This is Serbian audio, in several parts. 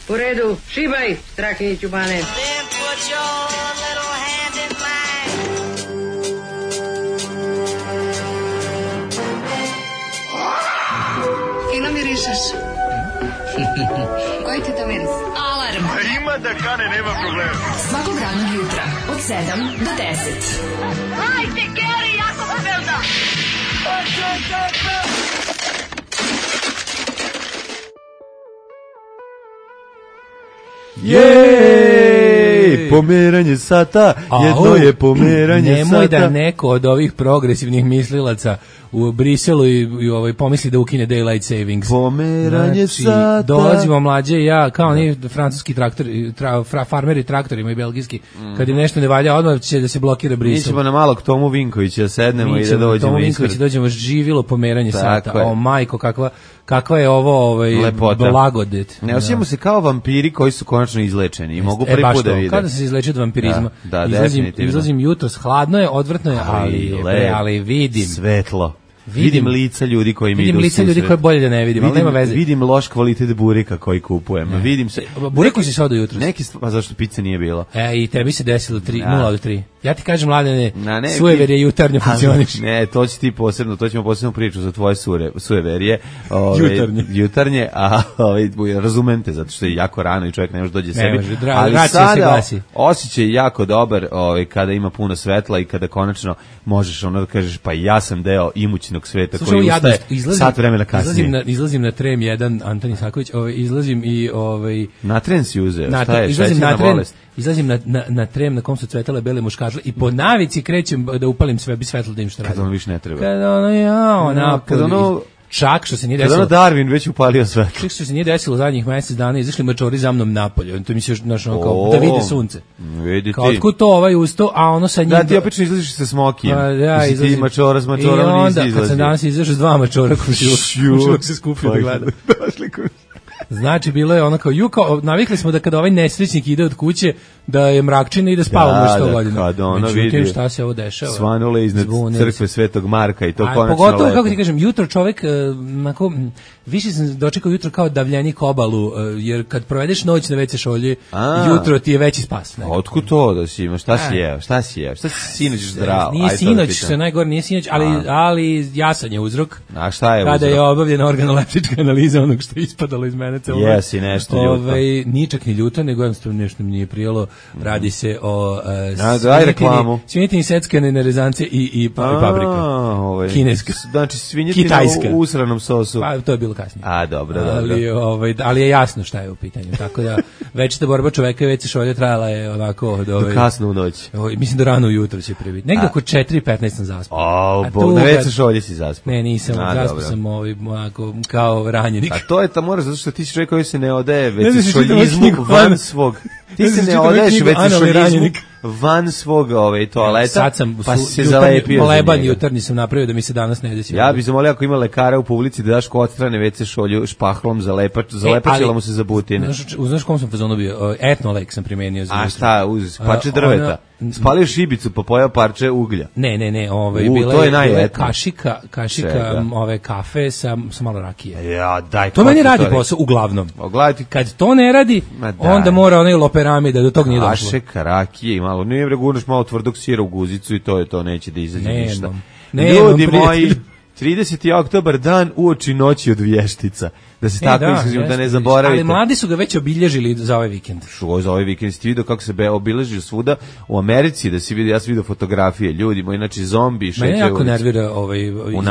U redu, šibaj, Strahinjiću Bane. Fino mirišeš. Koji ti to miris? Alarm. A ima da kane, nema problema. Svakog radnog jutra od 7 do 10. Hajde, Geri, jako se velda. Jej, pomeranje sata, jedno je pomeranje sata. Nemoj da neko od ovih progresivnih mislilaca u Briselu i pomisli da ukine daylight savings. Pomeranje sata. Dolazimo mlađe i ja, kao oni francuski traktori, farmeri traktorima i belgijski, kad im nešto ne valja, odmah će da se blokira Brisel. Mi ćemo na malog Tomu Vinkovića sednemo i da dođemo. Tomu Vinkovića dođemo, živilo pomeranje sata. O majko, kakva je ovo blagodet. Ne osjećamo se kao vampiri koji su konačno izlečeni i mogu prvi put da vide. Kada se izleče od vampirizma. Da, izlazim jutros, hladno je, odvrtno je, ali vidim. Svetlo. Vidim lica ljudi koji mi idu. Vidim lica ljudi koje bolje da ne vidim, ali nema veze. Vidim loš kvalitet bureka koji kupujem. Vidim se. Bureku si se odao jutros. Pa zašto pice nije bilo? I tebi se desilo 0 od 3. Ja ti kažem, Mladene, sujeverje jutarnje funkcioniš. Ne, to će ti posebno, to ćemo posebno priču za tvoje sujeverje. Jutarnje, a razumem te, zato što je jako rano i čovjek ne može dođe sebi. Ali sada osjećaj jako dobar kada ima puno svetla i kada konačno možeš ono da kažeš, pa ja sam deo imućnog sveta koji ustaje sat vremena kasnije. Izlazim na Trem 1, Antoni Saković, izlazim i... Na Tren si uzeo, šta je, šećerna bolest? Izlazim na Trem na kom su cvetale bele muškažle i po navici krećem da upalim sve, bi svetlo da im što radim. Kad ono više ne treba. Kad ono čak što se nije desilo. Kada Darwin već upalio svetlo. Čak što se nije desilo zadnjih mjesec dana, izašli mačori za mnom napolje. To mi se još kao da vide sunce. Vidi kao otkud to usto, a ono sa njim. Da, ti opično izlaziš sa smokijem. Ja izlazim. Ti mačora s mačorom nisi izlazio. I onda kad sam danas izašao s 2 mačora komšiluk se skupio da gleda. Znači, bilo je ono kao, navikli smo da kada ovaj nesrećnik ide od kuće, da je mrakčina i da spavamo što godina. Međutim, šta se ovo dešava? Svanule iznad crkve Svetog Marka i to konačno lepo. Pogotovo, kako ti kažem, jutro čovek, više sam dočekao jutro kao davljenik obalu, jer kad provedeš noć na WC šolji, jutro ti je veći spas. Otkud to da si ima? Šta si jeo? Šta si sinoć zdravo? Nije sinoć, što je najgore, nije sinoć, ali jasan je uzrok. A šta je uzrok? Kada je obavljena organoleptička analiza onog što je ispadalo iz mene. Jesi nešto ljuto. Nije čak ni ljuto, nego jednostavno nešto mi nije prijelo. Radi se o svinjetini seckane rezance i paprika. Kineska. Znači svinjetina u usranom sosu. Pa to je bilo kasnije. A, dobro. Ali je jasno šta je u pitanju. Tako da večita borba čoveka i već se šolje trajala je onako do kasno u noć. Mislim da rano ujutro će prebiti. Negdje oko 4:15 sam zaspao. Na već se šolje si zaspao. Ne, nisam. Zaspao sam kao ranjenik. A to je mora, zato što ti si čovjek koji se ne odaje već šoljizmu van svog. Ti se ne odaješ već šoljizmu van svog toaleta. Sad sam pa se zalepio leban jutarnji sam napravio da mi se danas ne desi. Ja bih zamolio ako ima lekara u publici da daš ko odstrane WC šolju špahlom zalepačila mu se za butine. Znaš kom sam fazonu bio? Etnolek sam primenio za. A šta, uz parče drveta. Spalio šibicu pa pojeo parče uglja. Ne, bila je kašika kafe sa malo rakije. Ja, daj. To meni radi posao uglavnom. Kad to ne radi, onda mora onaj loperami da do tog nije došlo. Kašika rakije i malo, ne gurneš malo tvrdog sira u guzicu i to je to, neće da izađe ništa. Ljudi moji, 30. oktobar, dan uoči noći od vještica. Da se tako iskazimo, da ne zaboravite. Ali mladi su ga već obilježili za ovaj vikend. Za ovaj vikend ste vidio kako se obilježio svuda u Americi, da si vidio, ja sam vidio fotografije ljudi, moji znači zombi šećaju. Mene jako nervira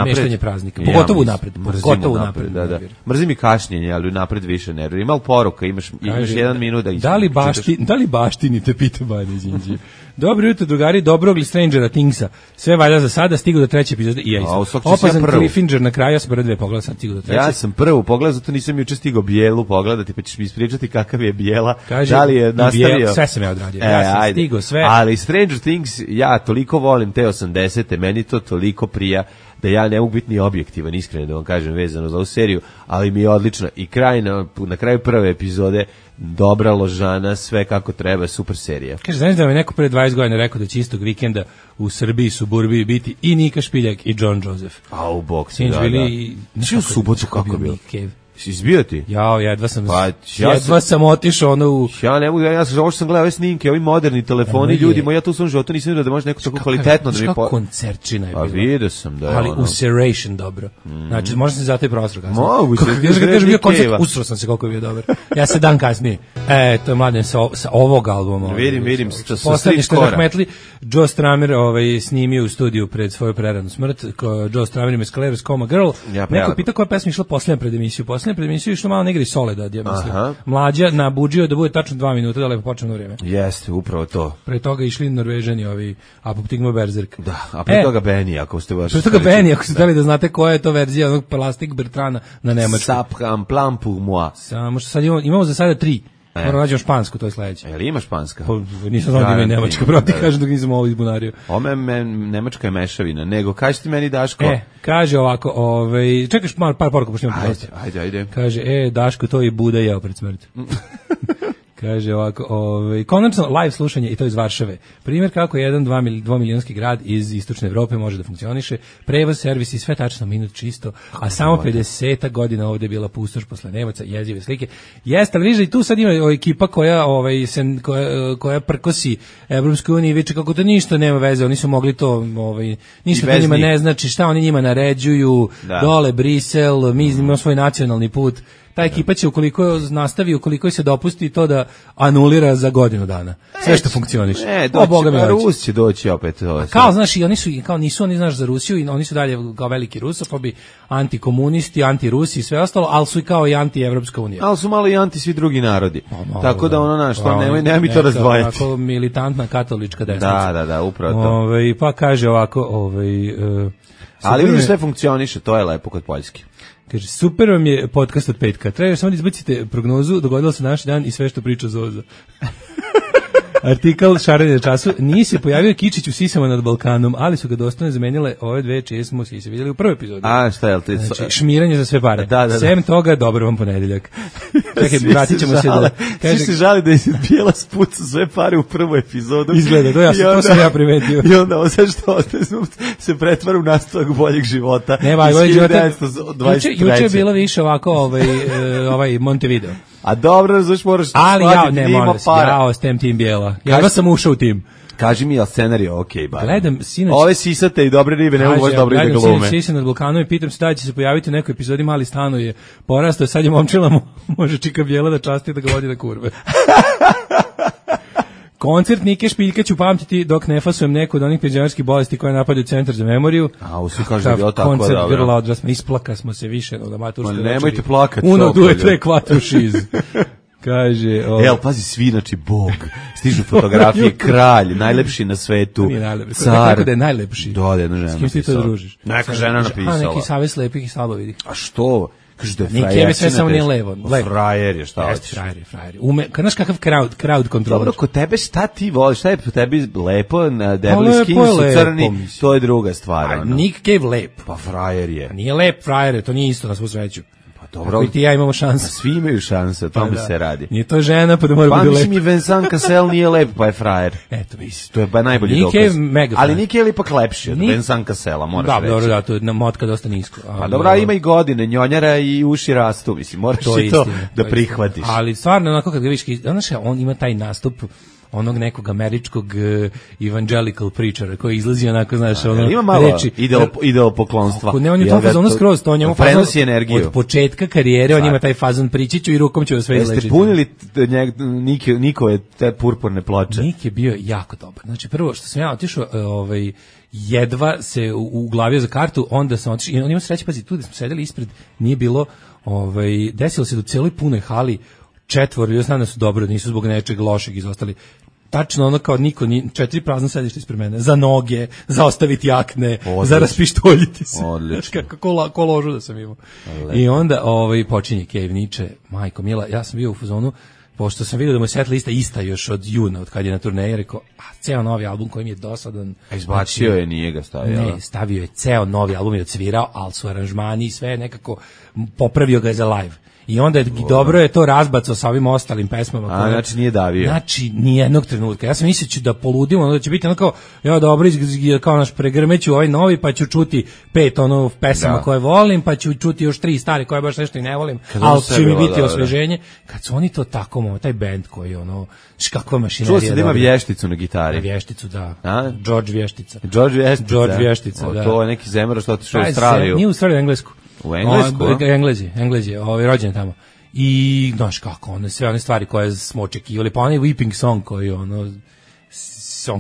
izmeštanje praznika, pogotovo unapred. Da. Mrzim i kašnjenje, ali unapred više nervira. Ima li poruka, imaš 1 minut da Da li baštinite, pita Banja Đinđi. Dobro jutro, drugari, dobrog li Strangera Thingsa. Sve valja za sada, stigu do 3. epizode i ja izam. Opazan Cliffinger na kraju, ja sam prve 2 pogledao, sad stigu do 3. Ja sam prvu pogledao, zato nisam juče stigao Bijelu pogledati, pa ćeš mi ispričati kakav je Bijela. Kaže, da li je nastavio? Sve sam ja odradio, ja sam stigao sve. Ali Stranger Things, ja toliko volim te 80-te, meni to toliko prija, da ja ne mogu biti ni objektivan, iskreno da vam kažem, vezano za ovu seriju, ali mi je odlično. I na kraju prve epizode, dobra ložana, sve kako treba, super serija. Kaže, znaš da mi neko pre 20 godina rekao da će istog vikenda u Srbiji, suburbiji biti i Nika Špiljak i John Joseph. A u boksu, da. Znači u subotu kako je bilo? Izbio ti? Jedva sam otišao u... Ja ne mogu, ja sam gledao ove snimke, ovi moderni telefoni, ljudi, ja tu u svom životu nisam vidio da može neko tako kvalitetno da mi... Kako koncerčina je bila. Pa vidio sam da je ali u Serration dobro. Znači, možda se zato i prostor kasnije. Mogu se. Znaš kad kažem bio koncert, usro sam se koliko je bio dobar. Ja se dan kasnije. To je Mladen sa ovog albuma. Vidim. Poslednje što je Rahmetli, Joe Stramer snimio u studiju pred svoju preranu smrt. Joe Stramer ima Sclerosis Coma Girl. Neko pita koja pesma išla posljednja pred emisiju. Posljednja pred emisiju išla malo negri Soledad, ja mislim. Mlađa nabuđio da bude tačno 2 minuta, da lepo počne vrijeme. Jeste, upravo to. Pre toga išli Norvežani, ovi Apoptigma Berserk. Da, a pre toga Benny, ako ste baš... Pre toga Benny, ako ste htjeli da znate koja je to verzija onog Plastik Bertrana na nemačku. Sapram plan pour moi. Samo što sad imamo za sada 3. Moramo nađemo špansku, to je sledeće. Jel ima španska? Nisam znao da ima i nemačka, pravo ti kažem dok nisam ovo izbunario. Nemačka je mešavina, nego kaži ti meni, Daško. Kaže ovako, čekaš par poruka, pošto imam prosto. Ajde. Kaže, Daško, to i Buda jeo pred smrt. Kaže ovako, konačno live slušanje i to iz Varšave. Primjer kako jedan 2 milionski grad iz istočne Evrope može da funkcioniše. Prevoz, servis i sve tačno minut čisto, a samo 50 godina ovdje je bila pustoš posle Nemaca, jezive slike. Jeste, ali vidiš i tu sad ima ekipa koja prkosi Evropskoj uniji, viče kako to ništa nema veze, oni su mogli to, ništa to njima ne znači, šta oni njima naređuju, dole Brisel, mi imamo svoj nacionalni put. Ta ekipa će ukoliko nastavi, ukoliko se dopusti to da anulira za godinu dana. Sve što funkcioniše. Rus će doći opet. Kao, znaš, i nisu oni, znaš, za Rusiju, i oni su dalje kao veliki rusofobi, antikomunisti, antirusi i sve ostalo, ali su i kao i anti-Evropska unija. Ali su malo i anti svi drugi narodi. Tako da nemoj mi to razdvajati. Tako militantna katolička desnica. Da, upravo to. Pa kaže ovako, ali vidiš sve funkcioniše, to je lepo kod Poljske. Kaže, super vam je podcast od petka. Treba samo da izbacite prognozu, dogodilo se naš dan i sve što priča Zoza. Artikal Šaranje na času. Nije se pojavio Kičić u sisama nad Balkanom, ali su ga dostojno zamenile ove dve čije smo sise vidjeli u prvoj epizodi. A, šta je li ti? Znači, šmiranje za sve pare. Da. Sem toga, dobro vam ponedeljak. Čekaj, vratit ćemo se da... Svi se žali da je Bijela spuca sve pare u prvoj epizodu. Izgleda, to sam ja primetio. I onda, zašto se pretvara u nastavak boljeg života. Juče je bilo više ovako Montevideo. A dobro, razumiješ, moraš ali ja s tem tim Bijela. Ja sam ušao u tim. Kaži mi, je li scenarij okej, bar? Gledam, sinoć... Ove sisate i dobre ribe, ne mogu baš dobro da glume. Gledam sisate nad Balkanom i pitam se da će se pojaviti u nekoj epizodi, mali stano je porastao, sad je momčila, može čika Bijela da časti da ga vodi na kurve. Koncert Nike Špiljka ću pamtiti dok ne fasujem neku od onih penzionerskih bolesti koje napadaju Centar za memoriju. A, svi kažu da je bilo tako dobro. Koncert grla odrasma, isplaka smo se više od amaturske večeri. Nemojte plakati. Uno, due, tre, quattro, šiz. Kaže... pazi, svi, znači, Bog. Stižu fotografije, kralj, najlepši na svetu, car. Tako da je najlepši. Da, jedna žena. S kim ti to družiš? Neka žena napisala. A, neki savez lepih i slabovidih. A što? Kaže da je frajer. Neke sve samo nije levo. Frajer je, šta hoćeš? Frajer. Znaš kakav crowd control. Dobro, kod tebe šta ti voliš? Šta je po tebi lepo? Debeli skin su crni, to je druga stvar. Nick Cave lep. Pa frajer je. Nije lep frajer, to nije isto na svu sreću. Dobro. Ako i ti ja imamo šanse. Svi imaju šanse, o tome se radi. Nije to žena, pa da mora biti lep. Pa mislim i Vincent Cassel nije lep, pa je frajer. Eto, mislim. To je pa najbolji dokaz. Ali Nike je ipak lepši od Vincent Cassela, moraš reći. Dobro, da, to je motka dosta nisko. Pa dobro, ima i godine, njonjara i uši rastu, mislim, moraš i to da prihvatiš. Ali stvarno, onako kad ga vidiš, on ima taj nastup onog nekog američkog evangelical preachera koji izlazi onako, znaš, ima malo reči ideal poklonstva. Ne, on je to fazon skroz, to njemu prenosi energiju. Od početka karijere on ima taj fazon pričiću i rukom će sve izlečiti. Jeste punili Nikove te purpurne ploče? Nik je bio jako dobar. Znači prvo što sam ja otišao, jedva se uglavio za kartu, onda sam otišao i on ima sreće, pazi, tu gde smo sedeli ispred nije bilo, desilo se da u celoj punoj hali četvoro, ja znam da su dobro, nisu zbog nečeg lošeg izostali. Tačno ono kao niko, 4 prazna sedišta ispred mene, za noge, za ostaviti jakne, za raspištoljiti se. Odlično. Kako ložu da sam imao. I onda počinje Cave Niče, majko mila, ja sam bio u fazonu, pošto sam vidio da mu je set lista ista još od juna, od kad je na turneji, rekao, ceo novi album koji mi je dosadan. A izbacio je, nije ga stavio? Ne, stavio je ceo novi album i odsvirao, ali su aranžmani i sve nekako popravio ga za live. I onda dobro je to razbacao sa ovim ostalim pesmama. Znači nije davio. Znači nijednog trenutka. Ja sam mislio da poludimo, da će biti onako, ja dobro, kao naš pregrmeću ovaj novi, pa ću čuti 5 pesama koje volim, pa ću čuti još 3 stare koje baš nešto i ne volim, ali će mi biti osveženje. Kad su oni to tako, taj bend koji kakva mašinerija. Čuo sam da ima Vješticu na gitari. Vješticu, da. George Vještica. George Vještica, da. To je neki zemlja što otišao u Australiju. Nije u Australiju, Englesku. U Englesku? Englez je, rođen tamo. I, znaš kako, sve one stvari koje smo očekivali, pa onaj Weeping Song koji on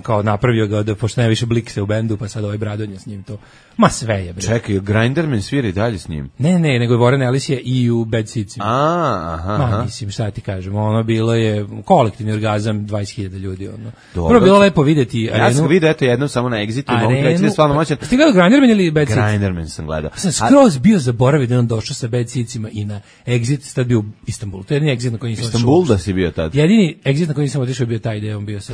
kao napravio ga da pošto nema više Blikse u bendu, pa sad ovaj Bradonja s njim to. Ma sve je, bre. Čekaj, Grinderman svira i dalje s njim? Ne, nego je Warren Ellis je i u Bad Seedsima. Aha. Mislim, šta ti kažem, bilo je kolektivni orgazam 20.000 ljudi, Prvo bilo lepo videti arenu. Ja sam vidio, eto, jednom samo na Exitu, mogu reći da je stvarno moćan. Ste gledao Grinderman ili Bad Seeds? Grinderman sam gledao. Sam skroz bio zaboravio da on došao sa Bad Seedsima i na Exit, tad bio u Istanbulu. To je jedini Exit na koji nisam otišao. Istanbul da si bio tad? Jedini Exit na koji nisam otišao bio taj gde on bio sa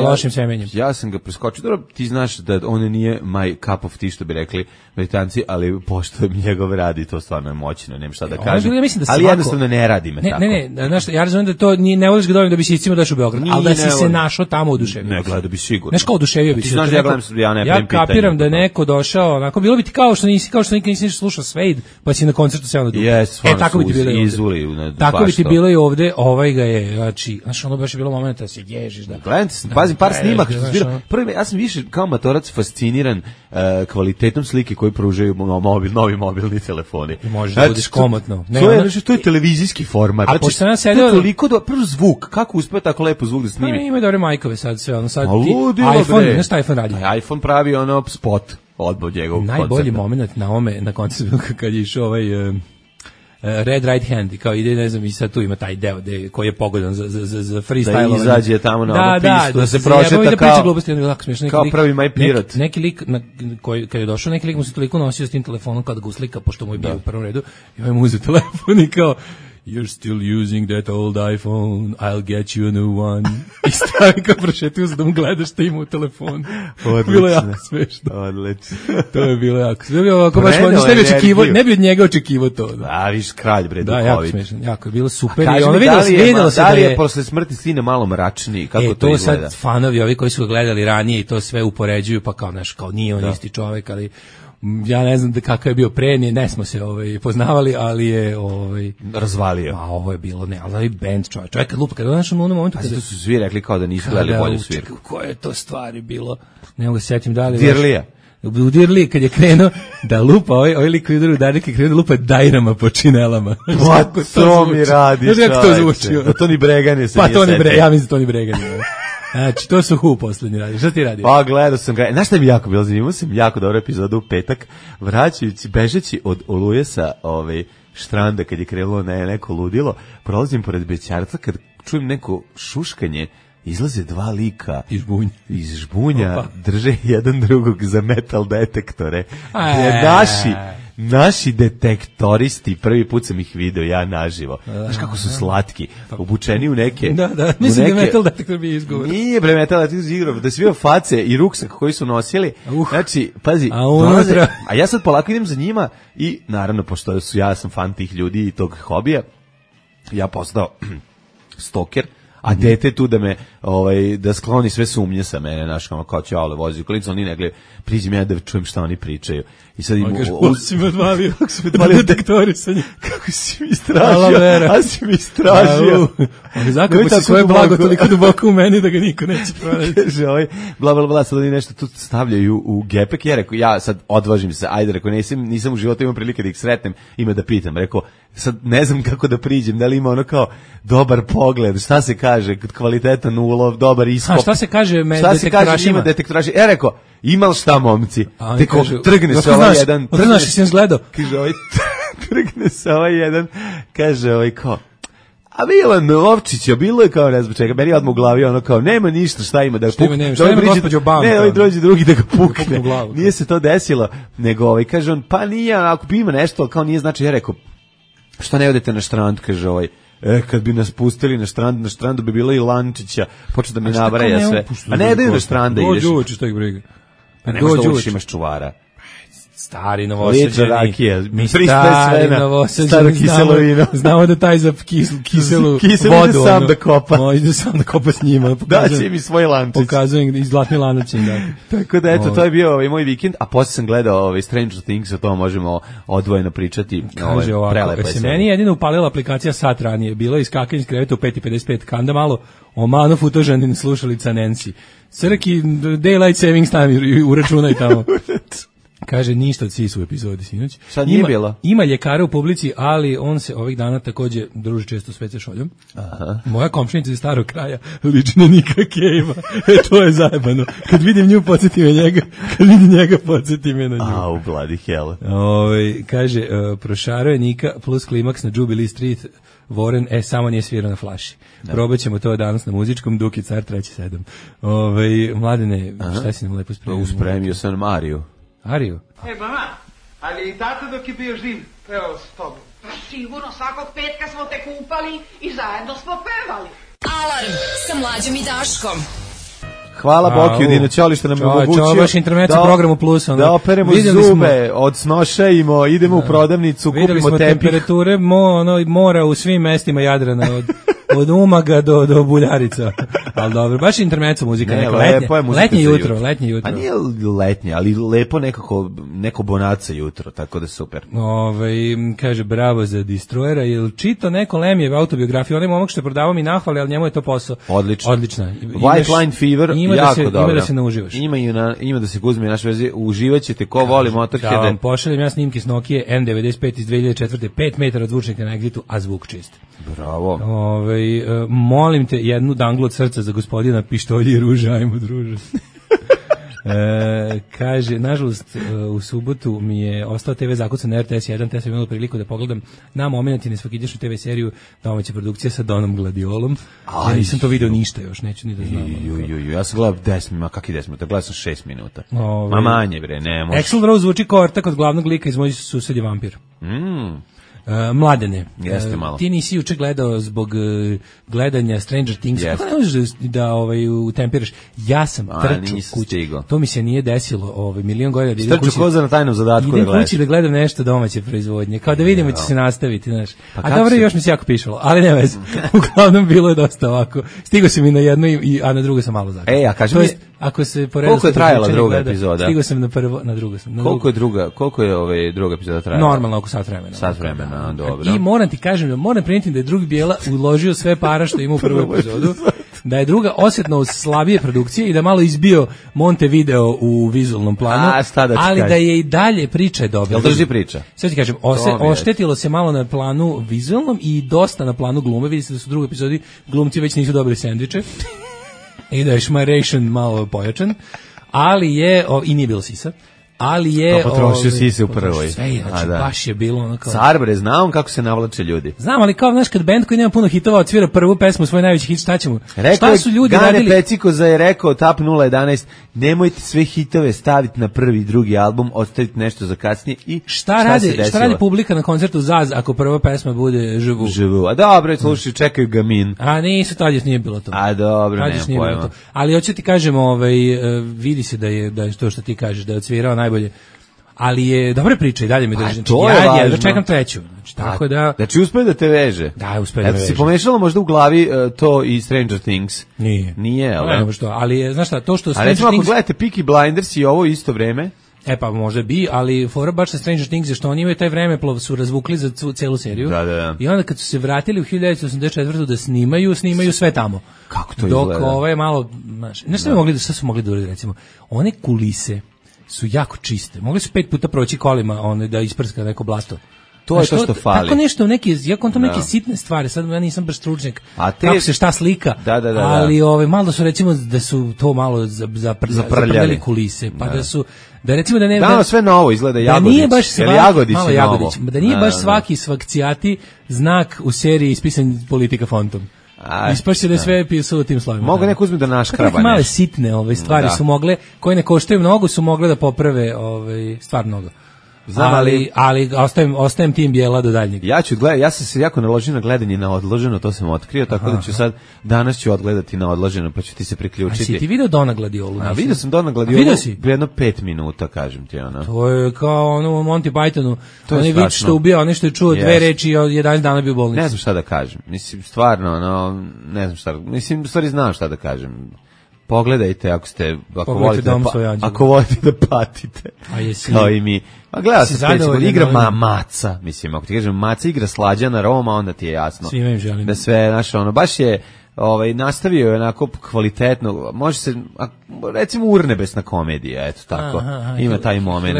lošim semenjem. Ja sam ga preskočio. Dobro, ti znaš da on nije my cup of tea, što bi rekli Britanci, ali pošto njegov radi, to stvarno je moćno, nema šta da kažem. Ali jednostavno ne radi me tako. Ne, znaš, ja razumijem da to ne voliš ga dovoljno da bi si iscimo došao u Beograd, ali da si se našao tamo oduševio. Ne, gledao bi sigurno. Znaš kao oduševio bi se. Ti znaš da ja gledam, ja ne pravim pitanje. Ja kapiram da neko došao, onako, bilo bi ti kao što nikad nisi slušao Suede, pa si na koncertu seo na dugo. Tako bi ti bilo i ovde. Tako bi ti bilo i ovde, ovaj ga je, znači, znaš, ono baš je bilo momenta da se ježiš, da. Gledam, pazim, par snimaka što zbira. Prvi, ja sam više kao matorac fasciniran kvalitetom slike koju pružaju novi mobilni telefoni. Može da budeš komotno. To je televizijski format. A pošto sam sedeo toliko prvo zvuk, kako uspeo tako lepo zvuk da snimi? Ima dobre majkove sad sve, sad iPhone, ne šta iPhone radi. iPhone pravi spot odbog njegovog koncepta. Najbolji moment na koncertu kad je išao ovaj Red Right Hand, i kao ide, ne znam, i sad tu ima taj deo koji je pogodan za freestyle. Da izađe tamo na onu pistu, da se prošeta kao prvi My Pirate. Neki lik, kad je došao, neki lik mu se toliko nosio s tim telefonom kad ga uslika, pošto mu je bio u prvom redu, i ovaj mu uzeo telefon i kao, you're still using that old iPhone, I'll get you a new one. I stavi kao prošetio za da mu gledaš šta ima u telefonu. Bilo je jako smešno. Odlično. To je bilo jako smešno. Ne bi od njega očekivao to. Da, viš kralj, bre, da, jako smešno. Jako je bilo super. A vidjelo se da je posle smrti sine malo mračniji. Kako to izgleda? To sad fanovi, ovi koji su ga gledali ranije i to sve upoređuju, pa kao nije on isti čovek, ali ja ne znam kakav je bio pre, ne smo se poznavali, ali je razvalio. A ovo je bilo ali band čovjek kad lupa, kad došao u onom momentu kada su svi rekli kao da nisu gledali bolju svirku. Koje je to stvari bilo? Ne mogu se setim da li Dirlija. U Dirliji kad je krenuo da lupa, ovaj lik koji udara udarnike krenuo da lupa dajrama po činelama. Pa to mi radi. Znaš kako to zvuči? To ni Bregani se nije setio. Ja mislim da to ni Bregani. Znači, to su Who poslednji radi. Šta ti radi? Pa, gledao sam ga. Znaš šta mi jako bilo zanimljivo? Sam jako dobro epizodu u petak, bežeći od oluje sa štranda kad je krenulo neko ludilo, prolazim pored bećarca, kad čujem neko šuškanje, izlaze dva lika iz žbunja drže jedan drugog za metal detektore. Naši detektoristi, prvi put sam ih video ja naživo. Znaš kako su slatki, obučeni u neke... Da, mislim da metal detektor bi izgovor. Nije bre metal detektor izgovor, da svi face i ruksak koji su nosili. Znači, pazi, a ja sad polako idem za njima i naravno, pošto ja sam fan tih ljudi i tog hobija, ja postao stoker, a dete tu da me da skloni sve sumnje sa mene, znaš, kao će vozi u kolicu, oni negle priđem ja da čujem šta oni pričaju. I sad im si me odvalio detektori sa njim. Kako si mi istražio? A si mi istražio. Oni zakapu si svoje blago toliko duboko u meni da ga niko neće pronaći. Kaže bla bla bla, sad oni nešto tu stavljaju u gepek. Ja rekao, ja sad odvažim se, ajde, rekao, nisam u životu imao prilike da ih sretnem, ima da pitam. Rekao, sad ne znam kako da priđem, da li ima ono kao dobar pogled, šta se kaže, kvalitetan ulov, dobar iskop. A šta se kaže detektorašima? Ja rekao, imal šta momci? Teko, trgne se ovaj jedan. Znaš, si sam gledao. Kaže, trgne se ovaj jedan, kaže, kao, a Milan Lovčića, bilo je kao ne znam čega, meni je odmah u glavi ono kao, nema ništa, šta ima da pukne. Ne, ovaj dođe drugi da ga pukne. Nije se to desilo, nego kaže on, pa nije, ako bi ima nešto, ali kao nije znači, ja rekao, što ne odete na štrand, kaže kad bi nas pustili na strandu bi bilo i Lančića, počeo da mi nabraja sve. A ne daju na štranda ideš. Dođu uči, šta ih briga. Pa nema što učiš, imaš čuvara. Stari novosađeni. Rakija. Mi stari novosađeni znamo da taj za kiselu vodu. Sam da kopa. Može sam da kopa s njima. Da će mi svoj lančić. Pokazujem i zlatni lanac. Tako da eto, to je bio moj vikend, a posle sam gledao Stranger Things, o tom možemo odvojeno pričati. Kaže ovako, se meni jedino upalila aplikacija sat ranije, bilo je iskakanje iz kreveta u 5:55, kanda malo omanu futožanin slušalica Nancy. Crki, daylight savings time, uračunaj tamo. Kaže, ništa od Sisu u epizodi sinoć. Sad nije bilo. Ima ljekara u publici, ali on se ovih dana takođe druži često s WC šoljom. Aha. Moja komšinica iz starog kraja liči na Nika Cave-a. To je zajebano. Kad vidim nju, podsjeti me njega. Kad vidim njega, podsjeti me na nju. Au, bloody hell. Kaže, prošarao je Nika plus klimaks na Jubilee Street. Warren, samo nije svirao na flaši. Probat ćemo to danas na muzičkom, Duki car 3-7. Mladene, šta si nam lepo spremio? Uspremio sam Mariju. Ariju? Mama, ali i tata dok je bio živ, pevao s tobom. Sigurno, svakog petka smo te kupali i zajedno smo pevali. Alarm sa Mlađom i Daškom. Hvala Bokiju Dino Ćoli što nam je omogućio. Čao, baš intermezzo programu Plus. Da operemo zube, odsnošajimo, idemo u prodavnicu, kupimo tepih. Videli smo temperature mora u svim mestima Jadrana, od Umaga do Buljarica. Ali dobro, baš intermezzo muzika, neka letnje jutro. A nije letnje, ali lepo neko bonaca jutro, tako da super. Kaže, bravo za Destroyera, jel čito neko Lemijeve autobiografije, onaj momak što je prodavao mi nahvali, ali njemu je to posao. Odlična. White Line Fever, jako dobro. Ima da se nauživaš. Ima da se uzme naš vezi, uživaćete ko voli Motorheade. Da vam pošaljem ja snimke s Nokia N95 iz 2004. 5 metara od zvučnika na Exitu, a zvuk čist. Bravo. Molim te jednu danglu od srca za gospodina Pištolji i Ruže, ajmo druže. Kaže, nažalost, u subotu mi je ostao TV zakucan na RTS 1, te sam imala priliku da pogledam na moment i nesvakidašnju TV seriju domaća produkcija sa Donom Gladiolom. Ja nisam to video ništa još, neću ni da znam. Ja sam gledao 10 minuta, kakvi 10 minuta, gledao sam 6 minuta. Ma manje bre, ne može. Axl Rose zvuči kao ortak od glavnog lika iz Moj sused je vampir. Mladene, ti nisi juče gledao zbog gledanja Stranger Things, kako ne možeš da utempiraš? Ja sam trčao kući, to mi se nije desilo milion godina. Trčao koza na tajnom zadatku da gledaš. Idem kući da gledam nešto domaće proizvodnje, kao da vidimo će se nastaviti, znaš. A dobro, još mi se jako pišalo, ali ne veze. Uglavnom bilo je dosta ovako. Stigo sam i na jedno, a na drugo sam malo zakasnio. A kaži mi, ako se koliko je trajala druga epizoda? Stigo sam na drugo sam. Koliko je druga epizoda trajala? Normalno oko sat vremena. Dobro. I moram ti kažem, moram prenijeti da je drugi Bijela uložio sve para što ima u prvu epizodu, da je druga osjetno slabije produkcije i da malo izbio Montevideo u vizualnom planu, ali da je i dalje priča dobra. Jel drži priča? Sve ti kažem, oštetilo se malo na planu vizualnom i dosta na planu glume, vidite da su u drugoj epizodi glumci već nisu dobili sendviče i da je šmaration malo pojačan, ali je, i nije bilo sisa, ali je potrošio si se u prvoj. Sve, znači baš je bilo ono kao car bre, znam kako se navlače ljudi. Znam, ali kao znaš kad bend koji nema puno hitova odsvira prvu pesmu, svoj najveći hit, šta ćemo? Šta su ljudi Gane radili? Pecikoza je rekao Tap 011, nemojte sve hitove staviti na prvi i drugi album, ostavite nešto za kasnije i šta radi publika na koncertu Zaz ako prva pesma bude Živu? A dobro, slušaj, čekaju Gamin. A nisu, tad još nije bilo to. A dobro, nema pojma. Ali hoću ti kažem, vidi se da je to što ti kažeš, da je odsvirao najbolje. Ali je dobra priča i dalje mi drži. Ja čekam treću. Znači, tako da... Znači, uspe da te veže. Da, uspe da veže. Si pomešala možda u glavi to i Stranger Things? Nije, ali je, znaš šta, to što Stranger Things... A recimo, ako gledate Peaky Blinders i ovo isto vreme... Pa možda bi, ali fora baš sa Stranger Things je što oni imaju taj vremeplov su razvukli za celu seriju. Da. I onda kad su se vratili u 1984. da snimaju sve tamo. Kako to izgleda? Dok ovo je malo, znaš, šta su mogli da uradi, recimo, one kulise su jako čiste. Mogli su 5 puta proći kolima da isprska neko blato. To je to što fali. Tako nešto, ja kontam neke sitne stvari, sad ja nisam baš stručnjak kako se šta slika, ali malo su recimo da su to malo zaprljali kulise, pa da recimo da ne... Da, sve novo izgleda Jagodić. Da nije baš svaki svakcijati znak u seriji ispisan politika fontom. Ispašće da je sve pisalo tim slovima. Mogu neko uzmi da naškraba nešto. Male sitne stvari su mogle, koje ne koštaju mnogo, su mogle da poprave stvar mnogo. Znam, ali ostajem tim bijela do daljnjeg. Ja sam se jako naložio na gledanje na odloženo, to sam otkrio, tako da ću danas ću odgledati na odloženo, pa ću ti se priključiti. A si ti video Dona Gladiolu? Vidio sam Dona Gladiolu, jedno 5 minuta, kažem ti, ono. To je kao ono u Monty Pythonu, onaj vič što ubija, onaj što je čuo 2 reči i 11 dana bio u bolnici. Ne znam šta da kažem, mislim, stvarno, ono, ne znam šta, mislim, u stvari znam šta da kažem. Pogledajte ako volite da patite. Kao i mi. A gledao sam igra Maca, mislim, ako ti kažem Maca igra Slađana Roma, onda ti je jasno. Svima im želim. Da sve, znaš, ono, baš je nastavio je onako kvalitetno, može se, recimo urnebesna komedija, eto tako, ima taj moment.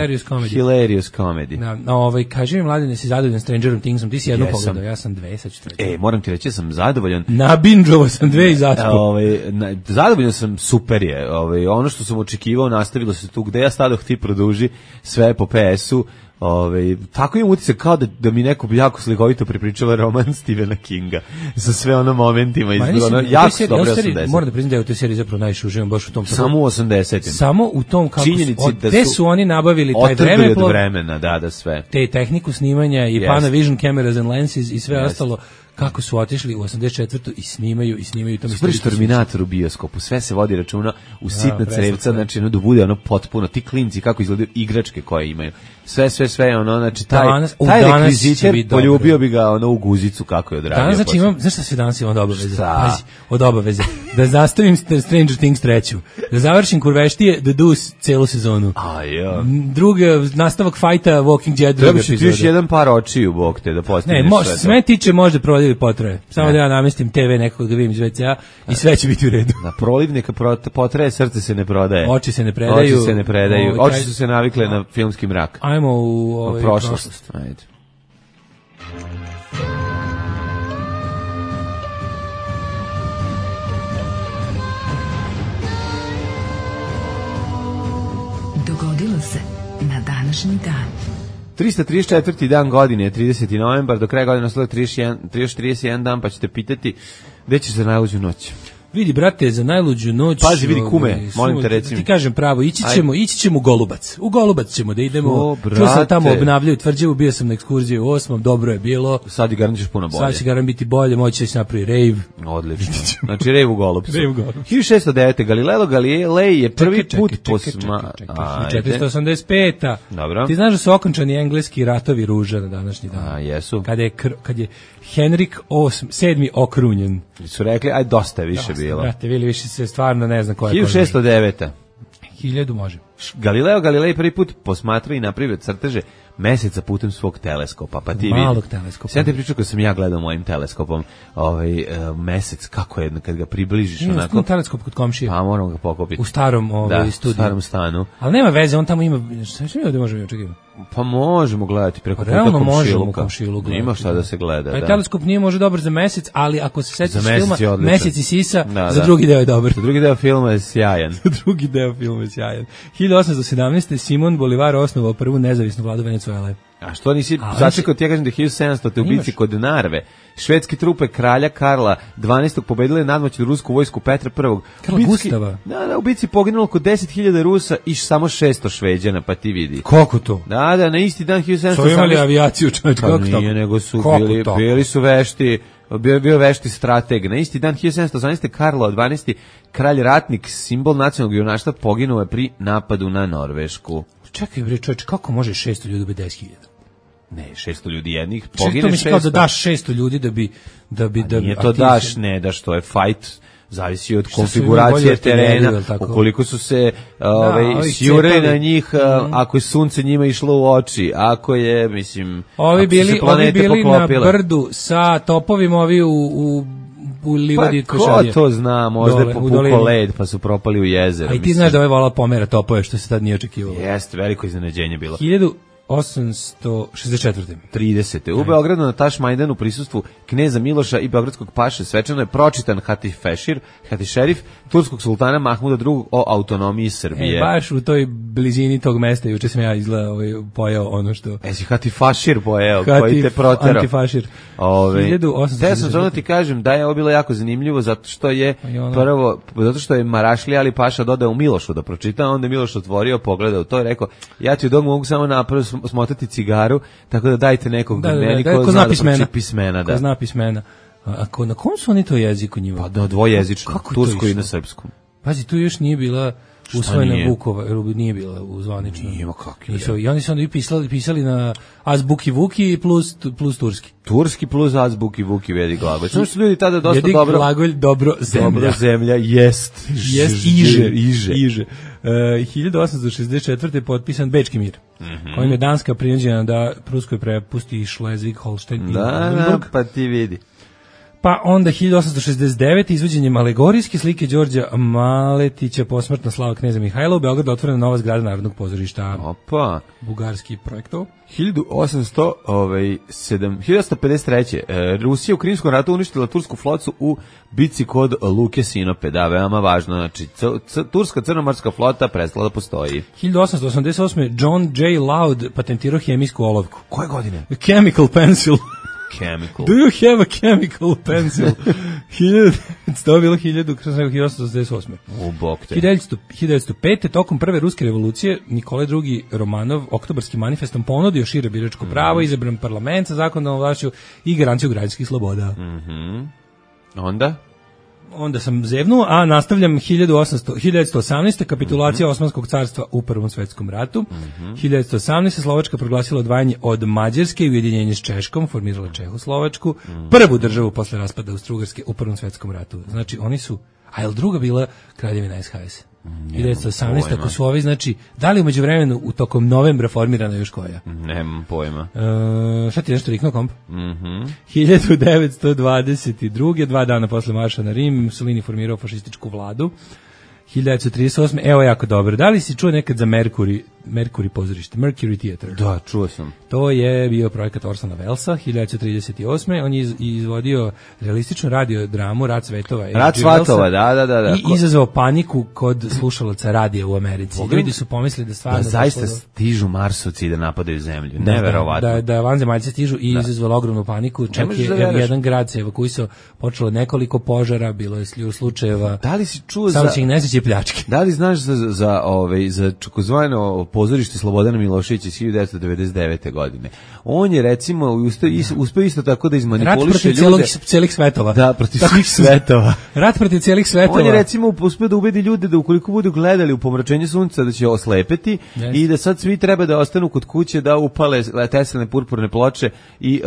Hilarious comedy. Kaži mi, Mladene, si zadovoljan Stranger Thingsom, ti si jednu pogledao, ja sam 2, sad ću treći. Moram ti reći, sam zadovoljan. Nabinđovo sam 2 i zaspo. Zadovoljan sam, super je, ono što sam očekivao, nastavilo se tu, gde ja stadoh ti produži sve po PS-u. Tako imam utisak kao da mi neko jako slikovito pripričava roman Stephena Kinga sa sve ono momentima jako su dobre 80. Moram da priznam da je u toj seriji zapravo najviše uživam baš u tom. Samo u 80. Samo u tom kako gde su oni nabavili taj vremeplov, vremena, da sve. Te tehniku snimanja i Panavision cameras and lenses i sve ostalo. Kako su otišli u 84. i snimaju to mi se Terminator u bioskopu, sve se vodi računa u sitna crevca, znači da bude ono potpuno, ti klinci kako izgledaju igračke koje imaju. Sve ono, znači taj rekviziter poljubio bi ga ono u guzicu kako je odradio. Danas znači imam, znaš šta se danas imam od obaveze? Pazi, od obaveze. Da nastavim Stranger Things 3. Da završim Kurveštije, The Deuce celu sezonu. Druga, nastavak fajta Walking Dead druga epizoda. Treba ti jedan par očiju, bog te, da postigneš sve to. Sve tiče možda prolivni potraje. Samo da ja namestim TV nekog da vidim iz WC-a i sve će biti u redu. Na prolivnika potraje, srce se ne prodaje. Oči se ne predaju. Oči su se navikle na filmski mrak. Ajmo u prošlost. Ajde. Dogodilo se na današnji dan. 334. dan godine, 30. novembar, do kraja godine ostalo 31 dan, pa ćete pitati gde će se najluđu noć. Vidi, brate, za najluđu noć... Pazi, vidi kume, molim te recimo. Ti kažem pravo, ići ćemo u Golubac. U Golubac ćemo da idemo. Tu sam tamo obnavljaju tvrđevu, bio sam na ekskurziji u 8. dobro je bilo. Sad i garan ćeš puno bolje. Sad će garan biti bolje, moći će se napravi rejv. Odlično. Znači rejv u Golubcu. 1609. Galileo Galilei je prvi put posma... 485. Dobro. Ti znaš da su okončani engleski ratovi ruža na današnji dan. Jesu. Kad je Henrik VII okrunjen. Su rekli, aj dosta je više bilo. Brate, Vili, više se stvarno ne znam koja je. 1609. 1000 može. Galileo Galilei prvi put posmatrao i napravio crteže meseca putem svog teleskopa, pa ti malog teleskopa. Sad te pričao kad sam ja gledao mojim teleskopom mesec, kako je kad ga približiš onako. Teleskop kod komšije. Pa moramo ga pokopiti. U starom studiju. U starom stanu. Ali nema veze, on tamo ima, šta mi ovdje možemo očekivati? Pa možemo gledati preko puta komšiluka. Možemo komšiluka. Ima šta da se gleda. Taj teleskop nije može dobar za mesec, ali ako se setiš filma Mesec i sisa, za drugi deo je dobar. Za drugi deo filma je sjajan. 1817. Simon Bolivar osnovao prvu nezavisnu vladu Venecuele. A što nisi začekao, ti ja kažem da 1700. te ubici kod Narve. Švedske trupe kralja Karla 12. pobedile nadmoćnu rusku vojsku Petra I. Karla Gustava? Da, ubici poginulo oko 10.000 Rusa i samo 600 Šveđana, pa ti vidi. Kako to? Da, na isti dan 1718. So imali avijaciju, čovječ, kako to? Nije, nego su bili su vešti, bio vešti strateg. Na isti dan 1718. Karlo 12. kralj ratnik, simbol nacionalnog junaštva, poginuo je pri napadu na Norvešku. Čekaj, bre, čovječ, kako može 600 ljudi biti 10.000? Ne, 600 ljudi jednih, pogine 600. Mislim kao da daš 600 ljudi da bi nije to daš, ne daš, to je fight, zavisi od konfiguracije terena, ukoliko su se sjurili na njih, ako je sunce njima išlo u oči, ako je, mislim, ovi bili na brdu sa topovima, ovi u livadi. Pa ko to zna, možda je popukao led pa su propali u jezero. A i ti znaš da ovaj vola pomera topove, što se tad nije očekivalo. Jeste, veliko iznenađenje bilo. 1864. 30. U Beogradu na Tašmajdanu u prisustvu kneza Miloša i beogradskog paše svečano je pročitan Hatisherif turskog sultana Mahmuda II o autonomiji Srbije. Baš u toj blizini tog mesta juče sam ja pojeo ono što... Si Hatifašir pojeo, koji te proterao. Antifašir. 1864. Ja sam zovno ti kažem da je ovo bilo jako zanimljivo zato što je prvo, zato što je Marašli Ali Paša dodao Milošu da pročita, onda je Miloš otvorio, pogledao to i rekao, ja ti u dog mogu samo napraviti smotati cigaru, tako da dajte nekog meni ko zna pismena. Ko zna pismena. A na kom su oni to jeziku njima? Pa da, dvojezično, tursko i na srpskom. Pazi, tu još nije bila usvojena Vukova, nije bila u zvanično. Nije, kakvi. I oni su onda pisali na azbuki Vuki plus turski. Turski plus azbuki Vuki vedi glagolj. Samo što ljudi tada dosta dobro... Vedi glagolj dobro zemlja. Dobro zemlja, jest. Jest iže. 1864. je potpisan Bečki mir, kojim je Danska prinuđena da Pruskoj prepusti Schleswig-Holstein i Oldenburg. Da, pa ti vidi. Pa onda 1869. izvođenjem alegorijske slike Đorđa Maletića posmrtna slava kneza Mihajla u Beogradu otvorena nova zgrada Narodnog pozorišta. Opa. Bugarski projektov. 1853. Rusija u Krimskom ratu uništila tursku flotu u bici kod Luke Sinope. Da, veoma važno. Znači, turska crnomorska flota prestala da postoji. 1888. John J. Loud patentirao hemijsku olovku. Koje godine? Chemical pencil. Chemical. Do you have a chemical pencil? 1888. U bok te. 1905. tokom prve ruske revolucije Nikolaj II. Romanov oktobarskim manifestom ponudio šire biračko pravo, izabran parlament sa zakonodavnom vlašću i garanciju građanskih sloboda. Onda sam zevnuo, a nastavljam 1918. kapitulacija Osmanskog carstva u Prvom svetskom ratu. 1918. Slovačka proglasila odvajanje od Mađarske i ujedinjenje s Češkom, formirala Čehoslovačku, prvu državu posle raspada Austro-Ugarske u Prvom svetskom ratu. Znači, oni su, a je li druga bila kraljevina SHS? 1918. ako su ovi, znači, da li umeđu vremenu u tokom novembra formirana još koja? Nemam pojma. Šta ti nešto riknuo komp? 1922. 2 dana posle marša na Rim, Mussolini formirao fašističku vladu. 1938. Evo jako dobro. Da li si čuo nekad za Mercury pozorište? Mercury Theater. Da, čuo sam. To je bio projekat Orsona Wellesa, 1938. On je izvodio realističnu radiodramu Rat svetova. Rat svetova, da. I izazvao paniku kod slušalaca radija u Americi. Ljudi su pomislili da stvarno... Da zaista stižu Marsovci da napadaju zemlju. Neverovatno. Da vanzemaljci stižu i izazvalo ogromnu paniku. Čak je jedan grad se evakuisao, počelo nekoliko požara, bilo je slučajeva. Da li si čuo za pljačke. Da li znaš za takozvano pozorište Slobodana Miloševića iz 1999. godine? On je recimo uspeo isto tako da izmanipuliše ljude. Rat protiv celih svetova. Da, protiv svih svetova. Rat protiv celih svetova. On je recimo uspeo da ubedi ljude da ukoliko budu gledali u pomračenje sunca da će oslepeti i da sad svi treba da ostanu kod kuće da upale teslene purpurne ploče i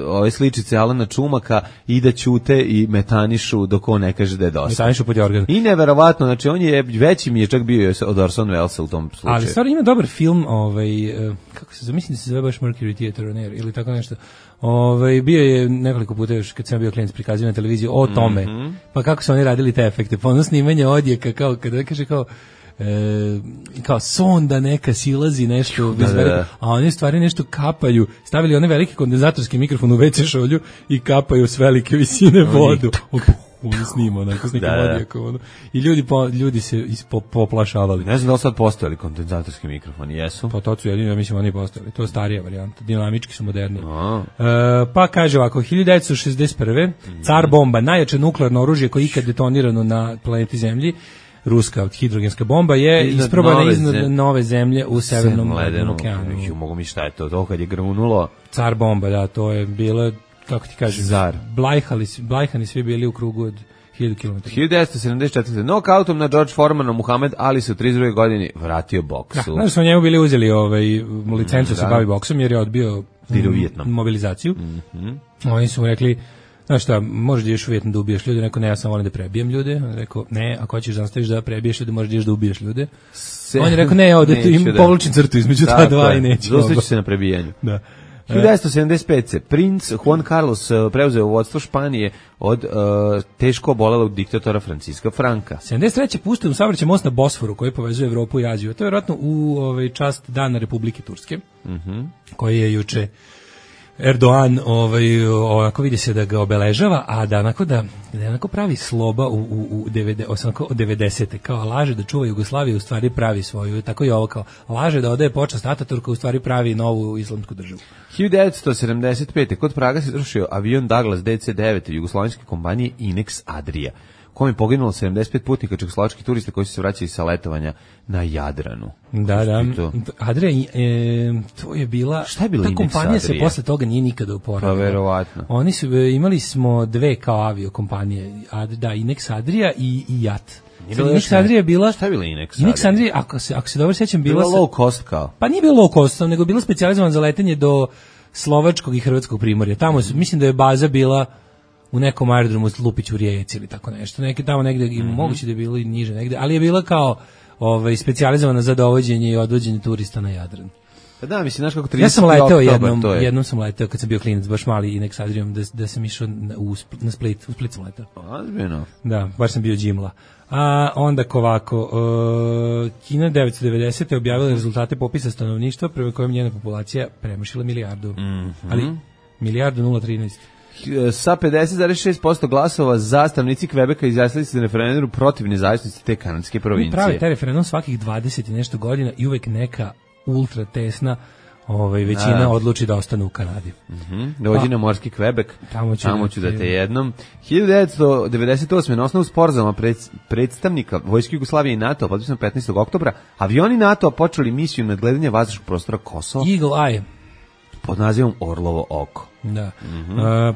ove sličice Alana Čumaka i da ćute i metanišu dok on ne kaže da je dosta. Metanišu pod jorgan. I neverovatno, znači on je veći mi je čak bio od Orson Wellesa u tom slučaju. Ali stvarno ima dobar film, kako se zamislim da se zove baš Mercury Theater on Air ili tako nešto. Bio je nekoliko puta još kad sam bio klijent prikazivanja na televiziji o tome. Pa kako su oni radili te efekte? Pa ono snimanje odjeka kao kada kaže kao sonda neka silazi nešto a oni stvari nešto kapaju, stavili one velike kondenzatorski mikrofon u WC šolju i kapaju s velike visine vodu. On snima onako s nekim odjekom. I ljudi se poplašavali. Ne znam da li sad postojali kondenzatorski mikrofoni, jesu? Pa to su jedini, ja mislim, oni postojali. To je starija varijanta, dinamički su moderni. Pa kaže ovako, 1961. Car bomba, najjače nuklearno oružje koje je ikad detonirano na planeti Zemlji, ruska hidrogenska bomba je isprobana iznad nove zemlje u Severnom okeanu. Mogu mi šta je to kad je grunulo? Car bomba, da, to je bilo, kako ti kažem, Blajhani svi bili u krugu od 1000 km. 1974. Nokautom na George Foremanu Muhamed Ali se u 32. godini vratio boksu. Znači su njemu bili uzeli licencu se bavi boksom jer je odbio mobilizaciju. Oni su mu rekli, znaš šta, možeš da ideš u Vijetnam da ubiješ ljude, neko ne, ja sam volim da prebijem ljude. On je rekao, ne, ako hoćeš da nastaviš da prebiješ ljude, možeš da ideš da ubiješ ljude. On je rekao, ne, ovdje povlačim crtu između ta dva i neću. Zostaću se na prebijanju. Da. 1975. Princ Juan Carlos preuzeo vodstvo Španije od teško obolelog diktatora Franciska Franka. 73. pustio u saobraćaj most na Bosforu koji povezuje Evropu i Aziju. To je vjerojatno u čast Dana Republike Turske, koji je juče Erdoğan onako vidi se da ga obeležava, a da onako pravi sloba u 90. kao laže da čuva Jugoslaviju, u stvari pravi svoju, tako i ovo kao laže da odaje počast Ataturka, u stvari pravi novu islamsku državu. 1975. kod Praga se srušio avion Douglas DC-9 jugoslovenske kompanije Inex Adria, kom je poginulo 75 putnika čehoslovačkih turista koji su se vraćali sa letovanja na Jadranu. Da. Adria, to je bila... Šta je bila ta Inex kompanija Adria? Se posle toga nije nikada oporavila. Pa verovatno. Oni su, imali smo dve kao aviokompanije, Inex Adria i JAT. Inex Adria je bila... Šta je bila Inex Adria? Inex Adria, ako se dobro sjećam, bila low cost kao? Pa nije bilo low cost, nego bila specijalizovana za letenje do slovačkog i hrvatskog primorja. Tamo mislim da je baza bila u nekom aerodromu Lupić u Rijeci ili tako nešto. Tamo negde, moguće da je bilo i niže negde, ali je bila kao specijalizovana za dovođenje i odvođenje turista na Jadran. Pa da, mislim, znaš kako 30. Ja sam leteo jednom sam leteo kad sam bio klinac, baš mali Inex Adriom, da sam išao na Split, u Split sam leteo. Ozbiljno. Da, baš sam bio džimla. A onda ovako, Kina 1990. objavila rezultate popisa stanovništva prema kojem njena populacija premašila milijardu. Ali milijardu 0,13. Sa 50,6% glasova za stanovnici Kvebeka izjasnili se na referendumu protiv nezavisnosti te kanadske provincije. Pravi taj referendum svakih 20 i nešto godina i uvek neka ultra tesna većina odluči da ostane u Kanadi. Dođi na morski Kvebek, tamo ću da te jednom. 1998. na osnovu sporazuma predstavnika Vojske Jugoslavije i NATO, potpisano 15. oktobra, avioni NATO počeli misiju nadgledanja vazdušnog prostora Kosova. Eagle Eye. Pod nazivom Orlovo oko. Da.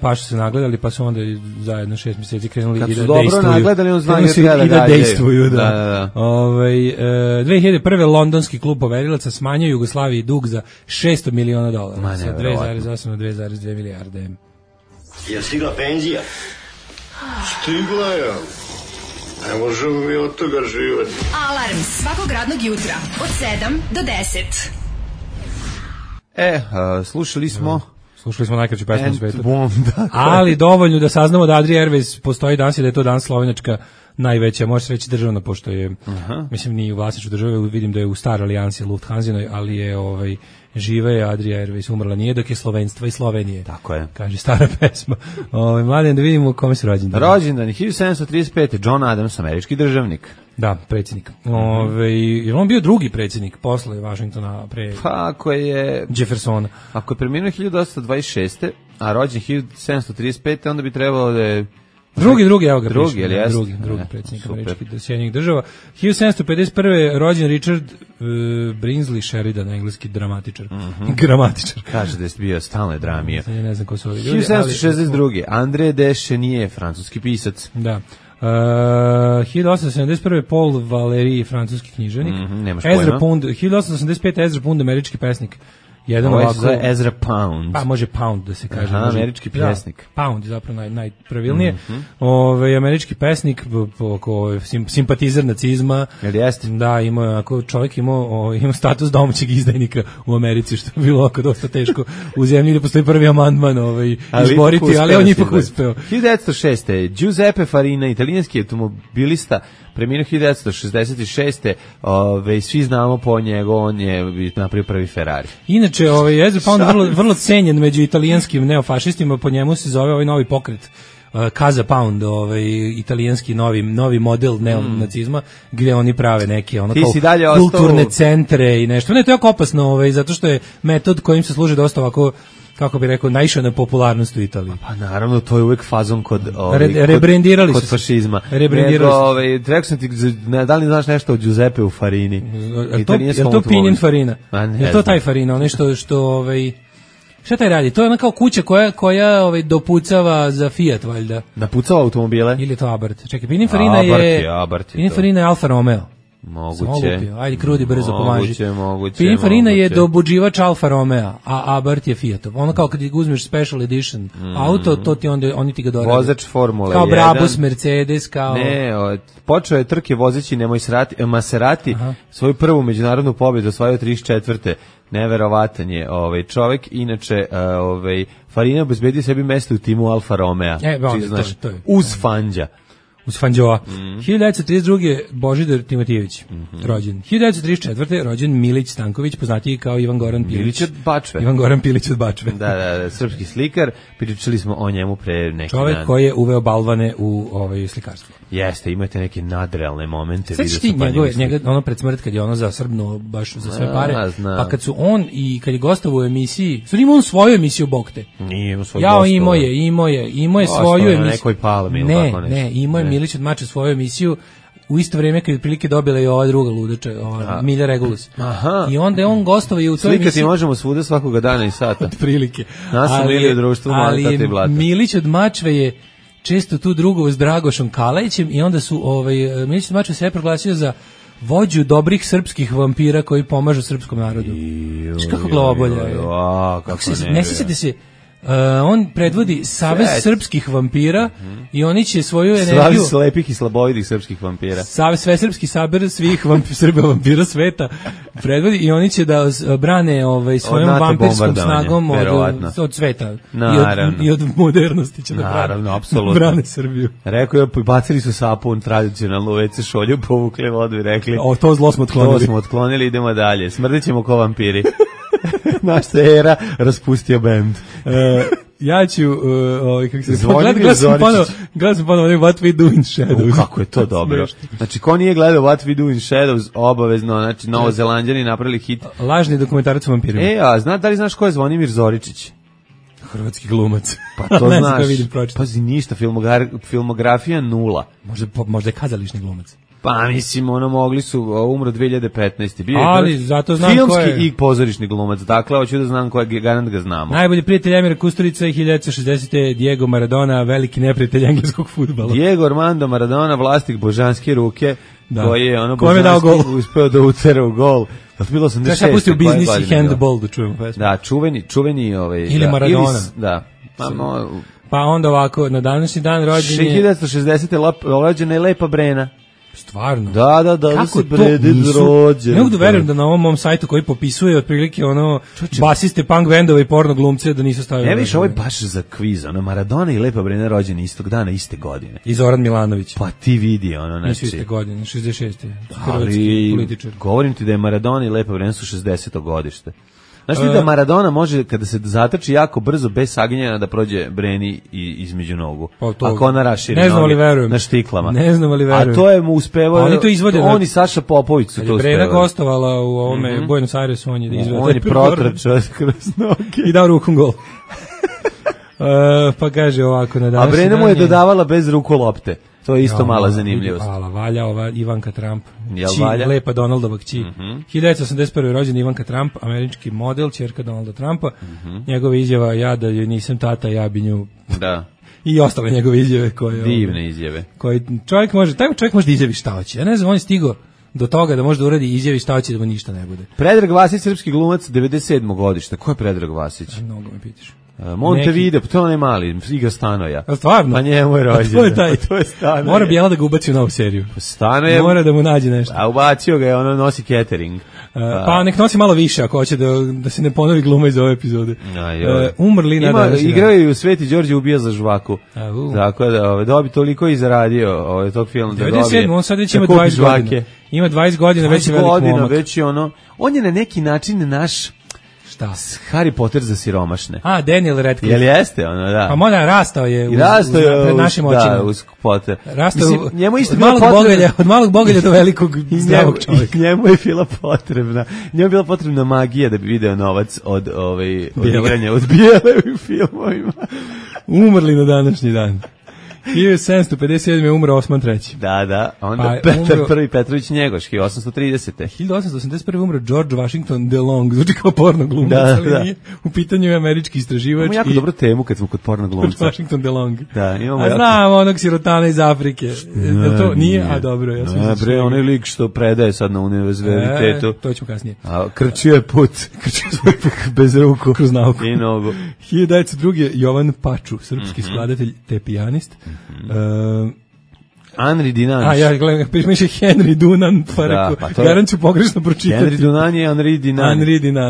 Pa su se nagledali, pa su onda zajedno 6 mjeseci krenuli kad i da dejstvuju. Kad su dobro nagledali, on zna i da dejstvuju. Da. 2001. londonski klub poverilaca smanjio Jugoslaviji dug za $600 miliona. Sa 2,8 na 2,2 milijarde. Je stigla penzija? Stigla je. Ne možemo mi od toga živati. Alarm svakog radnog jutra od 7 do 10. Slušali smo najkraću pesmu u svetu. Ali dovoljno da saznamo da Adria Airways postoji danas i da je to danas slovenačka najveća, može se reći državna, pošto je, mislim, nije u vlasništvu države, vidim da je u staroj alijansi Lufthansinoj, ali je žive je Adria Airways, umrla nije dok je slovenstva i Slovenije. Tako je. Kaže stara pesma. Mladen, da vidimo kome su rođendan. Rođendan je 1735. John Adams, američki državnik. Da, predsjednik. Je on bio drugi predsjednik posle Washingtona pre ako je Jeffersona. Ako je preminuo 1826. a rođen 1735. onda bi trebalo da je Drugi, evo ga. Drugi predsjednik američkih Sjedinjenih država. 1751. rođen Richard Brinsley Sheridan, engleski dramatičar. Gramatičar. Kaže da je bio stalno dramija. Ja ne znam ko su ovi ljudi. 1762. André de Chenier, francuski pisac. Da. 1871. Paul Valéry, francuski književnik. Ezra Pound, 1885. Ezra Pound, američki pesnik. Jedan ovako za Ezra Pound. Pa može Pound da se kaže. Američki pesnik. Pound je zapravo najpravilnije. Američki pesnik, simpatizer nacizma. Jel jeste? Da, čovjek imao status domaćeg izdajnika u Americi, što je bilo oko dosta teško u zemlji da postoji prvi amandman izboriti, ali on ipak uspeo. 1906. Giuseppe Farina, italijanski automobilista, preminuo 1966. Svi znamo po njegu, on je napravio prvi Ferrari. Inače, Ezra Pound vrlo cenjen među italijanskim neofašistima, po njemu se zove ovaj novi pokret Casa Pound, italijanski novi model neonacizma, gdje oni prave neke kao kulturne centre i nešto. Ne, to je jako opasno, zato što je metod kojim se služi dosta ovako, kako bi rekao, naišao na popularnost u Italiji. Pa naravno, to je uvek fazon kod kod fašizma. Rekao sam ti, da li znaš nešto o Giuseppe u Farini? Je to Pinin Farina? Je to taj Farina, ono što šta taj radi? To je ona kao kuća koja dopucava za Fiat, valjda. Napucava automobile? Ili je to Abarth? Čekaj, Pinin Farina je Alfa Romeo. Moguće. Ajde, Krudi, brzo pomaži. Moguće. Pininfarina je dobuđivač Alfa Romeo, a Abarth je Fiatov. Ono kao kad uzmeš special edition auto, to ti onda, oni ti ga dorade. Vozač Formule 1. Kao Brabus, Mercedes, kao... Ne, počeo je trke vozeći Maserati, svoju prvu međunarodnu pobjedu osvojio 34. Neverovatan je čovjek, inače Farina obezbedio sebi mesto u timu Alfa Romeo. To je. Uz Fangija. Uz Fanđoa. 1932. Božidar Timotijević, rođen. 1934. rođen Milić Stanković, poznatiji kao Ivan Goran Pilić. Milić od Bačve. Ivan Goran Pilić od Bačve. Da, srpski slikar. Pričali smo o njemu pre neki čovjek dan. Koji je uveo balvane u slikarstvo. Jeste, imate neke nadrealne momente. Sveći ti njega ono pred smrt kad je ono zasrbno baš za sve pare, pa kad su on i kad je gostovao u emisiji, sad ima on svoju emisiju Bog te. Nije imao svoju gostovao. Imao je svoju emisiju. Na nekoj palmi ili tako nešto. Ne, imao je Milić od Mačve svoju emisiju u isto vrijeme kad je prilike dobila i ova druga ludača, ova Milja Regulus. Aha. I onda je on gostovao i u toj emisiji. Slikati možemo svuda svakoga dana i sata. Od prilike. Nas su Milije društvo, ali Milić od Mačve je često tu drugovo s Dragošom Kalajićem i onda su Milić od Mačve se je proglasio za vođu dobrih srpskih vampira koji pomažu srpskom narodu. Kako glavobolja je. Ne sjećate se, on predvodi Savez srpskih vampira i oni će svoju energiju... Savez slepih i slabovidih srpskih vampira. Savez svesrpski saber svih Srba vampira sveta predvodi i oni će da brane svojom vampirskom snagom od sveta i od modernosti će da brane Srbiju. Rekao je, bacili su sapun tradicionalnu WC šolju, povukli vodu i rekli to zlo smo otklonili. To smo otklonili, idemo dalje. Smrdit ćemo ko vampiri. Naš se era raspustio bend. Ja ću kako se gledam sam ponovo What We Do in Shadows. Kako je to dobro. Znači, ko nije gledao What We Do in Shadows, obavezno, znači, Novozelanđani napravili hit. Lažni dokumentarac o vampirima. Da li znaš ko je Zvonimir Zoričić? Hrvatski glumac. Pa to znaš. Pazi, ništa, filmografija 0. Možda je kazališni glumac. Pa mislim, mogli su, umro 2015. Bio ali zato znam filmski ko je. I pozorišni glumac, dakle, hoću da znam ko je, garant ga znamo. Najbolji prijatelj Emira Kusturica i 1960. Diego Maradona, veliki neprijatelj engleskog fudbala. Diego Armando Maradona, vlasnik božanske ruke, koji je božanski uspeo da utera u gol. To bilo 86. Kada se pustio biznis i handball da čujemo pesmu. Da, čuveni ili Maradona. Da. Pa onda ovako, na današnji dan rođen je... 1960. rođena je Lepa Brena. Stvarno? Da se preded rođen. Ne mogu da verujem da na ovom mom sajtu koji popisuje otprilike basiste punk bendova i porno glumce da nisu stavili. Ne viš, ovo je baš za kviz, Maradona i Lepa Brena rođeni istog dana, iste godine. I Zoran Milanović. Pa ti vidi, Nisu iste godine, 66. Hrvatski političar. Govorim ti da je Maradona i Lepa Brena su 60. godište. Znaš ti da Maradona može, kada se zatrči jako brzo, bez saginjanja, da prođe Breni između nogu? Ako ona raširi noge na štiklama. Ne znam ali verujem. A to je mu uspevao, oni to izvode. On i Saša Popović su to uspevali. Brena gostovala u ovome Buenos Airesu, on je da izvede. On je protrčao kroz noge. I dao rukom gol. Pa kaže ovako na današnji dan. A Brena mu je dodavala bez ruku lopte. To je isto mala zanimljivost. Hvala, valja ova Ivanka Trump. Lepa Donaldova kći. 1981. rođen Ivanka Trump, američki model, ćerka Donalda Trumpa. Njegova izjava, ja da joj nisam tata, ja bi nju... Da. I ostale njegove izjave koje... Divne izjave. Taj čovjek može da izjavi šta hoće. Ja ne znam, on je stigao do toga da može da uradi izjavi šta hoće da mu ništa ne bude. Predrag Vasić, srpski glumac, 97. godište. Ko je Predrag Vasić? Mnogo me pitaš. Montevideo, to ne mali, igra Stanoja. A stvarno? Pa njemu je rođen. To je Stanoja. Mora Bijela da ga ubaci u novu seriju. Stanoja. Mora da mu nađe nešto. A ubacio ga je, nosi catering. Pa nek nosi malo više ako hoće da se ne ponovi gluma iz ove epizode. Umrli na današnji dan. Igrao je u Sveti Đorđe ubija za žvaku. Tako da dobi toliko i zaradio tog filma da dobije. 97, on sad već ima 20 godina. Ima 20 godina, već je velik momak. Već je on je na neki način naš... Šta? Harry Potter za siromašne. Daniel Radcliffe. Jel jeste da? Pa moda rastao je pred našim očima. Da, uz Potter. Rastao njemu isto od malog bogalja do velikog zdravog čovjeka. Njemu je bila potrebna magija da bi video novac od igranja od Bijele u filmovima. Umrli na današnji dan. 1757. je umro Osman III. Da, onda Petar I Petrović Njegoš, 1830. 1881. umro George Washington DeLong, znači kao porno glumac, ali nije. U pitanju je američki istraživač. Imamo jako dobru temu kad smo kod porno glumca. George Washington DeLong. Da, imamo znam onog sirotana iz Afrike. To nije, a dobro. Ja sam onaj lik što predaje sad na univerzitetu. To ćemo kasnije. A krčio je put. Bez ruku. Kroz nauku. I nogu. 1902. Jovan Paču, srpski skladatelj te pijanist. Henri Dunant. Ja gledam, piše Henry Dunant, pa rekao, garant ću pogrešno pročitati. Henri Dunant je Henri Dunant.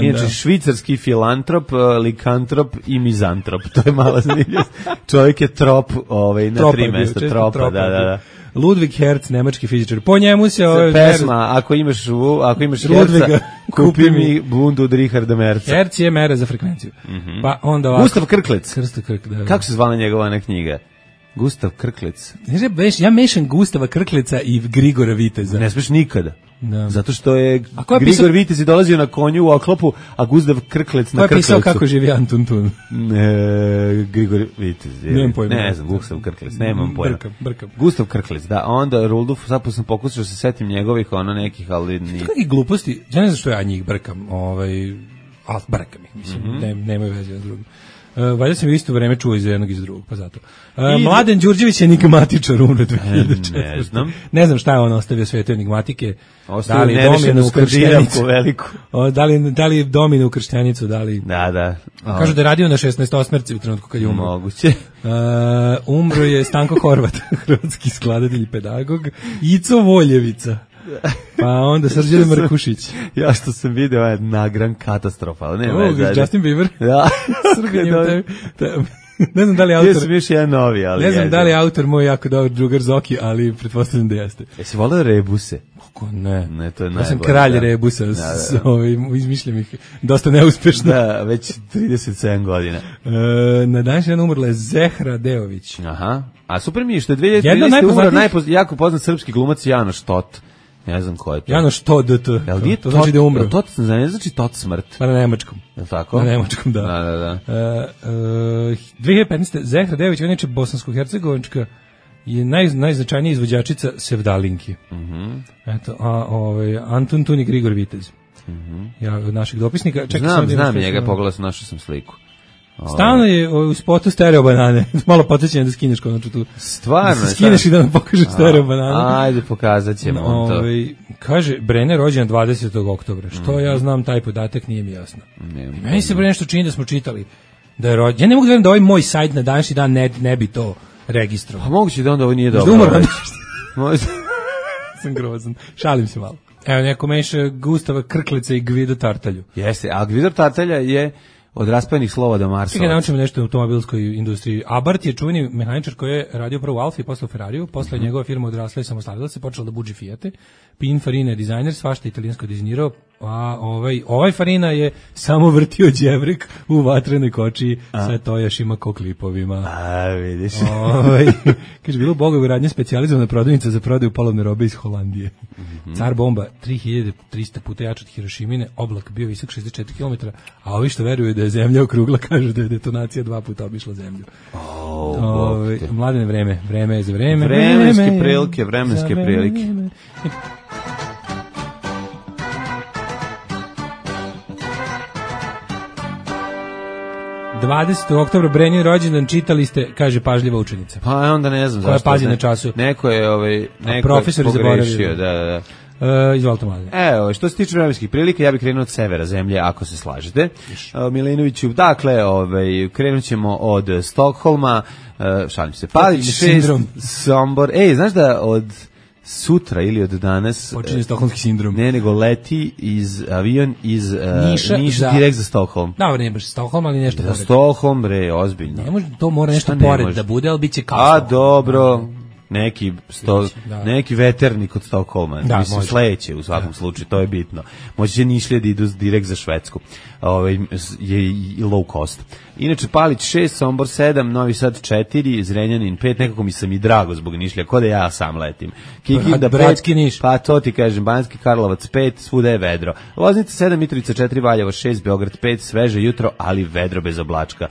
Inače, da. švicarski filantrop, likantrop i mizantrop. To je mala zanimljivost. Čovjek je trop na tri mesta. Tropa, da. Ludwig Hertz, nemački fizičar. Po njemu se pesma, ako imaš Herca, kupi mi bundu od Richarda Merca. Hertz je mera za frekvenciju. Pa onda Gustav Krklec. Da. Kako se zvala njegova knjiga? Gustav Krklec. Ja mešam Gustava Krkleca i Grigora Viteza. Ne smiješ nikada. Da. Zato što je Grigor Vitez je dolazio na konju u oklopu, a Gustav Krklec na Krklecu. Ko je pisao kako živi Antun Tun? Grigor Vitez. Nemam pojma. Ne znam, Gustav Krklec, nemam pojma. Brkam. Gustav Krklec, da. Onda Rulduf, sad sam pokušao se setim njegovih, nekih, ali ni... Kakve gluposti, ja ne znam što ja njih brkam, brkam ih, mislim, nemaju veze jedan drugim. Valjda sam isto vreme čuo iz jednog i iz drugog, pa zato. Mladen Đurđević je enigmatičar, umro 2004. Ne znam šta je on ostavio svetu enigmatike. Da li Dominu Krštenicu veliku. Da li Dominu Krštenicu, da li... Da. Kažu da je radio na 16-osmerci u trenutku kad je umro. Moguće. Umro je Stanko Horvat, hrvatski skladatelj i pedagog. Ico Voljevica. Pa onda Srđan Markušić. Ja što sam video je nagran katastrofa. Justin Bieber. Da. Ne znam da li autor... Još jedan novi, ali... Ne znam da li je autor moj jako dobar drugar Zoki, ali pretpostavljam da jeste. Jesi volio rebuse? Kako ne? Ne, to je najbolje. Ja sam kralj rebusa, izmišljam ih dosta neuspešno. Da, već 37 godina. Na današnji dan umrla je Zehra Deović. Aha. A super mi je što je 2013. umro jako poznat srpski glumac Janoš Tot. Ne znam ko je to. Janoš Tot. To znači da je umro. Tot ne znači Tot smrt. Pa na nemačkom. Je li tako? Na nemačkom, da. Da. 2015. Zehra Deović, ona je bosansko-hercegovačka, je najznačajnija izvođačica Sevdalinki. Eto, Antun Tun i Grigor Vitez. Ja od našeg dopisnika. Znam njega, pogledao sam, našao sam sliku. Stalno je u spotu stereo banane. Malo podsjećam da skineš konačno tu. Stvarno? Skineš i da nam pokažeš stereo banane. Ajde, pokazat ćemo to. Kaže, Brenner rođen 20. oktobra. Što ja znam taj podatak, nije mi jasno. Meni se nešto čini da smo čitali da je rođen. Ja ne mogu da verujem da ovaj moj sajt na današnji dan ne bi to registrovao. Pa moguće da onda ovo nije dobro. Možda sam grozan. Šalim se malo. Evo, neko meša Gustava Krkleca i Gvido Tartalju. Jeste, a Gvido Tartalja je od raspajenih slova do Marsa. Čekaj, naučimo nešto u automobilskoj industriji. Abarth je čuveni mehaničar koji je radio prvo u Alfi, posle u Ferrariju, posle njegova firma odrasla i samostalila se, počela da buđi Fijate. Pininfarina je dizajner, svašta italijansko dizajnirao, a ovaj Farina je samo vrtio đevrek u vatrenoj kočiji sa tojašima ko klipovima. A, vidiš. Kaže, bilo u Bogovoj radnje specijalizovana prodavnica za prodaju polovne robe iz Holandije. Car bomba 3300 puta jača od Hirošimine, oblak bio visok 64 km, a ovi što veruju da je zemlja okrugla kažu da je detonacija 2 puta obišla zemlju. Mladene, vreme je za vreme. Vremenske prilike. 20. oktobra Brenin rođendan, čitali ste, kaže pažljiva učenica. Pa onda ne znam zašto. Koja pazi na času. Neko je profesor pogrešio, da. Izvolite Mladen. Evo, što se tiče vremenskih prilika, ja bih krenuo od severa zemlje, ako se slažete. Milinoviću, dakle, krenut ćemo od Stokholma, šalim se, Palić 6, Sombor. Znaš da od sutra ili od danas počinje stokholmski sindrom. Ne, nego leti avion iz Niša direkt za Stokholm. Da, ne baš Stokholm, ali nešto pored. Stokholm, ozbiljno. Ne može, to mora nešto pored da bude, ali biće kao. A dobro. Neki veternik od Stokholma, mislim sledeće u svakom slučaju, to je bitno. Moći će Nišlije da idu direkt za Švedsku, je i low cost. Inače Palić 6, Sombor 7, Novi Sad 4, Zrenjanin 5, nekako mi sam i drago zbog Nišlija, ko da ja sam letim. Kikinda 5, pa to ti kažem, Banjski Karlovac 5, svuda je vedro. Loznica 7, Mitrovica 4, Valjevo 6, Beograd 5, sveže jutro, ali vedro bez oblačka.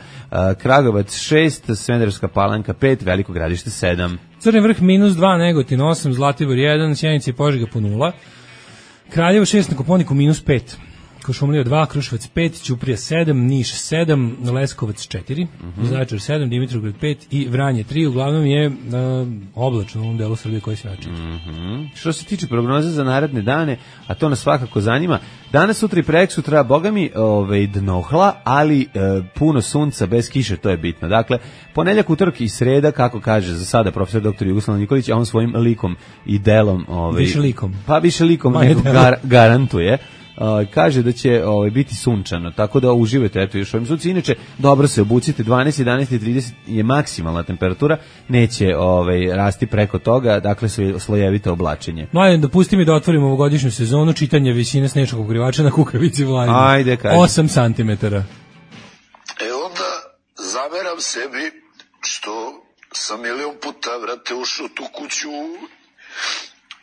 Kragovac 6, Smederevska Palanka 5, Veliko Gradište 7. Crni vrh -2, Negotin 8, Zlatibor 1, Sjenica i Požega po 0, Kraljevo 6, na Koponiku -5, Košumlija 2, Kruševac 5, Ćuprija 7, Niš 7, Leskovac 4, Zaječar 7, Dimitrovgrad 5 i Vranje 3, uglavnom je oblačno u ovom delu Srbije koji se vraća. Što se tiče prognoze za naredne dane, a to nas svakako zanima, danas, sutra i preksutra, bogami dnohla, ali puno sunca bez kiše, to je bitno. Dakle, ponedjeljak, utorak i sreda, kako kaže za sada profesor dr. Jugoslav Nikolić, a on svojim likom i delom više likom. Pa više likom nego garantuje. Kaže da će biti sunčano, tako da uživajte još ovim sunci. Inače, dobro se obucite, 12, 11 i 30 je maksimalna temperatura, neće rasti preko toga, dakle slojevito oblačenje. Mladen, dopusti mi da otvorimo ovogodišnju sezonu, čitanje visine snešnog pokrivača na Kukavici Vlajima. Ajde, kaži. 8 cm. Onda zameram sebi što sam 1.000.000 puta, vrate, ušao tu kuću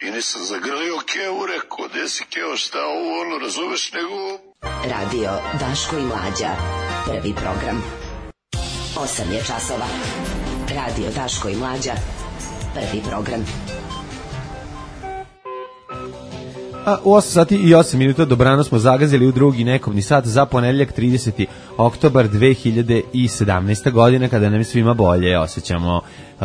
i nisam zagrlio Kevu, rekao, gde si Keo, šta ovo, ono, razumeš, nego... Radio Daško i Mlađa, prvi program. 8 je časova. Radio Daško i Mlađa, prvi program. U 8 sati i 8 minuta dobrano smo zagazili u drugi nekobni sat za ponedeljak 30. oktobar 2017. godine, kada nam svima bolje osjećamo.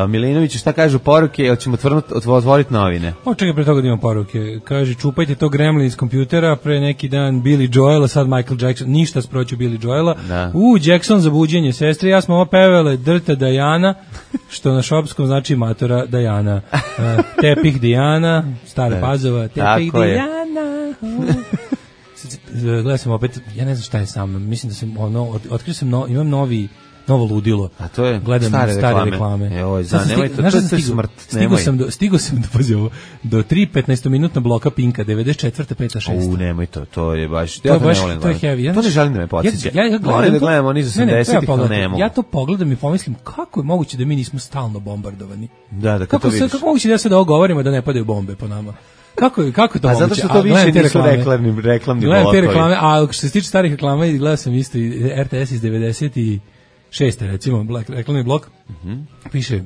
Milinoviću, šta kažu poruke? Hoćemo otvoriti novine? Čekaj, pre toga da imam poruke. Kaže, čupajte to Gremlin iz kompjutera, pre neki dan Billy Joel, a sad Michael Jackson. Ništa sproću Billy Joela. Da. Jackson za buđenje. Sestre, ja smo ovo pevele Drta Dajana, što na šopskom znači matora Dajana. Tepih Dijana, Stara Pazova, Tepih Dijana. Gledam sam opet, ja ne znam šta je sa mnom. Mislim da sam, otkrio sam, imam novo ludilo. A to je gledam stare reklame. Evo, nemojte, to je smrt. Stigao sam do 3 15-minutna bloka Pinka, 94. 5. 6. Nemoj to je baš... To je heavy. To ne želim da me podsjeća. Moram da gledam oni za 80-ih, ali ne mogu. Ja to pogledam i pomislim, kako je moguće da mi nismo stalno bombardovani? Da, kako to vidiš? Kako moguće da se da govorimo da ne padaju bombe po nama? Kako to moguće? A zato što to više nisu reklamni blokovi. Gledam te reklame, a što se tiče starih reklama, gledam sam isto i RTS iz 96. recimo, reklamni blok, piše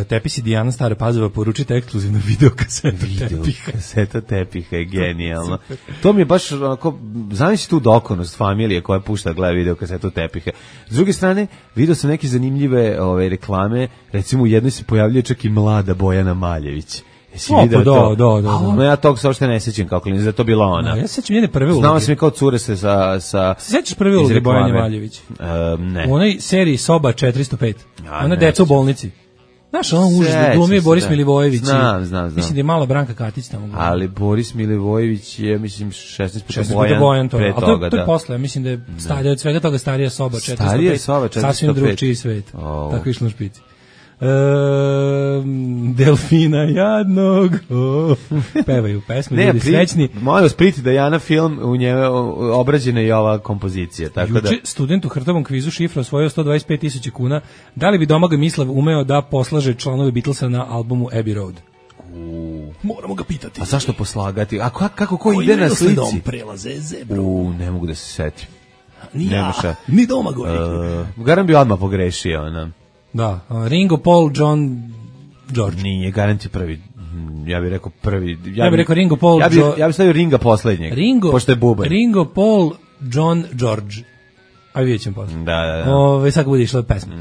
Tepisi Dijana Stara Pazova, poručite ekskluzivnu videokasetu Tepiha. Kaseta Tepiha je genijalno. To mi je baš onako, zamisli tu dokonost familije koja pušta gleda videokasetu Tepiha. S druge strane, vidio sam neke zanimljive reklame, recimo u jednoj se pojavljuje čak i mlada Bojana Maljević. Jesi vidio to? Da. Ja tog se uopšte ne sećam kako klinac, da to bila ona. Ja se sećam njene prve uloge. Znao sam je kao cure se sa... Se sećaš prve uloge Bojane Maljević? Ne. U onoj seriji Soba 405. Ona deca u bolnici. Znaš, ono užas da glumi Boris Milivojević. Znam. Mislim da je mala Branka Katić tamo glumi. Ali Boris Milivojević je, mislim, 16 puta Bojan pre toga. Ali to je posle, ja mislim da je od svega toga starija Soba 405. Starija Soba 405. Sasvim drugčiji svet. Tako išlo na špici. Delfina jadnog pevaju pesmu, ljudi srećni. Molim vas, priti da Jana film u njemu obrađena i ova kompozicija. Tako juče student u Hrtovom kvizu šifra osvojio 125.000 kuna. Da li bi Domagoj Mislav umeo da poslaže članove Beatlesa na albumu Abbey Road? Moramo ga pitati. A zašto poslagati? A kako ko ide na slici? Dom prelaze zebru. Ne mogu da se setim. Ni Domagoj. Garan bi odmah pogrešio, ona. Da, Ringo, Paul, John, George. Nije, garanti prvi. Ja bih rekao prvi. Ja bih rekao Ringo, Paul, ja bih stavio Ringa poslednjeg. Pošto je bubanj. Ringo, Paul, John, George. A vidjet ćemo posle. Da. Sad bude išla pesma.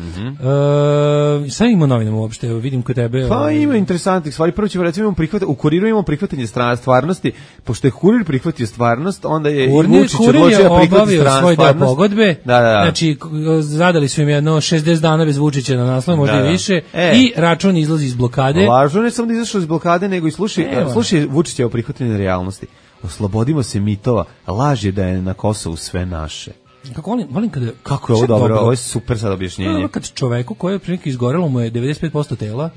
Šta ima novinama uopšte? Vidim kod tebe. Pa ima interesantnih stvari. Prvo ćemo recimo u Kuriru imamo prihvatanje stvarnosti. Pošto je Kurir prihvatio stvarnost, onda je Vučić odlučio da prihvati stvarnost. Svoje pogodbe. Da. Znači, zadali su im jedno 60 dana bez Vučića na naslov, možda i više. I račun izlazi iz blokade. Lažno ne samo da izašao iz blokade, nego i slušaj Vučićevo prihvatanje realnosti. Oslobodimo se mitova. Laž je da je na Kosovu sve naše. Volim kada... Kako je ovo dobro, ovo je super sad objašnjenje. Kad čoveku koji je prilike izgorelo mu je 95% tela,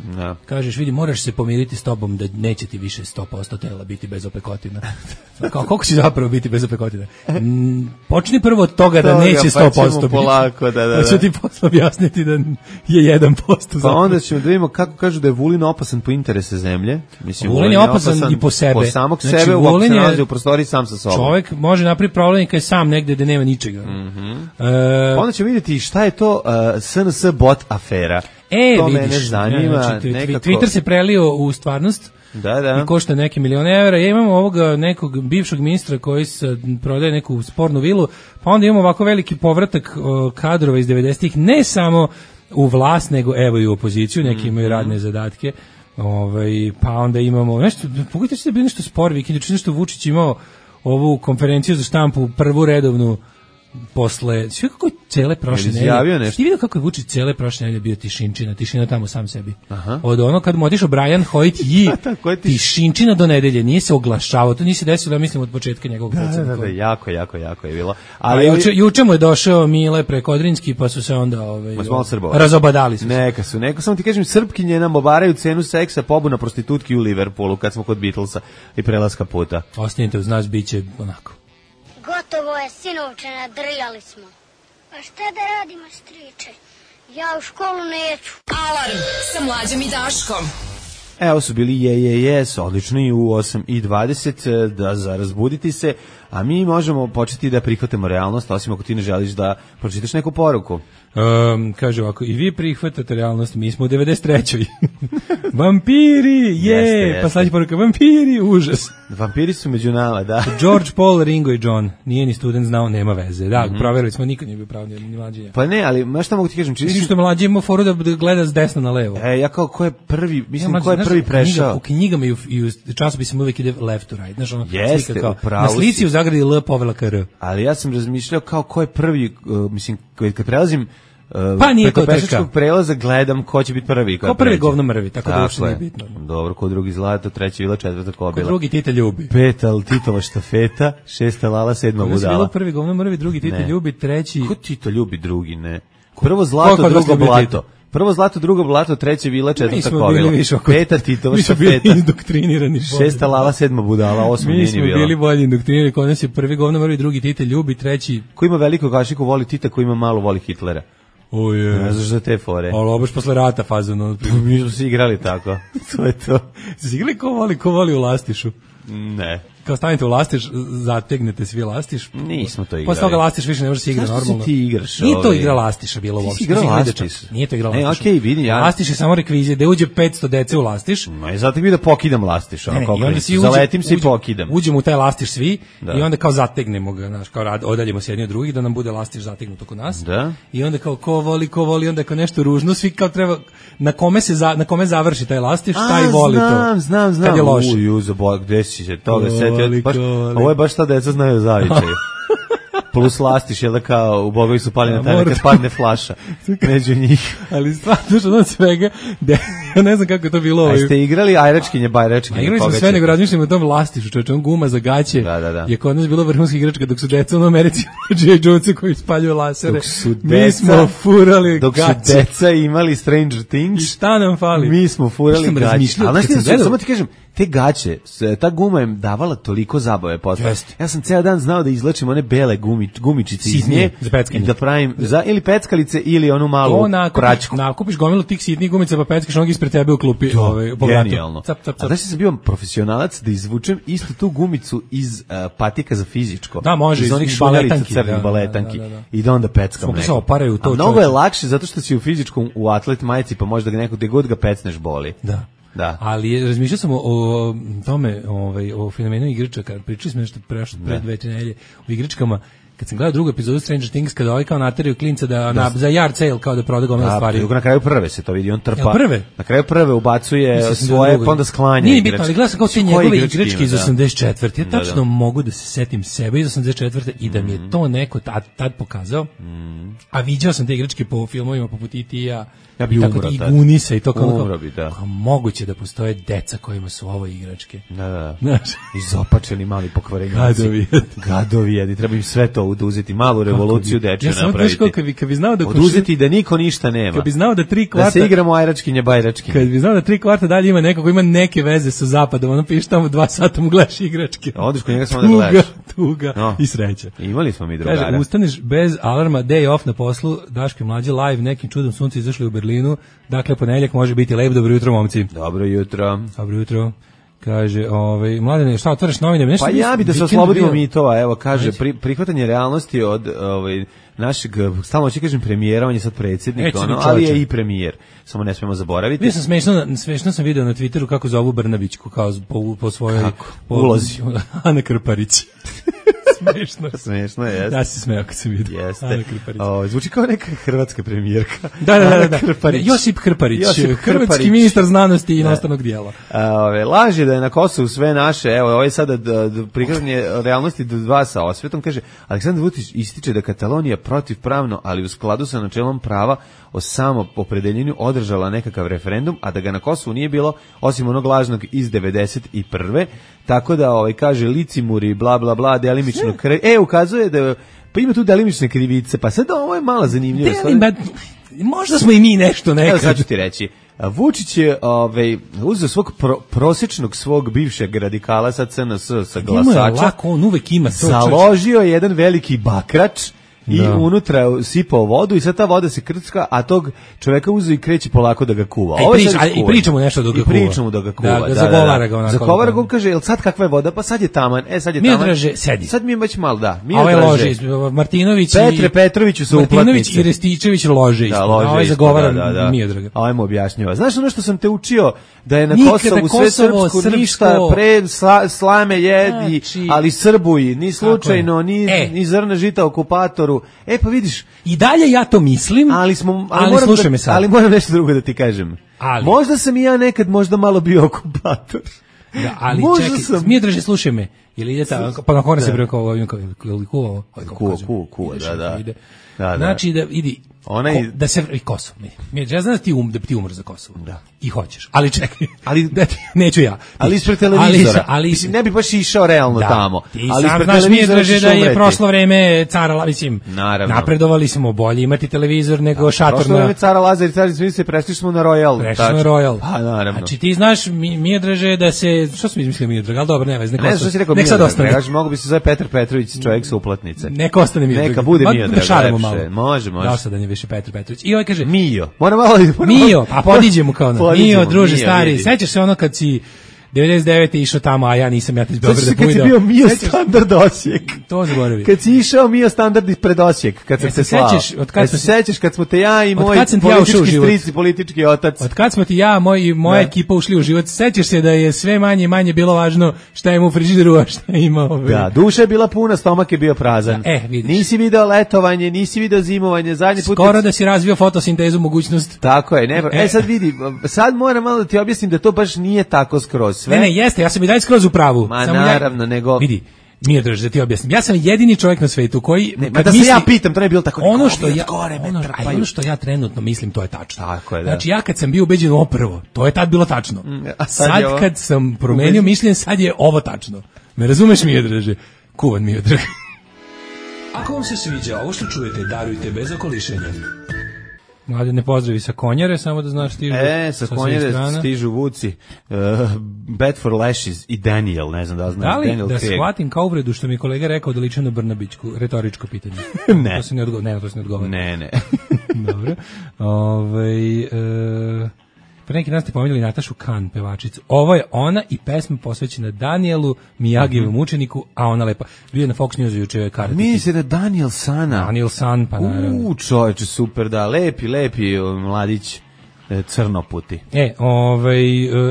kažeš, vidi, moraš se pomiriti s tobom da neće ti više 100% tela biti bez opekotina. Koliko će zapravo biti bez opekotina? Počni prvo od toga da neće 100% biti. Polako, da. Ću ti posle objasniti da je 1% zapravo. Pa onda ćemo da vidimo kako kažu da je Vulin opasan po interese zemlje. Mislim, Vulin je opasan i po sebe. Po samog sebe, uopšte se nalazi u prostoriji sam sa sobom. Čovjek može napraviti problem kad je sam negde da nema ničega. Onda ćemo vidjeti šta je to SNS bot afera. To mene zanima. Twitter se prelio u stvarnost. Da. I košta neke milione evra. Ja imam ovoga nekog bivšeg ministra koji prodaje neku spornu vilu, pa onda imamo ovako veliki povratak kadrova iz 90-ih, ne samo u vlast, nego evo i u opoziciju, neki imaju radne zadatke. Pa onda imamo nešto, pogledajte se da je bilo nešto spor vikend, nešto Vučić imao ovu konferenciju za štampu, prvu redovnu posle, sve kako je cele prošle nedelje. Ti vidio kako je Vučić cele prošle nedelje bio tišina tamo sam sebi. Od ono kad mu otišao Brian Hoyt i tišinčina do nedelje, nije se oglašavao, to nije se desilo, ja mislim, od početka njegovog predsjednika. Da, jako je bilo. Ali juče mu je došao Mile Prekodrinski, pa su se onda razobadali su se. Neka samo ti kažem, Srpkinje nam obaraju cenu seksa, pobuna prostitutki u Liverpoolu kad smo kod Beatlesa i prelaska puta. Ostanite uz nas, bit će onako. Gotovo je, sinovče, nadrijali smo. A šta da radimo, striče? Ja u školu neću. Alarm sa Mlađom i Daškom. Evo su bili Yes, odlični u 8:20 da za razbuditi se, a mi možemo početi da prihvatimo realnost, osim ako ti ne želiš da pročitaš neku poruku. Kaže ovako, i vi prihvatate realnost, mi smo u 93. Vampiri, pa slađe poruka, vampiri, užas. Vampiri su među nama, da. George, Paul, Ringo i John, nije ni student znao, nema veze. Da, provjerili smo, niko nije bio pravo, ni mlađe. Pa ne, ali šta mogu ti kažem? Vidiš što mlađe ima foru da gleda s desna na levo. Ja kao ko je prvi, mislim ko je prvi prešao. U knjigama i u časopisima uvijek ide left to right. Znaš, ono, jeste, na slici u zagradi L povela ka R. Ali ja sam razmišljao kao ko je prvi, mislim, kad prelazim pa nije preko pešačkog prelaza gledam ko će biti prvi. Ko prvi govno mrvi, tako da uopšte nije bitno. Dobro, ko drugi zlato, treći vila, četvrta kobila. Ko drugi Tite ljubi. Peta Titova štafeta, šesta lala, sedma budala. Bilo prvi govno mrvi, drugi Tite ljubi, treći... Ko Tito ljubi, drugi ne? Prvo zlato, drugo blato. Prvo zlato, drugo blato, treće vila, četvrta kobila. Peta Titova štafeta. Mi smo bili indoktrinirani. Šesta lala, sedma budala, osma nije ni bila. Mi smo bili bolje indoktrinirani, kod nas je prvi govno mrvi, drugi Tite ljubi, treći... Ko ima veliko kašiku voli Tita, ko ima malo voli Hitlera. Ne znaš za te fore. Ali obaš posle rata fazano. Mi smo se igrali tako. To je to. Se igrali ko voli u lastišu? Ne. Kao stanete u lastiš, zategnete svi lastiš. Nismo to igrali. Posle toga lastiš više ne može se igra normalno. Ti igraš? Nije to igra lastiša bilo uopšte. Nije to igra lastiša. Okej, vidi ja. Lastiš je samo rekvizija, da uđe 500 dece u lastiš. No i zato mi da pokidam lastiš, ono kao zaletim se i pokidam. Uđemo u taj lastiš svi i onda kao zategnemo ga, znaš, kao odaljimo se jedni od drugih da nam bude lastiš zategnut oko nas. Da. I onda kao ko voli, onda kao nešto ružno, svi kao treba na kome završi taj lastiš, taj voli to. Znam. Kad je loše. Gde si se toga setio? Ovo je baš šta deca znaju zavičaju. Plus lastiš, jel da kao u Bogovi su pali na taj kad padne flaša među njih. Ali stvarno od svega, ja ne znam kako je to bilo. A ste igrali ajračkinje, bajračkinje? Igrali smo sve, nego razmišljamo o tom lastišu, čovječe, on guma za gaće. Da. Je kod nas bilo vrhunska igračka, dok su deca u Americi J. Jonesa koji spaljuju lasere. Mi smo furali dok gaće. Dok su deca imali Stranger Things. I šta nam fali? Mi smo furali gaće. Ali samo ti kažem, te gaće, ta guma je davala toliko zabave posle. Ja sam ceo dan znao da izlačim one bele gumičice iz nje i da pravim ili peckalice ili onu malu pračku. Nakupiš gomilu tih sitnih gumica pa peckaš onog ispred tebe u klupi. Genijalno. A znaš sam bio profesionalac da izvučem istu tu gumicu iz patika za fizičko. Da, može, iz onih šuljalica crnih baletanki. I da onda peckam neko. A mnogo je lakše zato što si u fizičkom u atlet majici pa možda ga neko gde god ga pecneš boli. Da. Ali razmišljao sam o tome, o fenomenu igračaka. Pričali smo nešto pre 2 nedelje o igračkama. Kad sam gledao drugu epizodu Stranger Things, kada ovaj kao nateraju klinca za yard sale kao da proda gomila stvari. Na kraju prve se to vidi, on trpa. Na kraju prve ubacuje svoje, pa onda sklanja. Nije bitno, ali gledao sam kao te njegove igračke iz 84. Ja tačno mogu da se setim sebe iz 84. i da mi je to neko tad pokazao. A viđao sam te igračke po filmovima poput E.T.-a, i Gunisa i to kao moguće da postoje deca kojima su ovo igračke. Da. Izopačeni mali pokvarenjaci. Gadovi jedi, treba im sve to oduzeti, malu revoluciju dečje napraviti. Kad bi znao da oduzeti da niko ništa nema. Kad bi znao da 3 kvarta... Da se igramo ajračkinje, bajračkinje. Kad bi znao da 3 kvarta dalje ima neko koji ima neke veze sa zapadom, ono piše tamo 2 sata mu gledaš igračke. Odeš kod njega samo da gledaš. Tuga i sreća. Imali smo mi drugara. Kaže, ustaneš bez alarma, day off na poslu, Daško i Mlađe live, nekim čudom sunce izašli u Berlinu, dakle ponedjeljak može biti lep, dobro jutro momci. Dobro jutro. Kaže, Mladene, šta otvaraš novine? Nešto pa ja bi da se oslobodimo mitova, evo, kaže, prihvatanje realnosti od našeg, stalno ću kažem premijera, on je sad predsjednik, ali je i premijer, samo ne smijemo zaboraviti. Ja sam smešno sam video na Twitteru kako zovu Brnabićku, kao po svojoj... Kako? Ulozi. Ana Krparić. Smešno je. Ja se smeo kad sam vidio. Jeste. Zvuči kao neka hrvatska premijerka. Da. Josip Krparić, hrvatski ministar znanosti i inostranog dijela. Laž je da je na Kosovu sve naše, evo, ovo je sada prikazanje realnosti do 2 sa osvetom, kaže, Aleksandar Vučić ističe da Katalonija protivpravno, ali u skladu sa načelom prava o samoopredeljenju održala nekakav referendum, a da ga na Kosovu nije bilo, osim onog lažnog iz 91. Tako da, kaže, licimuri, bla, bla, bla, delimično ukazuje da, pa ima tu delimične krivice, pa sad ovo je malo zanimljivo. Možda smo i mi nešto nekad. Evo sad ću ti reći. Vučić je uzeo svog prosječnog svog bivšeg radikala sa CNS sa glasača. Lako, on uvek ima to. Založio je jedan veliki bakrač i unutra sipao vodu i sad ta voda se krcka, a tog čoveka uzeo i kreće polako da ga kuva. I pričamo nešto dok ga kuva. Pričamo da ga kuva. Da zagovara ga onako. Zagovara ga, kaže, jel sad kakva je voda? Pa sad je taman. Sad je taman. Miodraže, sedi. Sad mi je već malo, da. Ovaj lože, Martinović Petre Petroviću su uplatnice. Martinović i Rističević lože isto. Ovaj zagovara Miodraga. Ovaj mu objašnjava. Znaš ono što sam te učio, da je na Kosovu sve srpsko, ništa pre slame jedi, ali Srbuj, ni slučajno, ni zrna žita okupatoru. Pa vidiš. I dalje ja to mislim, ali slušaj me sad. Ali moram nešto drugo da ti kažem. Možda sam i ja nekad možda malo bio okupator. Da, ali čekaj, Miodraže, slušaj me. Ili ide tako, pa na kone se preko ovim kuva. Kuva, da. Znači da idi da se i Kosovo. Ja znam da ti umreš za Kosovo. Da. I hoćeš. Ali čekaj. Ali neću ja. Ali ispred televizora. Mislim, ne bi baš išao realno tamo. Ali ispred televizora da je prošlo vreme cara, mislim. Napredovali smo, bolje imati televizor nego šator. Prošlo vreme cara Lazar i cara Smisli, prešli smo na Royal. Pa naravno. Znači ti znaš Miodraže da se, što sam izmislio Miodrag, al dobro, nema, ne što si rekao. Nek sad ostane. Mogu bi se zove Petar Petrović, čovjek sa uplatnice. Neka ostane Miodrag. Neka bude Miodrag. Može. Dosadan je više Petar Petrović. I ovaj kaže Mio, a podiđemo kao ono. Mio, druže stari, sećaš se ono kad si 99. išao tamo, a ja nisam, ja ti iz Beograda pujdao. Kad si bio Mio Standard Osijek. To zaboravi. Kad si išao Mio Standard pred Osijek, kad sam te slao. Kad se sećaš kad smo te ja i moj politički stric i politički otac. Od kad smo ti ja i moja ekipa ušli u život, sećaš se da je sve manje i manje bilo važno šta ima u frižideru, a šta ima Da, duša je bila puna, stomak je bio prazan. Nisi video letovanje, nisi video zimovanje, zadnji put. Skoro da si razvio fotosintezu mogućnost. Tako je, sad vidi, sad moram malo da ti objasnim da to baš nije tako skroz. Ne, jeste, ja sam i dalje skroz u pravu. Naravno, nego... Vidi, Miodraže, da ti objasnim. Ja sam jedini čovjek na svetu koji... da se ja pitam, to ne je bilo tako... Ono što ja trenutno mislim, to je tačno. Tako je, da. Znači, ja kad sam bio ubeđen oprvo, to je tad bilo tačno. Sad kad sam promenio mišljenje, sad je ovo tačno. Me razumeš, Miodraže? Kuvan Miodrag. Ako vam se sviđa ovo što čujete, darujte bez okolišenja. Mladine, pozdravi sa Konjare, samo da znaš stižu. Sa Konjare stižu vuci Bad for Lashes i Daniel, ne znam da znaš. Da li Daniel da shvatim kao uvredu što mi kolega rekao da liči na Brnabićku, retoričko pitanje? Ne. To se ne odgovara. Ne. Dobro. Pre neki dan ste pominjali Natašu Kan, pevačicu. Ovo je ona i pesma posvećena Danielu, Mijagijevom učeniku, a ona lepa. Bio je na Fox Newsu juče je karata. Mi se da Daniel Sana. Daniel San, pa naravno. Čoveče, super, da, lepi, mladić. Crnoputi.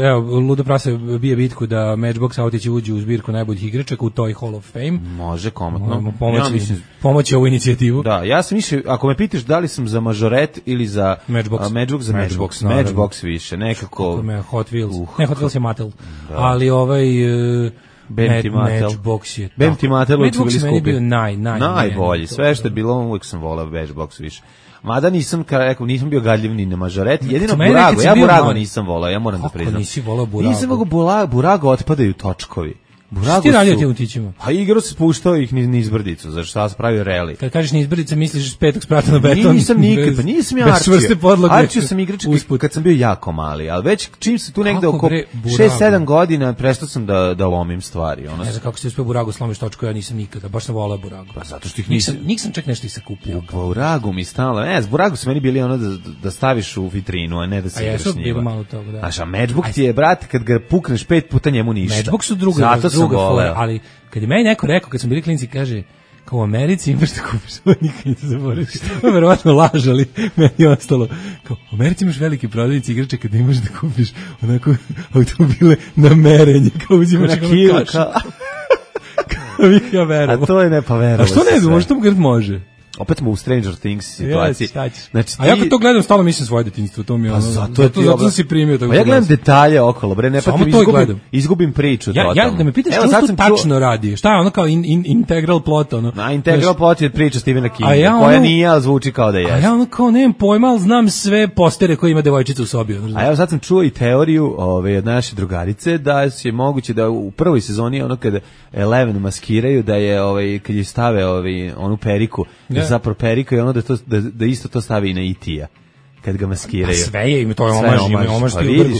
Evo, Ludo Prase bije bitku da Matchbox autići uđu u zbirku najboljih igračaka u toj Hall of Fame. Može, komotno. Pomoći ovu inicijativu. Da, ja sam više, ako me pitaš da li sam za Majoret ili za Matchbox, za Matchbox više, nekako. Kako me Hot Wheels. Ne, Hot Wheels je Mattel. Ali Matchbox je. Matchbox je meni bio najbolji. Sve što je bilo, uvijek sam volao Matchbox više. Mada nisam bio gadljiv ni na Mažoreti, jedino Burago, ja Burago nisam volao, ja moram da priznam. Kako nisi volao Burago? Nisam mogao Burago, otpadaju točkovi. Burago ti radio tim utićima? Pa igrao se spuštao ih niz brdicu, zašto sam pravio reli. Kad kažeš niz brdice, misliš 5 sprata na beton? Nisam nikad, pa nisam ja arčio sam igrački kad sam bio jako mali, ali već čim se tu negde oko 6-7 godina prestao sam da lomim stvari. Ne znam kako si uspio Burago slomiš točku, ja nisam nikada, baš sam volao Burago. Pa zato što ih nisam čak nešto i sakupio. Burago mi stalo, Burago su meni bili ono da staviš u vitrinu, a ne da se igraš s njima. A Matchbox ti je, brate, kad ga pukneš 5 puta njemu ništa. Matchbox su druga fora, ali kad je meni neko rekao, kad smo bili klinci, kaže, kao u Americi imaš da kupiš, ovo nikad ne zaboraviš. Ovo verovatno laž, ali meni je ostalo. Kao, u Americi imaš veliki prodavnici igrača kada imaš da kupiš onako automobile na merenje, kao uzimaš kilo, ja verujem. A to je verovo. A što ne znam, možda to može? Opet smo u Stranger Things situaciji. Znači, a ja kad to gledam, stalno mislim svoje detinjstvo, to mi je ono. Zato si primio tako. Ja gledam detalje okolo, bre, ne izgubim priču. Ja da me pitaš što to tačno radi. Šta je ono kao integral plot ono? Na integral plot je priča Stephena Kinga, koja nije, ali zvuči kao da je. A ja ono kao nemam pojma, ali znam sve postere koje ima devojčica u sobi. A evo sad sam čuo i teoriju od naše drugarice da je moguće da u prvoj sezoni ono kada Eleven maskiraju da je kad je stave onu periku zapravo perika i ono da isto to stavi i na E.T.-a. kad ga maskiraju. Sve je, to je omaž Spielbergu.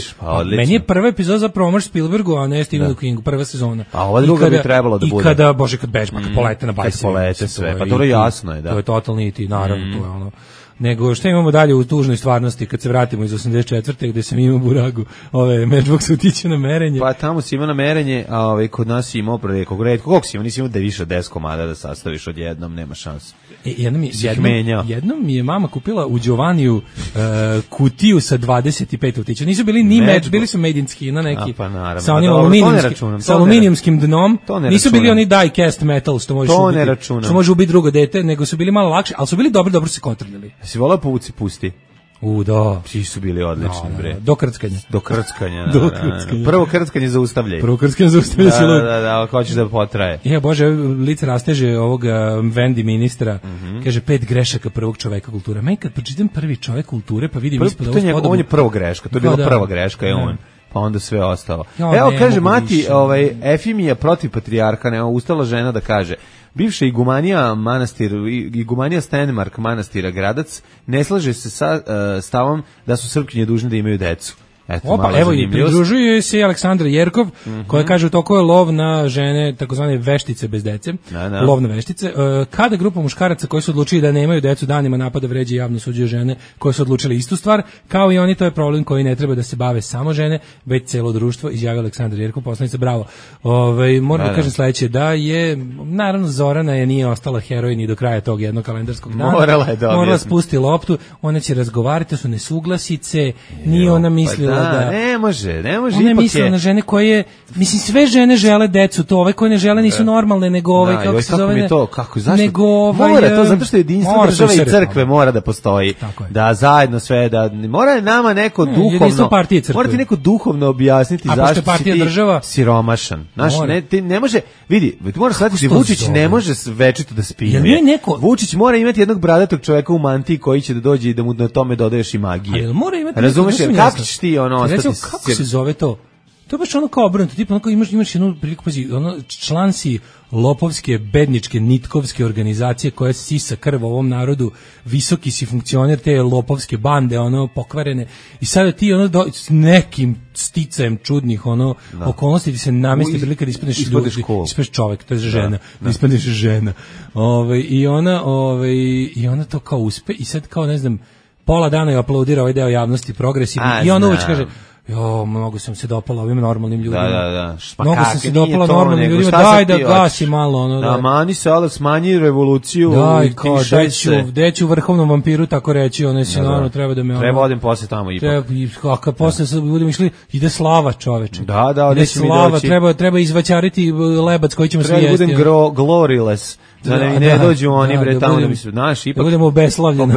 Meni je prva epizoda zapravo omaž Spielbergu, a ne Stephenu Kingu, prva sezona. A ova druga bi trebalo da bude. I kada, bože, kad bežma, kad polete na bajsi. Kad polete sve, pa to je jasno je, da. To je totalni iti, naravno, to je ono. Nego šta imamo dalje u tužnoj stvarnosti kad se vratimo iz 84. gde sam imao buragu Matchbox utiće na merenje. Pa tamo si imao na merenje, a kod nas si imao preko redko. Koliko si imao? Nisi imao da više od 10 komada da sastaviš odjednom, nema šanse. Jednom mi je mama kupila u Giovaniju kutiju sa 25 utića. Nisu bili ni bili su made in Skina neki. Pa naravno. Sa aluminijumskim dnom. Nisu bili oni die cast metal što možeš ubiti. Što može ubiti drugo dete, nego su bili malo lakše, ali su bili dobro se kontrolili. Si volao povuci pusti? Da. Svi su bili odlični, bre. Do krckanja. Prvo krckanje zaustavljaj. Da, hoćeš da potraje. Bože, lice rasteže ovog Vendi ministra, kaže 5 grešaka prvog čoveka kulture. Meni kad pročitam prvi čovek kulture, pa vidim ispod ovog spodobu. On je prva greška, to je bila prva greška, je on. Pa onda sve ostalo. Evo, kaže mati, Efimija protiv patrijarha, ustala žena da kaže: bivša igumanija Stenmark manastira Gradac ne slaže se sa stavom da su Srpkinje dužne da imaju decu. Evo i pridružuje se Aleksandra Jerkov, koja kaže u toku je lov na žene, takozvane veštice bez dece, lov na veštice. Kada grupa muškaraca koji su odlučili da nemaju decu danima napada, vređa i javno suđuje žene koje su odlučili istu stvar, kao i oni, to je problem koji ne treba da se bave samo žene, već celo društvo, izjavio Aleksandra Jerkov, poslanica, bravo. Moram da kažem sledeće, da je, naravno Zorana nije ostala heroj ni do kraja tog jednog kalendarskog dana. Morala spusti loptu, ona će razgovarati, to su nesuglasice, nije ona mislila ne može. Ona je mislila na žene koje, mislim, sve žene žele decu, to ove koje ne žele nisu normalne, nego kako se zove, zašto? Mora to, zato što jedinstvo države i crkve mora da postoji, da zajedno sve, da mora nama neko duhovno, mora ti neko duhovno objasniti zašto si ti siromašan. Ti ne može, vidi, ti moraš shvatiti, Vučić ne može večito da spinuje. Vučić mora imati jednog bradatog čoveka u mantiji koji će da dođe i da mu na tome dodaješ i magije. Razumeš, kako ćeš ti recimo, kako se zove to? To je baš ono kao obrnuto, tipa ono kao imaš jednu priliku, pazi, član si lopovske, bedničke, nitkovske organizacije koja sisa krv ovom narodu, visoki si funkcioner te lopovske bande, pokvarene, i sada ti s nekim sticajem čudnih okolnosti ti se namesti prilika da ispadneš ljudi, ispadneš čovek, to je žena, da ispadneš žena. I ona to kao uspe i sad kao, ne znam, pola dana je aplaudirao ovaj deo javnosti progresivni i on uveć kaže: mnogo sam se dopala ovim normalnim ljudima. Da. Mnogo sam se dopala normalnim ljudima. Daj da gasi malo. Mani se, ali smanji revoluciju. Daj, kao, deću vrhovnom vampiru, tako reći, se naravno treba da me... Treba odim posle tamo ipak. A kad posle budemo išli, ide slava, čoveče. Da, ide slava, treba izvaćariti lebac koji ćemo svi jesti. Treba da budem gloriles. Da ne dođu oni bre tamo da mi se, znaš, ipak... Da budemo obeslavljeni.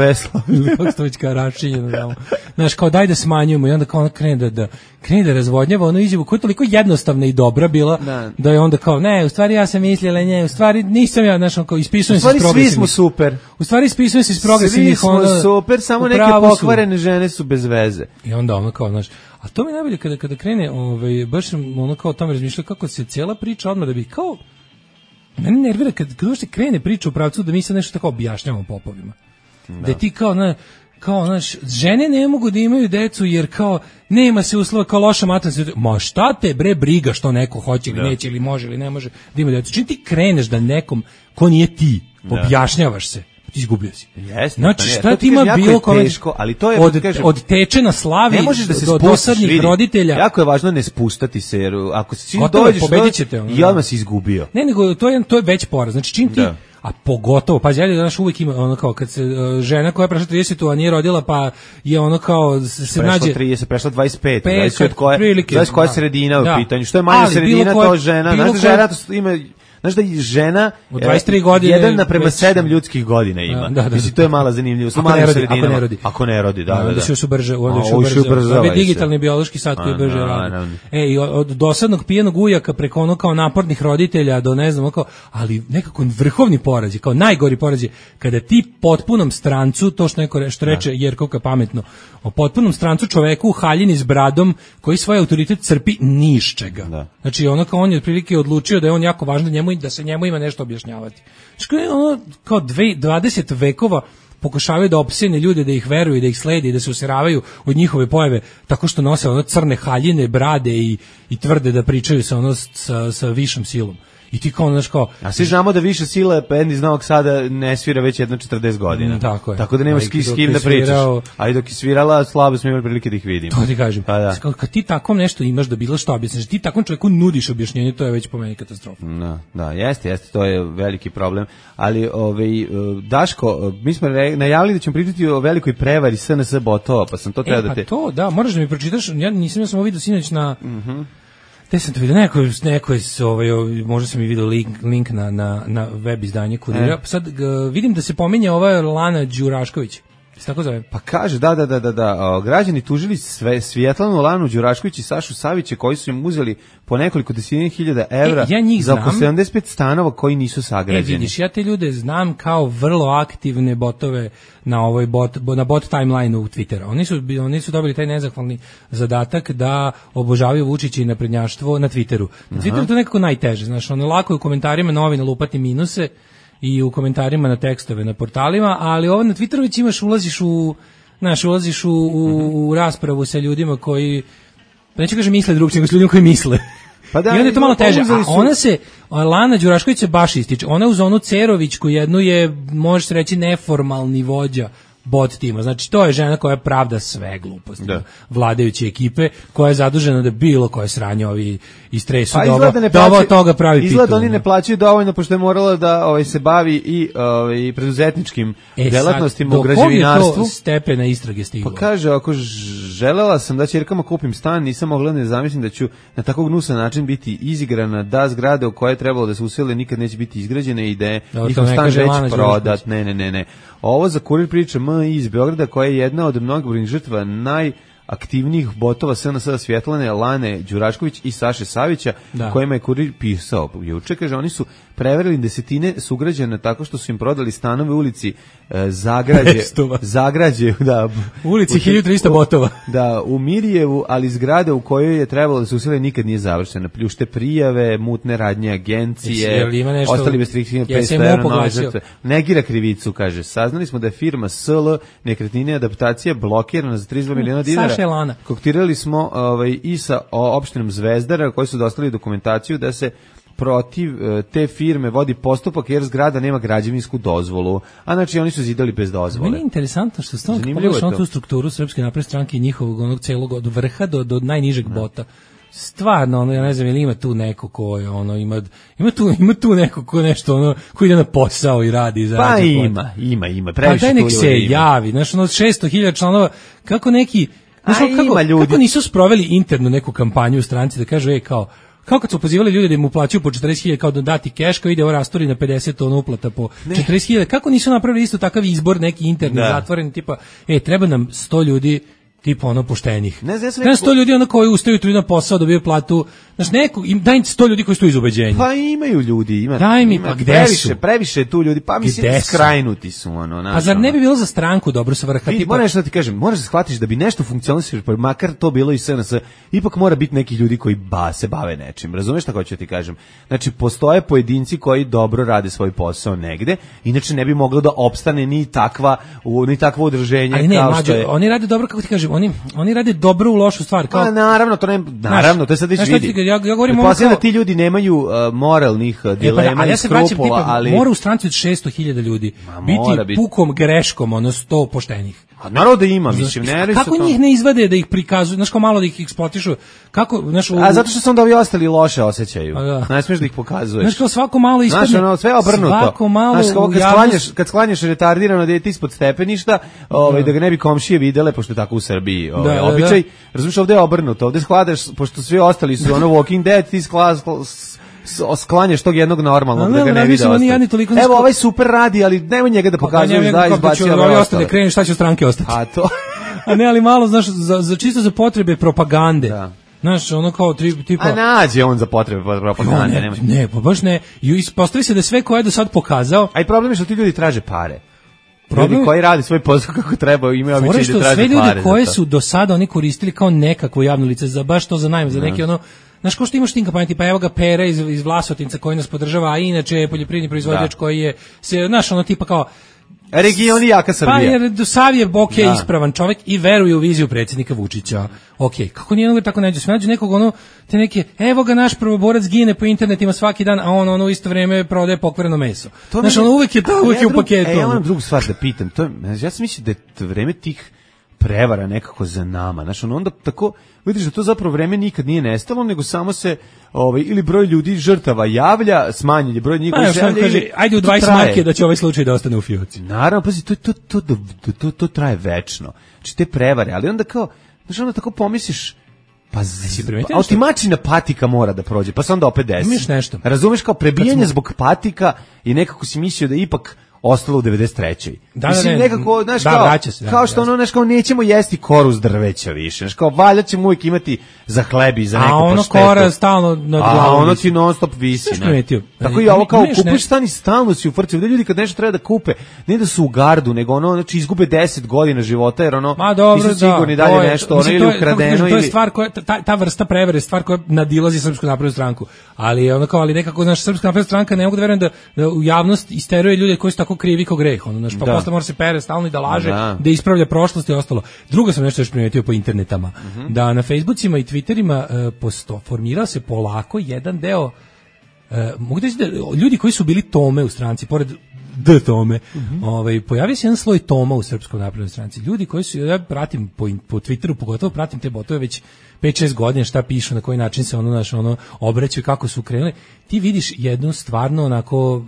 Kako se to već kao rašinjeno. Znaš, kao daj da smanjujemo i onda kao ona krene da razvodnjava izjavu koja je toliko jednostavna i dobra bila, da je onda kao, ne, u stvari ja sam mislila u stvari nisam ja, znaš, kao ispisujem se iz progresivnih. Svi smo super. U stvari ispisujem se iz progresivnih. Svi smo super, samo neke pokvarene žene su bez veze. I onda kao, znaš, a to mi je najbolje kada krene, baš kao o tome razmišlja kako se cijela priča odmah da bi kao... Mene nervira kad uopšte krene priča u pravcu da mi sad nešto tako objašnjavamo popovima. Da ti kao, znaš, žene ne mogu da imaju decu jer kao nema se uslova, kao loša maternica. Ma šta te bre briga što neko hoće ili neće ili može ili ne može da ima decu. Čim ti kreneš da nekom ko nije ti objašnjavaš se, ti izgubio si. Znači šta ti ima bilo od tečena slavi do dosadnih roditelja. Jako je važno ne spustati se, jer ako si dođeš i odmah si izgubio. Ne, nego to je već poraz. Znači čim ti, a pogotovo, pa ja danas uvijek ima kao kad se žena koja je prešla 30, a nije rodila, pa je kao se nađe 30, prešla 25, znači od koja sredina u pitanju. Što je manja sredina, to žena, žena ima. Znaš da je žena od 23 godine 1:7 ljudskih godina ima. Mislim, to je mala zanimljivost. Ako ne rodi, da se još ubrzava. Ovo je digitalni biološki sat koji brže radi. I od dosadnog pijenog ujaka preko kao napornih roditelja do ne znam, ali nekako vrhovni poraz je, kao najgori poraz je kada ti potpunom strancu, to što neko reče Jerkovka pametno, o potpunom strancu čoveku u haljini s bradom koji svoj autoritet crpi ni iz čega. Znači on je otprilike odlučio da je on jako važan da se njemu ima nešto objašnjavati. Kao 20 vekova pokušavaju da opsene ljude, da ih veruju, da ih slede i da se useravaju od njihove pojave tako što nose ono crne haljine, brade i tvrde da pričaju sa višom silom. I ti kao, znaš kao... A svi znamo da više sile bend iz Novog Sada ne svira već jedno 40 godina. Tako je. Tako da nemaš s kim da pričaš. A i dok je svirala, slabo smo imali prilike da ih vidimo. To ti kažem. Pa da. Kad ti tako nešto imaš da bilo što objasniš, ti takvom čovjeku nudiš objašnjenje, to je već po meni katastrofa. Da, jeste, to je veliki problem. Ali, Daško, mi smo najavili da ćemo pričati o velikoj prevari SNS botova, pa sam to treba da te... Pa to, da, moraš da mi pročitaš, ja sam vidio sinoć na... Te sam to vidio, neko je možda sam i vidio link na web izdanje Kurira. Sad vidim da se pominje ova Lana Đurašković. Se tako zove? Pa kaže, da. Građani tužili Svjetlanu, Lanu Đurašković i Sašu Savića koji su im uzeli po nekoliko desetina hiljada evra za oko 75 stanova koji nisu sagrađeni. Vidiš, ja te ljude znam kao vrlo aktivne botove na bot timeline u Twittera. Oni su dobili taj nezahvalni zadatak da obožavaju Vučića i naprednjaštvo na Twitteru. Na Twitteru to nekako najteže, znaš, lako je u komentarima novina lupati minuse i u komentarima na tekstove na portalima, ali ovo na Twitteru već ulaziš u raspravu sa ljudima koji, neću kažem misle drugčije, nego s ljudima koji misle. Pa da, i onda je to malo teže, a Lana Đurašković se baš ističe, ona uz onu Cerovićku jednu je, možeš reći, neformalni vođa bot tima. Znači, to je žena koja pravda sve gluposti vladajuće ekipe, koja je zadužena da bilo koje sranje ovi istresu, da ovo od toga pravi pitu. Izgleda oni ne plaćaju dovoljno, pošto je morala da se bavi i preduzetničkim delatnostima u građevinarstvu. Do kog je to stepena istrage stiglo? Pa kaže, ako želela sam da ćerkama kupim stan, nisam mogla ne zamislim da ću na tako gnusan način biti izigrana, da zgrade u koje je trebalo da se usele nikad neće biti izgrađene i da je njihov stan već prodat. Ne. Ovo za Kurir priča iz Beograda, koja je jedna od mnogobrojnih žrtva najaktivnijih botova SNS Svjetlane, Lane Đurašković i Saše Savića, kojima je Kurir pisao juče. Kaže, oni su prevarili desetine sugrađana tako što su im prodali stanove u ulici Zagrađe, u ulici 1300 botova. Da, u Mirjevu, ali zgrade u kojoj je trebalo da se usile nikad nije završena. Pljušte prijave, mutne radnje agencije, ostali bez 3500 € nove žrtve. Negira krivicu, kaže. Saznali smo da je firma SL Nekretnine adaptacija blokirana za 32 miliona dinara. Saša Lana. Koktirali smo i sa opštinom Zvezdara, koji su dostavili dokumentaciju da se protiv te firme vodi postupak jer zgrada nema građevinsku dozvolu, a znači oni su zidali bez dozvole. Meni je interesantno što stalno pogledaš na tu strukturu Srpske napredne stranke i njihovog onog celog od vrha do najnižeg bota. Stvarno, ja ne znam, ili ima tu neko ko je, ima tu neko ko nešto, ko ide na posao i radi i zarađuje. Pa ima, previše tu ljudi. Pa daj nek se javi, znaš, 600.000 članova, kako neki, kako nisu sproveli internu neku kampanju u stranci da kažu, kao kad su pozivali ljudi da im uplaćuju po 40.000 kao da dati keš, kao ide ovo rastori na 50 tona uplata po 40.000, kako nisu napravili isto takav izbor neki interni zatvoreni, tipa, treba nam 100 ljudi tipa poštenih. Ne znam 100 ljudi koji ustaju tu na posao, dobiju platu. Znaš, daj 100 ljudi koji stoji iz ubeđenja. Pa imaju ljudi, daj mi, pa gde su? Previše tu ljudi, pa mislim skrajnuti su. A zar ne bi bilo za stranku dobro sa vrha? Moraš da ti kažem, moraš da shvatiš da bi nešto funkcionisalo, pa makar to bilo i SNS, ipak mora biti neki ljudi koji se bave nečim. Razumeš šta hoću ti kažem? Znači, postoje pojedinci koji dobro rade svoj posao negde, inače ne bi moglo da opstane ni takvo udruženje. Ali ne, oni rade dobro, kako ti kažem, oni rade dobro u lošu stvar. Pa naravno, to je sad već vidi. Ja govorim da ti ljudi nemaju moralnih dilema i skrupula, ali mora u stranci od 600.000 ljudi biti pukom greškom 100 poštenih. A naravno da ima, mislim, ne. Kako njih ne izvade da ih prikazuju, znaš, kao malo da ih eksploatišu? Kako, znaš, a zato što se onda ovi ostali loše osjećaju. Ne smiješ da ih pokazuješ. Znaš, kao svako malo ispadne. Znaš, sve obrnuto. Svako malo kad sklanjaš retardirano dete ispod stepeništa, da ga ne bi komšije videle, pošto je tako u Srbiji običaj. Razumiješ, ovdje je obrnuto. Ovdje skladaš, pošto svi ostali su Walking Dead, ti sklanjaš tog jednog normalnog da ga ne vide ostati. Evo, ovaj super radi, ali nemoj njega da pokazuješ da izbacio ove ostale. Kreni šta će u stranke ostati. A to... A ne, ali malo, znaš, čisto za potrebe propagande. Da. Znaš, ono kao tipa... A nađe on za potrebe propagande. Ne, pa baš ne. I ispostavi se da sve koje je do sad pokazao... A i problem je što ti ljudi traže pare. Ljudi koji radi svoj posao kako treba, imaju običaj da traže pare. Sve ljudi koje su do sada oni koristili kao nekakvo javno lice, za baš to za najam, za neki znaš, ko što imaš tim kampanje, tipa evo ga Pera iz Vlasotinca koji nas podržava, a inače je poljoprivredni proizvođač koji je, znaš, tipa kao, Regioni jaka Srbija. Pa jer Savijev ispravan čovjek i veruje u viziju predsjednika Vučića. Kako nije tako nađe? Sve nađe nekog te neke, evo ga naš prvoborac gine po internetima svaki dan, a on u isto vrijeme prodaje pokvareno meso. Znaš, uvijek je u paketu. Ja imam drugu stvar da pitam. Ja sam mislim da je vreme tih prevara nekako za nama. Znaš, onda tako, vidiš da to zapravo vreme nikad nije nestalo, nego samo se ili broj ljudi žrtava javlja, smanjen je broj njihovih javlja. Ajde u 20 marke da će ovaj slučaj da ostane u fioci. Naravno, pazi, to traje večno. Znači, te prevare, ali onda kao, znaš, onda tako pomisliš, pa otimačina patika mora da prođe, pa se onda opet desi. Imaš nešto. Razumeš, kao prebijanje zbog patika i nekako si mislio da ipak ostalo u 93. Mislim, nekako, znaš, kao što znaš, kao nećemo jesti koru s drveća više, znaš, kao valja ćemo uvijek imati za hleb i za neku paštetu. A kora stalno nad glavom. A ono ti non stop visi. Tako i ovo kao kupiš stan i stalno si u frci. Ovdje ljudi kad nešto treba da kupe, ne da su u gardu, nego znači izgube 10 godina života, jer nisu sigurni dalje nešto, ili ukradeno. To je stvar koja, ta vrsta prevere je stvar koja nadilazi Srpsku naprednu stranku. Ali nekako, znaš, Srpska napredna stranka ne mogu da verujem da u javnost isteruje ljude koji su tako krivi kao greh, pa posle mora se pere stalno i da laže, da ispravlja prošlost i ostalo. Drugo sam nešto još primetio po internetama, da na Facebookima i Twitterima formirao se polako jedan deo, mogu da da ljudi koji su bili Tome u stranci, pored Tome, pojavio se jedan sloj Toma u Srpskoj naprednoj stranci. Ljudi koji su, ja pratim po Twitteru, pogotovo pratim te botove već 5-6 godina, šta pišu, na koji način se obraćaju, kako su krenuli. Ti vidiš jednu stvarno onako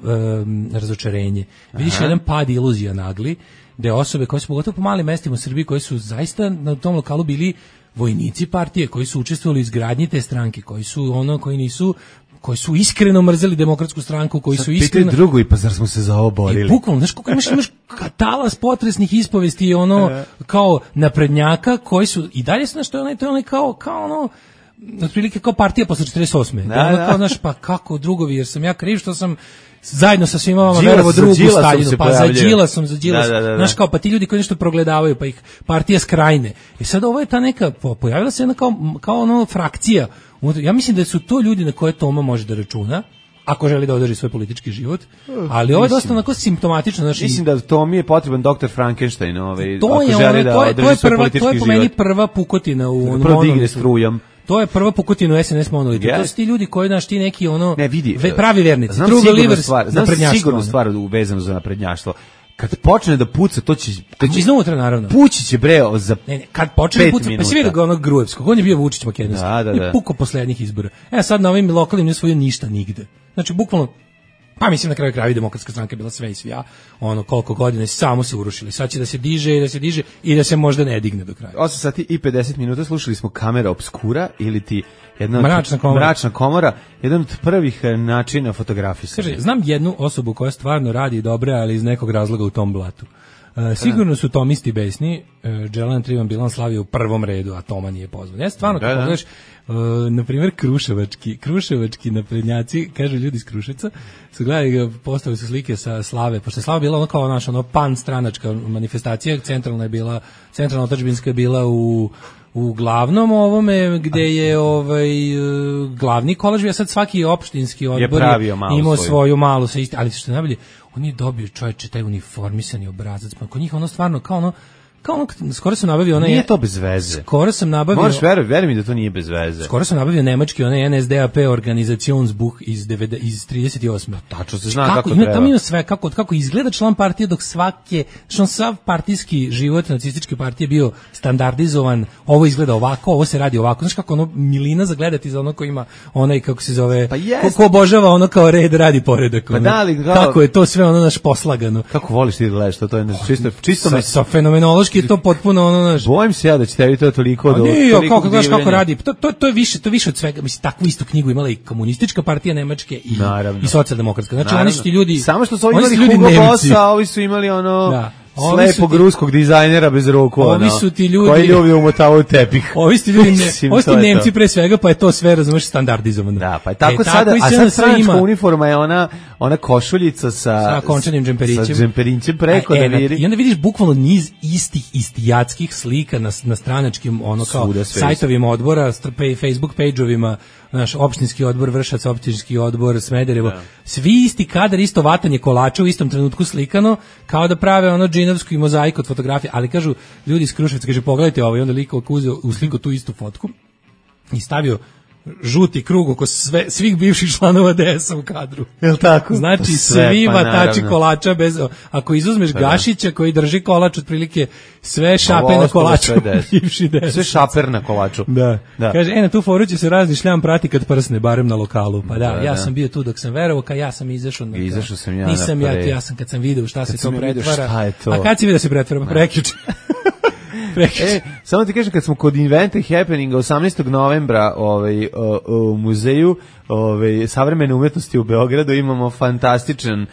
razočarenje. Vidiš jedan pad iluzija nagli, gde osobe koje su pogotovo po malim mestima u Srbiji, koji su zaista na tom lokalu bili vojnici partije, koji su učestvovali u izgradnji te stranke, koji su iskreno mrzeli Demokratsku stranku, koji su iskreno... Pitaj drugo, i pa zar smo se za ovo borili? Bukvalno, znaš koliko imaš talas potresnih ispovesti kao naprednjaka, koji su, i dalje znaš, to je onaj kao otprilike kao partija posle 48. Kao, znaš, pa kako drugovi, jer sam ja kriv što sam zajedno sa svima vama verovo drugu Staljinu, pa za Đilasom. Znaš, kao, pa ti ljudi koji nešto progledavaju, pa ih partija skrajne. I sad ovo je ta neka, pojavila se jedna kao frakcija. Ja mislim da su to ljudi na koje Toma može da računa, ako želi da održi svoj politički život, ali ovo je dosta onako simptomatično. Mislim da Tomi je potreban Dr. Frankenstein, ako želi da održi svoj politički život. To je po meni prva pukotina u prvo digne strujom. To je prva pukotina u SNS monolitu. To su ti ljudi koji, znaš, ti neki pravi vernici. Znam sigurnu stvar vezano za naprednjaštvo. Kad počne da puca, to će iznutra, naravno. Pući će za kad počne da puca, pa si vidio ga onog Gruevskog, on je bio Vučić Makedonski. Da. Puko poslednjih izbora. Sad na ovim lokalnim ne svoju ništa nigde. Znači, bukvalno, pa mislim na kraju krajeva Demokratska stranka je bila sve i svija, koliko godina samo se urušili. Sad će da se diže i da se možda ne digne do kraja. 8 sati i 50 minuta slušali smo Kamera obskura ili ti jedna mračna komora, jedan od prvih načina fotografisanja. Kaže, znam jednu osobu koja stvarno radi dobre, ali iz nekog razloga u tom blatu. Sigurno su tomisti besni, Dželan Trivan Bilan slavio u prvom redu, a Toma nije pozvan. Ja stvarno, kako pogledaš, na primjer, kruševački naprednjaci, kažu ljudi iz Kruševca, su gledali, postavili su slike sa Slave, pošto je Slava bila kao naša pan stranačka manifestacija, centralna otadžbinska je bila u glavnom ovome, gde je glavni kolaž, a sad svaki opštinski odbor je imao svoju malu, ali što je najbolje, on je dobio, čovječe, taj uniformisani obrazac, pa kod njih stvarno kao skoro sam nabavio Nije to bez veze. Skoro sam nabavio. Možeš veruj mi da to nije bez veze. Skoro sam nabavio nemački NSDAP Organisationsbuch iz 38. Tačno se zna kako treba. Tamo ima sve kako izgleda član partije, dok sav partijski život nacističke partije bio standardizovan. Ovo izgleda ovako, ovo se radi ovako. Znaš kako milina za gledati za ko ima onaj, kako se zove, ko obožava kao red radi poredak. Kako je to sve naš poslagano. Kako voliš ti da gledaš to je čisto sa fenomenološki je to potpuno naš. Bojim se ja da će tebi to toliko kako radi. To je više od svega. Mislim, takvu istu knjigu imala i komunistička partija Nemačke i socijaldemokratska. Znači, oni su ti ljudi. Samo što su imali Hugo Bossa, a ovi su imali slepog ruskog dizajnera bez ruku. Ovi su ti ljudi koji ljubi umotavaju tepih. Ovi su ti ljudi, ovi su ti Nemci pre svega, pa je to sve, razumeš, standardizovano. Da, pa je tako sada, a sad stranačka uniforma je ona košuljica sa končanim džemperićem. Sa džemperićem preko da viri. I onda vidiš bukvalno niz istijatskih slika na stranačkim kao sajtovima odbora, Facebook page-ovima naš opštinski odbor Vršac, opštinski odbor Smederevo, svi isti kadar, isto vatanje kolača u istom trenutku slikano, kao da prave ono džinovsku i mozaiku od fotografije, ali kažu ljudi iz Kruševca, kaže pogledajte ovo, i onda liko uzeo u sliku tu istu fotku i stavio žuti krug oko svih bivših članova DS-a u kadru. Jel tako? Znači svi vatači kolača bez, ako izuzmeš Gašića koji drži kolač otprilike sve šape na kolaču bivši DS. Sve šaper na kolaču. Da. Kaže, na tu foru će se razni šljam prati kad prsne, barem na lokalu. Pa ja sam bio tu dok sam verovao, kad ja sam izašao. Izašao sam ja. Nisam ja sam kad sam video šta se to pretvara. A kad si vidio da se pretvara? Prekjuče. Samo ti kažem, kad smo kod Invent Happeninga 18. novembra u muzeju savremene umetnosti u Beogradu imamo fantastičan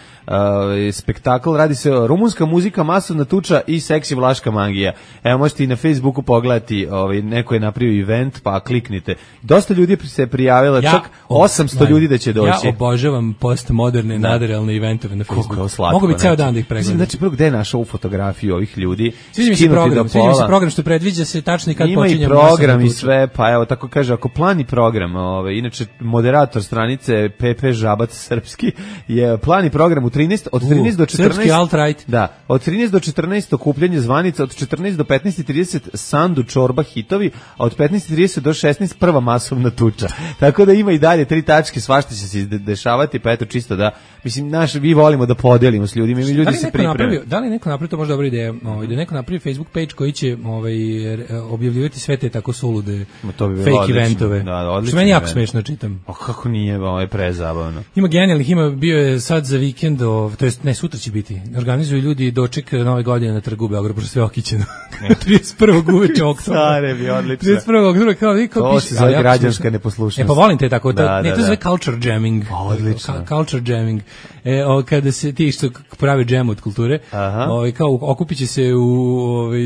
spektakl, radi se o rumunska muzika, masovna tuča i seksi vlaška magija. Evo, možete i na Facebooku pogledati, neko je napravio event, pa kliknite. Dosta ljudi se prijavilo, čak 800 ljudi da će doći. Ja obožavam postmoderne, nadrealne eventove na Facebooku. Mogu bi ceo dan da ih pregledam. Znači, prvo, gde je našao ovu fotografiju ovih ljudi? Sviđa mi se program što predviđa se tačno i kad počinje. Ima i program i sve, pa evo, tako kaže, ako plan i program, inače, moderator stranice PP Žabac Srpski je plan i program od 13 do 14. Srpski alt-right. Da, od 13 do 14 okupljanje zvanica, od 14 do 15:30 Sandu Čorba hitovi, a od 15:30 do 16 prva masovna tuča. Tako da ima i dalje 3 tačke, svašta će se dešavati, pa eto čisto da, mislim, vi volimo da podelimo s ljudima, mi ljudi se pripreme. Da li neko napravi, to možda dobra ideja, da neko napravi Facebook page koji će objavljivati sve te tako sulude fake eventove. Što meni jako smešno čitam. A kako nije, ovo je prezabavno. Ima genijalnih, bio je sad za vikend, to jest ne, sutra će biti. Organizuju ljudi doček Nove godine na trgu u Beogradu, pošto sve okićeno. 31. uveče oktobra. Stare bi, odlično. 31. oktobra, kao to se zove građanska neposlušnost. Pa volim te tako, to se zove culture jamming. Odlično. Culture jamming. Kada se ti što pravi džem od kulture, kao okupit će se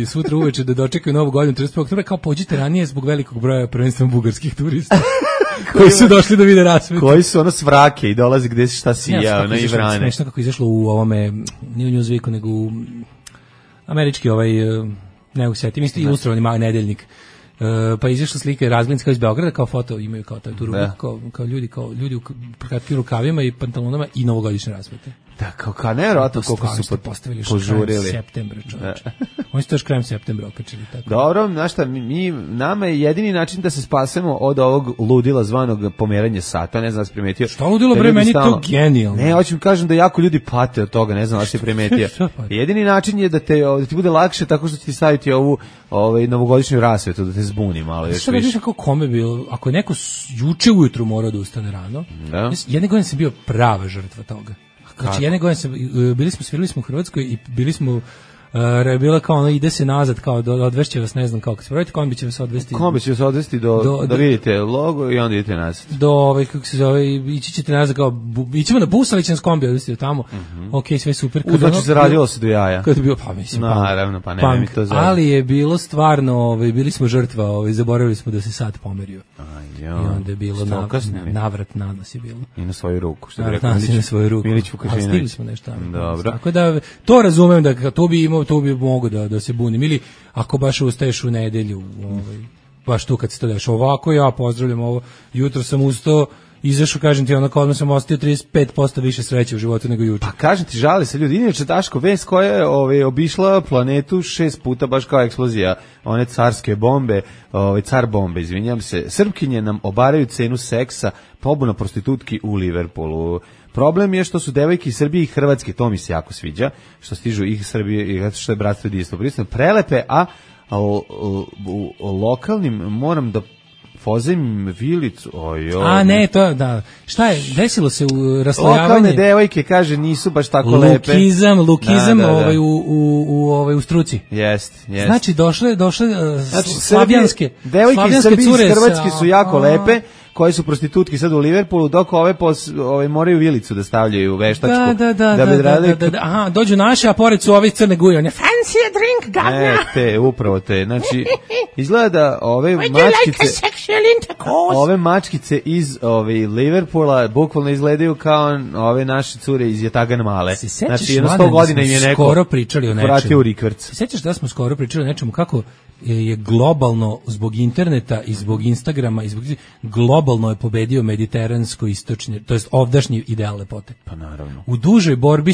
sutra uveče da dočekaju Novu godinu 31. oktobra, kao pođite ranije zbog velikog broja prvenstveno bugarskih turista. koji su došli da vide rasvetu. Koji su ono svrake i dolazi gde se šta sija, ono i vrane. Smešno kako je izašlo u ovome, nije u Newsweeku, nego u američki ne usetim, isto ilustrovani nedeljnik. Pa izašla slika Razglinska iz Beograda, kao foto, imaju kao tu ruku, kao ljudi u kratkim rukavima i pantalonama i novogodišnje rasvete. Da, kao nevjerojatno koliko su postavili požurili. Septembra, čovječe. Oni su to još krajem septembra okačili. Tako. Dobro, znaš šta, nama je jedini način da se spasemo od ovog ludila zvanog pomeranje sata, ne znam da si primetio. Šta ludilo, bre, meni to genijalno. Ne, hoću mi kažem da jako ljudi pate od toga, ne znam da si primetio. Jedini način je da ti bude lakše tako što će ti staviti ovu novogodišnju rasvetu, da te zbuni malo. Šta da vidiš kako kome bilo, ako je neko juče ujutru morao da ustane rano, jedne godine sam bio prava žrtva toga. Znači, jedne godine svirali smo u Hrvatskoj i bili smo, bila kao ono, ide se nazad, kao odvešće vas, ne znam kako se pravite, kombi će vas odvesti. Kombi će vas odvesti da vidite logo i onda idete nazad. Kako se zove, ići ćete nazad, kao, ićemo na bus, ali će nas kombi odvesti do tamo. Ok, sve super. Znači, zaradilo se do jaja. Kada je bilo, pa mislim, naravno, pa ne mi to zove. Ali je bilo stvarno, bili smo žrtva, zaboravili smo da se sad pomerio. I onda je bilo navrat na nas je bilo. I na svoju ruku, što bi rekao Milić Vukašinović. Stigli smo nešto. Dobro. Tako da, to razumem da to bi mogo da se bunim. Ili ako baš ustaješ u nedelju, baš tu kad se to deš. Ovako ja pozdravljam ovo. Jutro sam ustao, izašao, kažem ti, onako odmah sam ostio 35% više sreće u životu nego juče. Pa kažem ti, žali se ljudi. Inače, Daško, vest koja je obišla planetu 6 puta, baš kao eksplozija one carske bombe, car bombe, izvinjam se. Srpkinje nam obaraju cenu seksa, pobuna prostitutki u Liverpoolu. Problem je što su devojke iz Srbije i Hrvatske, to mi se jako sviđa, što stižu ih Srbije i što je bratstvo jedinstvo prelepe, a u lokalnim moram da pozem vilicu. A ne, to da. Šta je, desilo se u raslojavanje? Lokalne devojke, kaže, nisu baš tako lepe. Lukizam u struci. Jest. Znači, došle slavijanske. Devojke iz Srbije i Hrvatske su jako lepe, koji su prostitutki sad u Liverpoolu, dok ove moraju vilicu da stavljaju veštačku. Da. Aha, dođu naše, a pored su ove crne guje. One fancy a drink, gadna. Upravo te. Znači, izgleda da ove mačkice iz Liverpoola bukvalno izgledaju kao ove naše cure iz Jatagan Male. Znači, jedno 100 godina im je neko skoro pričali o nečemu. Vratio u rikvrc. Se sećaš da smo skoro pričali o nečemu, kako je globalno zbog interneta i zbog Instagrama i zbog globalno je pobedio mediteransko istočni, to jest ovdašnji ideal lepote. Pa naravno. U dužoj borbi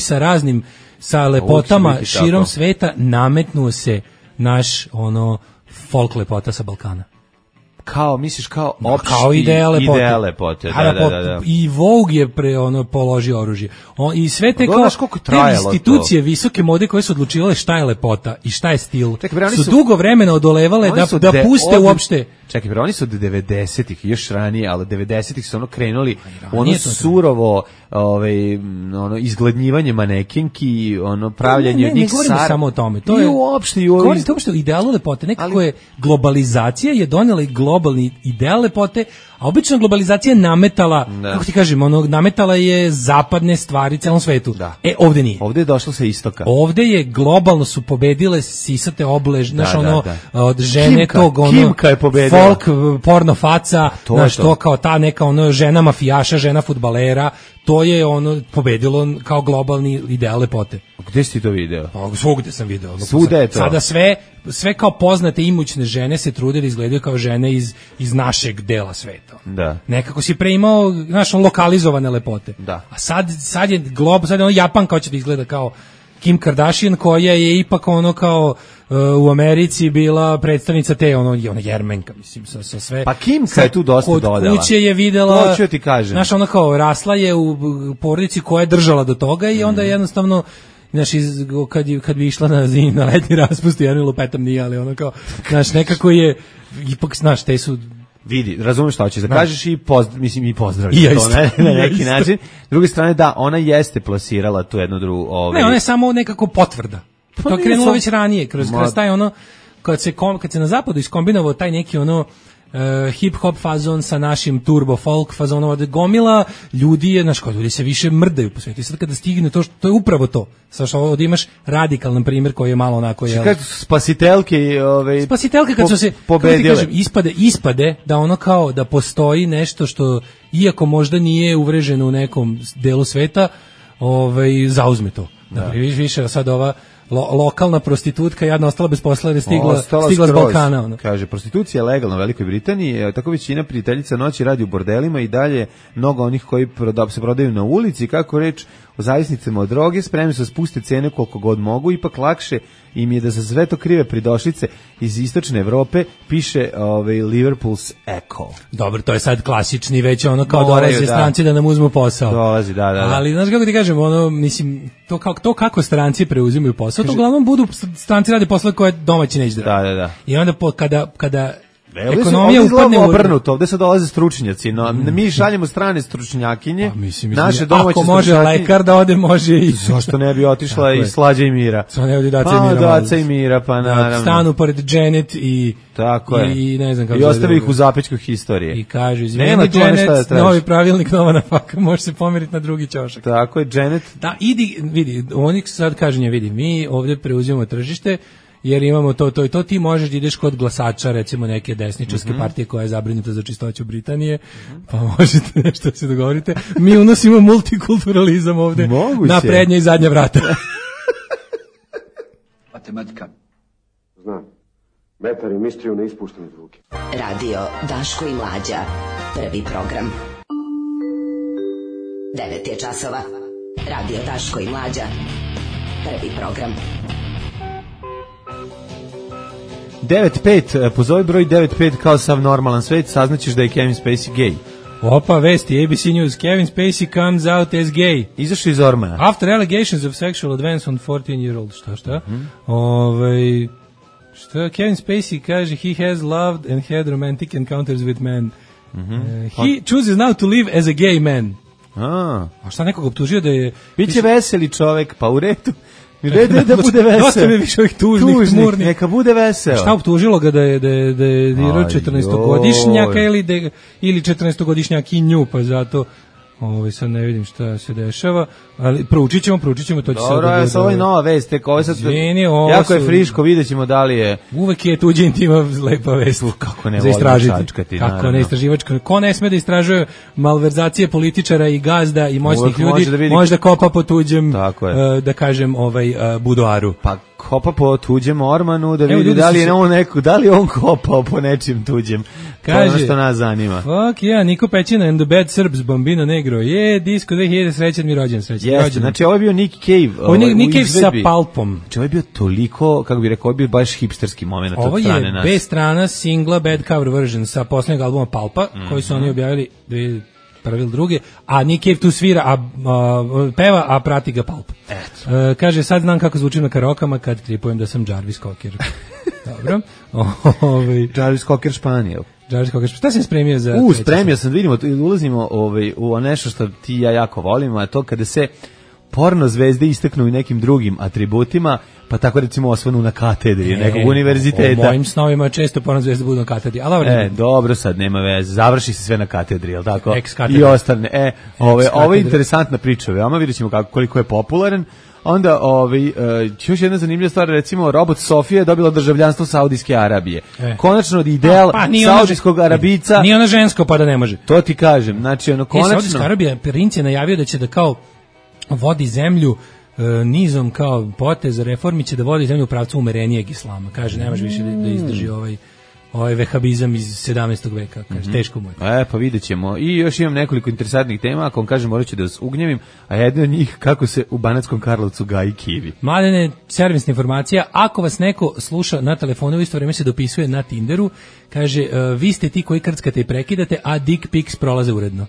sa lepotama širom sveta nametnuo se naš folk lepota sa Balkana. Kao, misliš, kao opšti kao ideja lepote. Da. I Vogue je položio oružje. I sve te te institucije visoke mode koje su odlučivale šta je lepota i šta je stil, su dugo vremena odolevale da puste uopšte. Čekaj, bre, oni su od 90-ih, još ranije, ali 90-ih su krenuli surovo izgladnjivanje manekenki, pravljanje od njih sara. Ne govorimo samo o tome. To je govorite uopšte o idealu lepote. Nekako je globalizacija je donela i globalni ideal lepote, a obično globalizacija nametala, kako ti kažem, nametala je zapadne stvari celom svetu. Da. Ovde nije. Ovde je došlo sa istoka. Ovde je globalno su pobedile sisate od žene Kimka je pobedila. Folk, porno faca, to kao ta neka žena mafijaša, žena fudbalera, to je pobedilo kao globalni ideal lepote. Gde si ti to video? Svugde sam video. Svuda je to. Sada sve kao poznate imućne žene se trude da izgledaju kao žene iz našeg dela sveta. Da. Nekako si pre imao, lokalizovane lepote. Da. A sad je Japan kao će da izgleda kao Kim Kardashian, koja je ipak kao u Americi bila predstavnica te jermenka, mislim, sa sve. Pa Kimka je tu dosta dodala. Kod kuće je videla, hoću ti kažem. Kao rasla je u porodici koja je držala do toga i onda jednostavno kad bi išla na letnji raspust, ja ne lupetam nije, ali nekako je, ipak, te su... Vidi, razumiješ šta hoćeš da kažeš i pozdravljam to na neki način. S druge strane, da, ona jeste plasirala tu jednu drugu... Ne, ona je samo nekako potvrda. To je krenulo već ranije, kroz taj kad se na zapadu iskombinovao taj neki hip-hop fazon sa našim turbo folk fazonom, od gomila ljudi ljudi se više mrdaju po svijetu. I sad kada stigne to je upravo to. Sad ovdje imaš radikalan primjer koji je malo onako... Spasitelke kad su se pobedile. Ispade da kao da postoji nešto što, iako možda nije uvreženo u nekom delu sveta, zauzme to. Da. Više sad ova lokalna prostitutka jadna ostala bez posla jer je stigla s Balkana. Kaže, prostitucija je legalna u Velikoj Britaniji, tako većina prijateljica noći radi u bordelima i dalje mnogo onih koji se prodaju na ulici, kako reč o zavisnicama od droge, spremni su spuste cene koliko god mogu, ipak lakše im je da za sve to krive pridošlice iz istočne Evrope, piše Liverpool's Echo. Dobro, to je sad klasični već kao dolaze stranci da nam uzmu posao. Dolazi, da. Ali znaš kako ti kažem, mislim, to kako stranci preuzimaju posao, to uglavnom budu stranci rade posle koje domaći neće da rade. Da. I onda kada ekonomija upadne obrnuto, ovde se dolaze stručnjaci, no mi šaljemo strane stručnjakinje, naše domaće ako može lekar da ode, može i... Zašto ne bi otišla i Slađa i Mira? Zašto ne bi Daca i Mira, pa naravno. Stanu pored Janet i... Tako je. I ne znam kako... I ostavi ih u zapećku historije. I kaže, izvini Janet, novi pravilnik, nova nafaka, može se pomeriti na drugi ćošak. Tako je, Janet. Da, vidi, oni sad kažu vidi, mi ovdje preuzimamo tržište, jer imamo to i to, ti možeš da ideš kod glasača, recimo neke desničarske partije koja je zabrinuta za čistoću Britanije, pa možete nešto da se dogovorite. Mi unosimo multikulturalizam ovde na prednja i zadnja vrata. Matematika. Znam. Metar i mistriju ne ispuštam iz ruke. Radio Daško i Mlađa. Prvi program. 9 je časova. Radio Daško i Mlađa. Prvi program. 9-5, pozovi broj 9-5 kao sav normalan svet, saznaćeš da je Kevin Spacey gay. Opa, vesti, ABC News, Kevin Spacey comes out as gay. Izašao iz ormana. After allegations of sexual advance on 14-year-old, šta? Šta Kevin Spacey kaže, he has loved and had romantic encounters with men. He chooses now to live as a gay man. A šta nekog optužio da je... Biće veseli čovek, pa u redu. Da bude vesel. Dosta mi više ovih tužnih, tmurnih. Neka bude vesel. Šta optužilo ga da je dirao 14-godišnjaka ili 14-godišnjakinju, pa zato sad ne vidim šta se dešava, ali proučit ćemo, to će sad da bude. Dobro, ovo je nova vest, jako je friško, vidjet ćemo da li je... Uvek je tuđi intima lepa vest. Kako ne volim čačkati, naravno. Kako ne istraživačka, ko ne sme da istražuje malverzacije političara i gazda i moćnih ljudi, može da kopa po tuđem, da kažem, budoaru. Pa kopa po tuđem ormanu, da vidi da li je on da li on kopao po nečim tuđem. Kaže, to je ono što nas zanima. Fuck yeah, Niko Pećina and the Bad Serbs, Bambino Negro. Disco 2000, srećan mi rođen, Jeste, znači ovo je bio Nick Cave. Nick Cave sa Pulpom. Znači ovo je bio toliko, kako bih rekao, ovo je bio baš hipsterski moment od strane nas. Ovo je B strana singla Bad Cover Version sa poslednjeg albuma Pulpa, koji su oni objavili prvi ili druge, a Nick Cave tu svira, peva, a prati ga Pulp. Kaže, sad znam kako zvučim na karokama kad tripujem da sam Jarvis Cocker. Dobro. Jarvis Cocker Španijel. Šta sam spremio za... Spremio sam, da vidimo, ulazimo u nešto što ti ja jako volimo, a to kada se porno zvezde istaknu i nekim drugim atributima, pa tako recimo osvanu na katedri nekog univerziteta. U mojim snovima često porno zvezde budu na katedri. Dobro, sad nema veze, završi se sve na katedri, jel tako? I ostane. Ovo je interesantna priča, veoma vidjet ćemo koliko je popularan. Onda još jedna zanimljiva stvar, recimo Robot Sofija je dobila državljanstvo Saudijske Arabije. Konačno ideal saudijskog Arabica. Nije ona žensko pa da ne može. To ti kažem, znači ono konačno. Saudijska Arabija, princ je najavio da će da kao vodi zemlju nizom kao poteza reformi, će da vodi zemlju u pravcu umerenijeg islama. Kaže, nemaš više da izdrži ovaj vehabizam iz 17. veka, kaže, teško mu je. Pa vidjet ćemo. I još imam nekoliko interesantnih tema, ako vam kažem, morat ću da vas ugnjevim, a jedna od njih, kako se u Banatskom Karlovcu gaji kivi. Mladene, servisna informacija, ako vas neko sluša na telefonu, u isto vreme se dopisuje na Tinderu, kaže, vi ste ti koji krckate i prekidate, a dick pics prolaze uredno.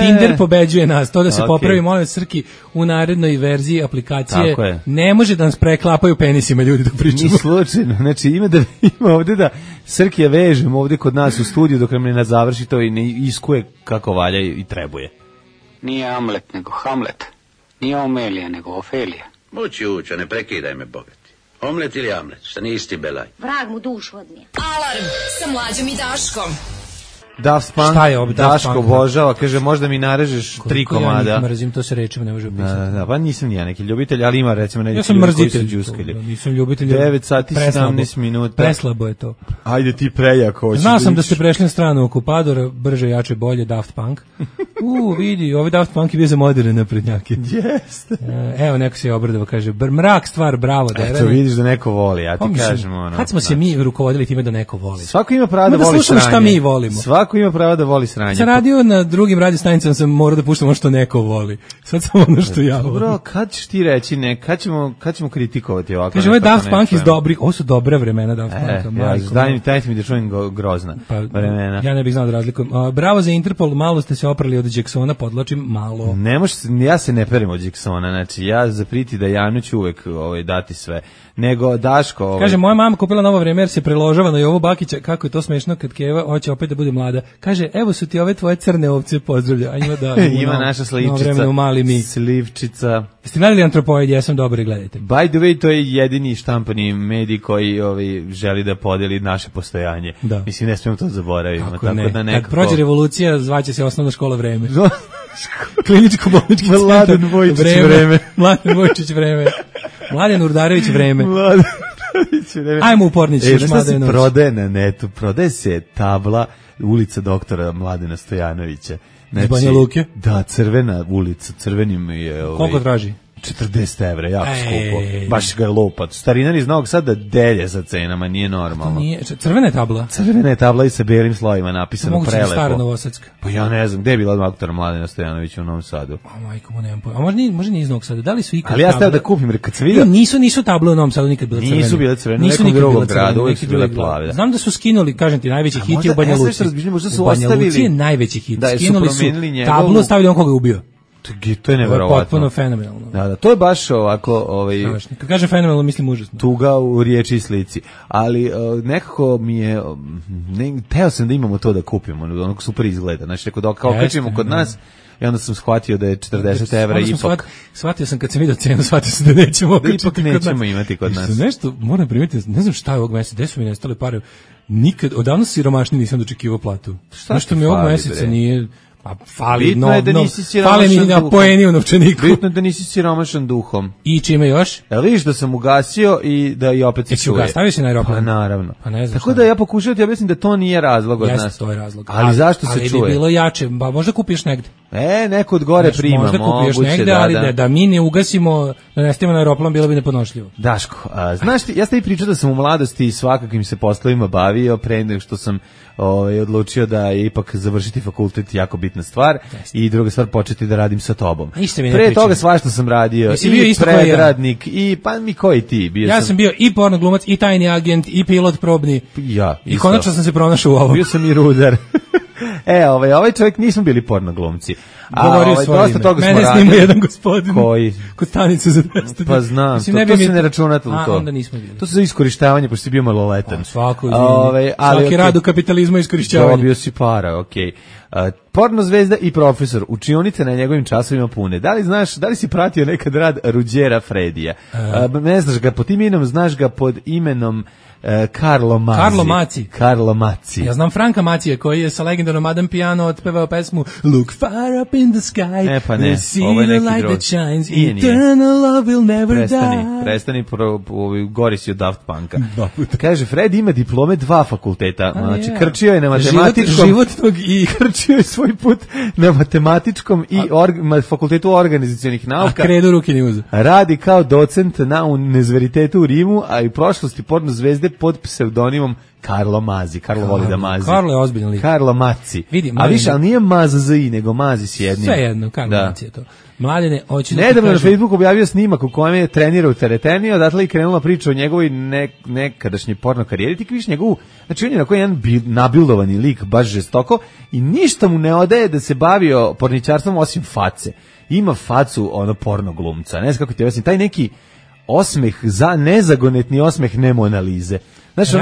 Tinder pobeđuje nas, to da se popravi, molim Srki, u narednoj verziji aplikacije, ne može da nas preklapaju penisima ljudi dok pričamo. Ni slučajno, znači ima ovde da Srkija vežem ovde kod nas u studiju dok ne završi to i ne iskuje kako valja i trebuje. Nije Amlet nego Hamlet, nije Omelija nego Ofelija. Mući uča, ne prekidaj me, bogati. Omlet ili Amlet, šta nisi ti belaj? Vrag mu dušu odnije. Alarm sa Mlađom i Daškom. Daft Punk, Daško obožava, kaže, možda mi narežeš 3 komada. Ja nikad mrzim, to se rečima ne može opisati. Da, pa nisam ja neki ljubitelj, ali ima recimo neki ljudi koji su džuskali. Nisam ljubitelj. 9 sati 17 minuta. Preslabo je to. Ajde ti prejako. Znao sam da ste prešli na stranu okupadora, brže, jače, bolje, Daft Punk. Vidi, ovaj Daft Punk je bio za moderne naprednjake. Jeste. Evo, neko se je obradovao, kaže, mrak stvar, bravo. Eto, vidiš da neko voli, ja ti kažem ono. Kad smo se mi rukovodili time da neko voli? Svako ima pravo da voli sranje. Šta mi volimo. Svako ima pravo da voli sranje. Sam radio na drugim radio stanicama, sam morao da puštam ono što neko voli. Sad samo ono što ja volim. Dobro, kad ćeš ti reći kad ćemo kritikovati ovako? Kaže, ovaj Daft Punk iz dobrih, ovo su dobra vremena Daft Punka. Dajte mi da čujem grozna vremena. Ja ne bih znao da razlikujem. Bravo za Interpol, malo ste se oprali od Jacksona, podlačim, malo. Ne može, ja se ne perim od Jacksona, znači ja zapriti da Janu ću uvek dati sve. Nego Daško... Kaže, moja mama kupila novo vreme jer se preložava na Jovu Bakića, kako je to smešno kad Keva hoće opet da bude mlada. Kaže, evo su ti ove tvoje crne ovce, pozdravlja. A ima naša slivčica. Jeste gledali Antropoid, ja sam dobro, gledajte. By the way, to je jedini štampani medij koji želi da podeli naše postojanje. Da. Mislim, ne smijemo to zaboraviti. Kako ne? Kad prođe revolucija, zvaće se osnovna škola Vreme. Kliničko-bolnički centar Mladen Vojčić Vreme. Mladen Vojčić Vreme. Mladen Urdarević Vreme. Ajmo u Pornić. Šta se prodaje na netu? Prodaje se tabla ulica doktora Mladena Stojanovića. Iz Banja Luke? Da, crvena ulica, crvenim je... Koliko traži? 40 evra, jako skupo. Baš ga je lopat. Starinar iz Novog Sada delje sa cenama, nije normalno. Crvena je tabla? Crvena je tabla i sa belim slovima napisano prelepo. Moguće stara Novosadska. Pa ja ne znam, gde je bila doktora Mladena Stojanovića u Novom Sadu? Majko mu nemam pojma. A možda nije iz Novog Sada. Da li su ikad ali ja stavio da kupim, jer kad sam vidio... Nisu table u Novom Sadu nikad bile crvene. Nisu bile crvene, u nekom drugom gradu, uvijek su bile plave. Znam da su skinuli, kažem ti, najveći hit je u Banja Luci. U Banja Luci je najveći hit. Skinuli su tablu, stavili on koga je ubio. To je neverovatno. Potpuno fenomenalno. Da, to je baš ovako... Kad kažem fenomenalno, mislim užasno. Tuga u riječi i slici. Ali nekako mi je... Teo sam da imamo to da kupimo, onako super izgleda. Znači, kao kačimo kod nas, i onda sam shvatio da je 40 evra ipak. Shvatio sam kad sam vidio cenu, shvatio sam da nećemo okačiti imati kod nas. Nešto, moram primetiti, ne znam šta je ovog meseca, gde su mi nestale pare. Nikad, odavno siromašni nisam dočekivao platu. Nešto mi ovog meseca nije... Pa fali na poeni u novčaniku. Bitno je da nisi siromašan duhom. I čime još? Viš da sam ugasio i da i opet se čuje. Stavio si na aeroplan? Pa naravno. Pa ne znam. Tako da ja pokušavam ti objasnim da to nije razlog od nas. Jeste, to je razlog. Ali zašto se čuje? Ali bi bilo jače, ba možda kupiš negde. Neko od gore prima, možda kupuješ negde, ali da mi ne ugasimo, da ne stavimo na aeroplan, bilo bi neponošljivo. Daško, znaš ti, ja sam i pričao da sam u mladosti svakakvim se poslovima bavio, pre nego što sam odlučio da je ipak završiti fakultet jako bitna stvar i druga stvar početi da radim sa tobom. Pre toga svašta sam radio, i predradnik, i pa mi koji ti? Ja sam bio i pornoglumac, i tajni agent, i pilot probni, i konačno sam se pronašao u ovom. Bio sam i rudar. Ovaj čovjek nismo bili pornoglumci. Govorio svoje ime. Mene snima jedan gospodin. Koji? Kod stanice za 200. Pa znam, to se ne računa to. Onda nismo bili. To se za iskorištavanje, pošto si bio maloletan. Svaki rad u kapitalizmu je iskorištavanje. Dobio si para, okej. Porno zvezda i profesor, učionice na njegovim časovima pune. Da li si pratio nekad rad Ruđera Fredija? Ne znaš ga pod tim imenom, znaš ga pod imenom Carlo Mazzi. Ja znam Franka Macija koji je sa legendarnom Madame Piano otpevao pesmu Look far up in the sky, pa ne, see the light that shines, eternal love will never die. Prestani, gori si od Daft Punka. Kaže, Fred ima diplome 2 fakulteta, znači krčio je na matematičkom, krčio je svoj put na matematičkom i fakultetu organizacionih nauka. A kredu ruke ni uza. Radi kao docent na univerzitetu u Rimu, a i u prošlosti porno zvezde pod pseudonimom Carlo Mazzi. Carlo voli da mazi. Carlo je ozbiljan lik. Carlo Mazzi. A više, ali nije Mazzi, nego Mazzi s jednim. Sve jedno, Carlo Mazzi je to. Mladene, hoću da nedavno na Facebooku objavio snimak u kojem je trenirao tereteni, odatle i krenula priča o njegovoj nekadašnjoj porno karijeri. Ti vidiš njegovu, znači on je onako jedan nabildovani lik, baš žestoko, i ništa mu ne odaje da se bavio porničarstvom osim face. Ima facu porno glumca. Ne znam kako ti objasnim, taj neki osmeh, nezagonetni osmeh ne Mona Lise. Znači,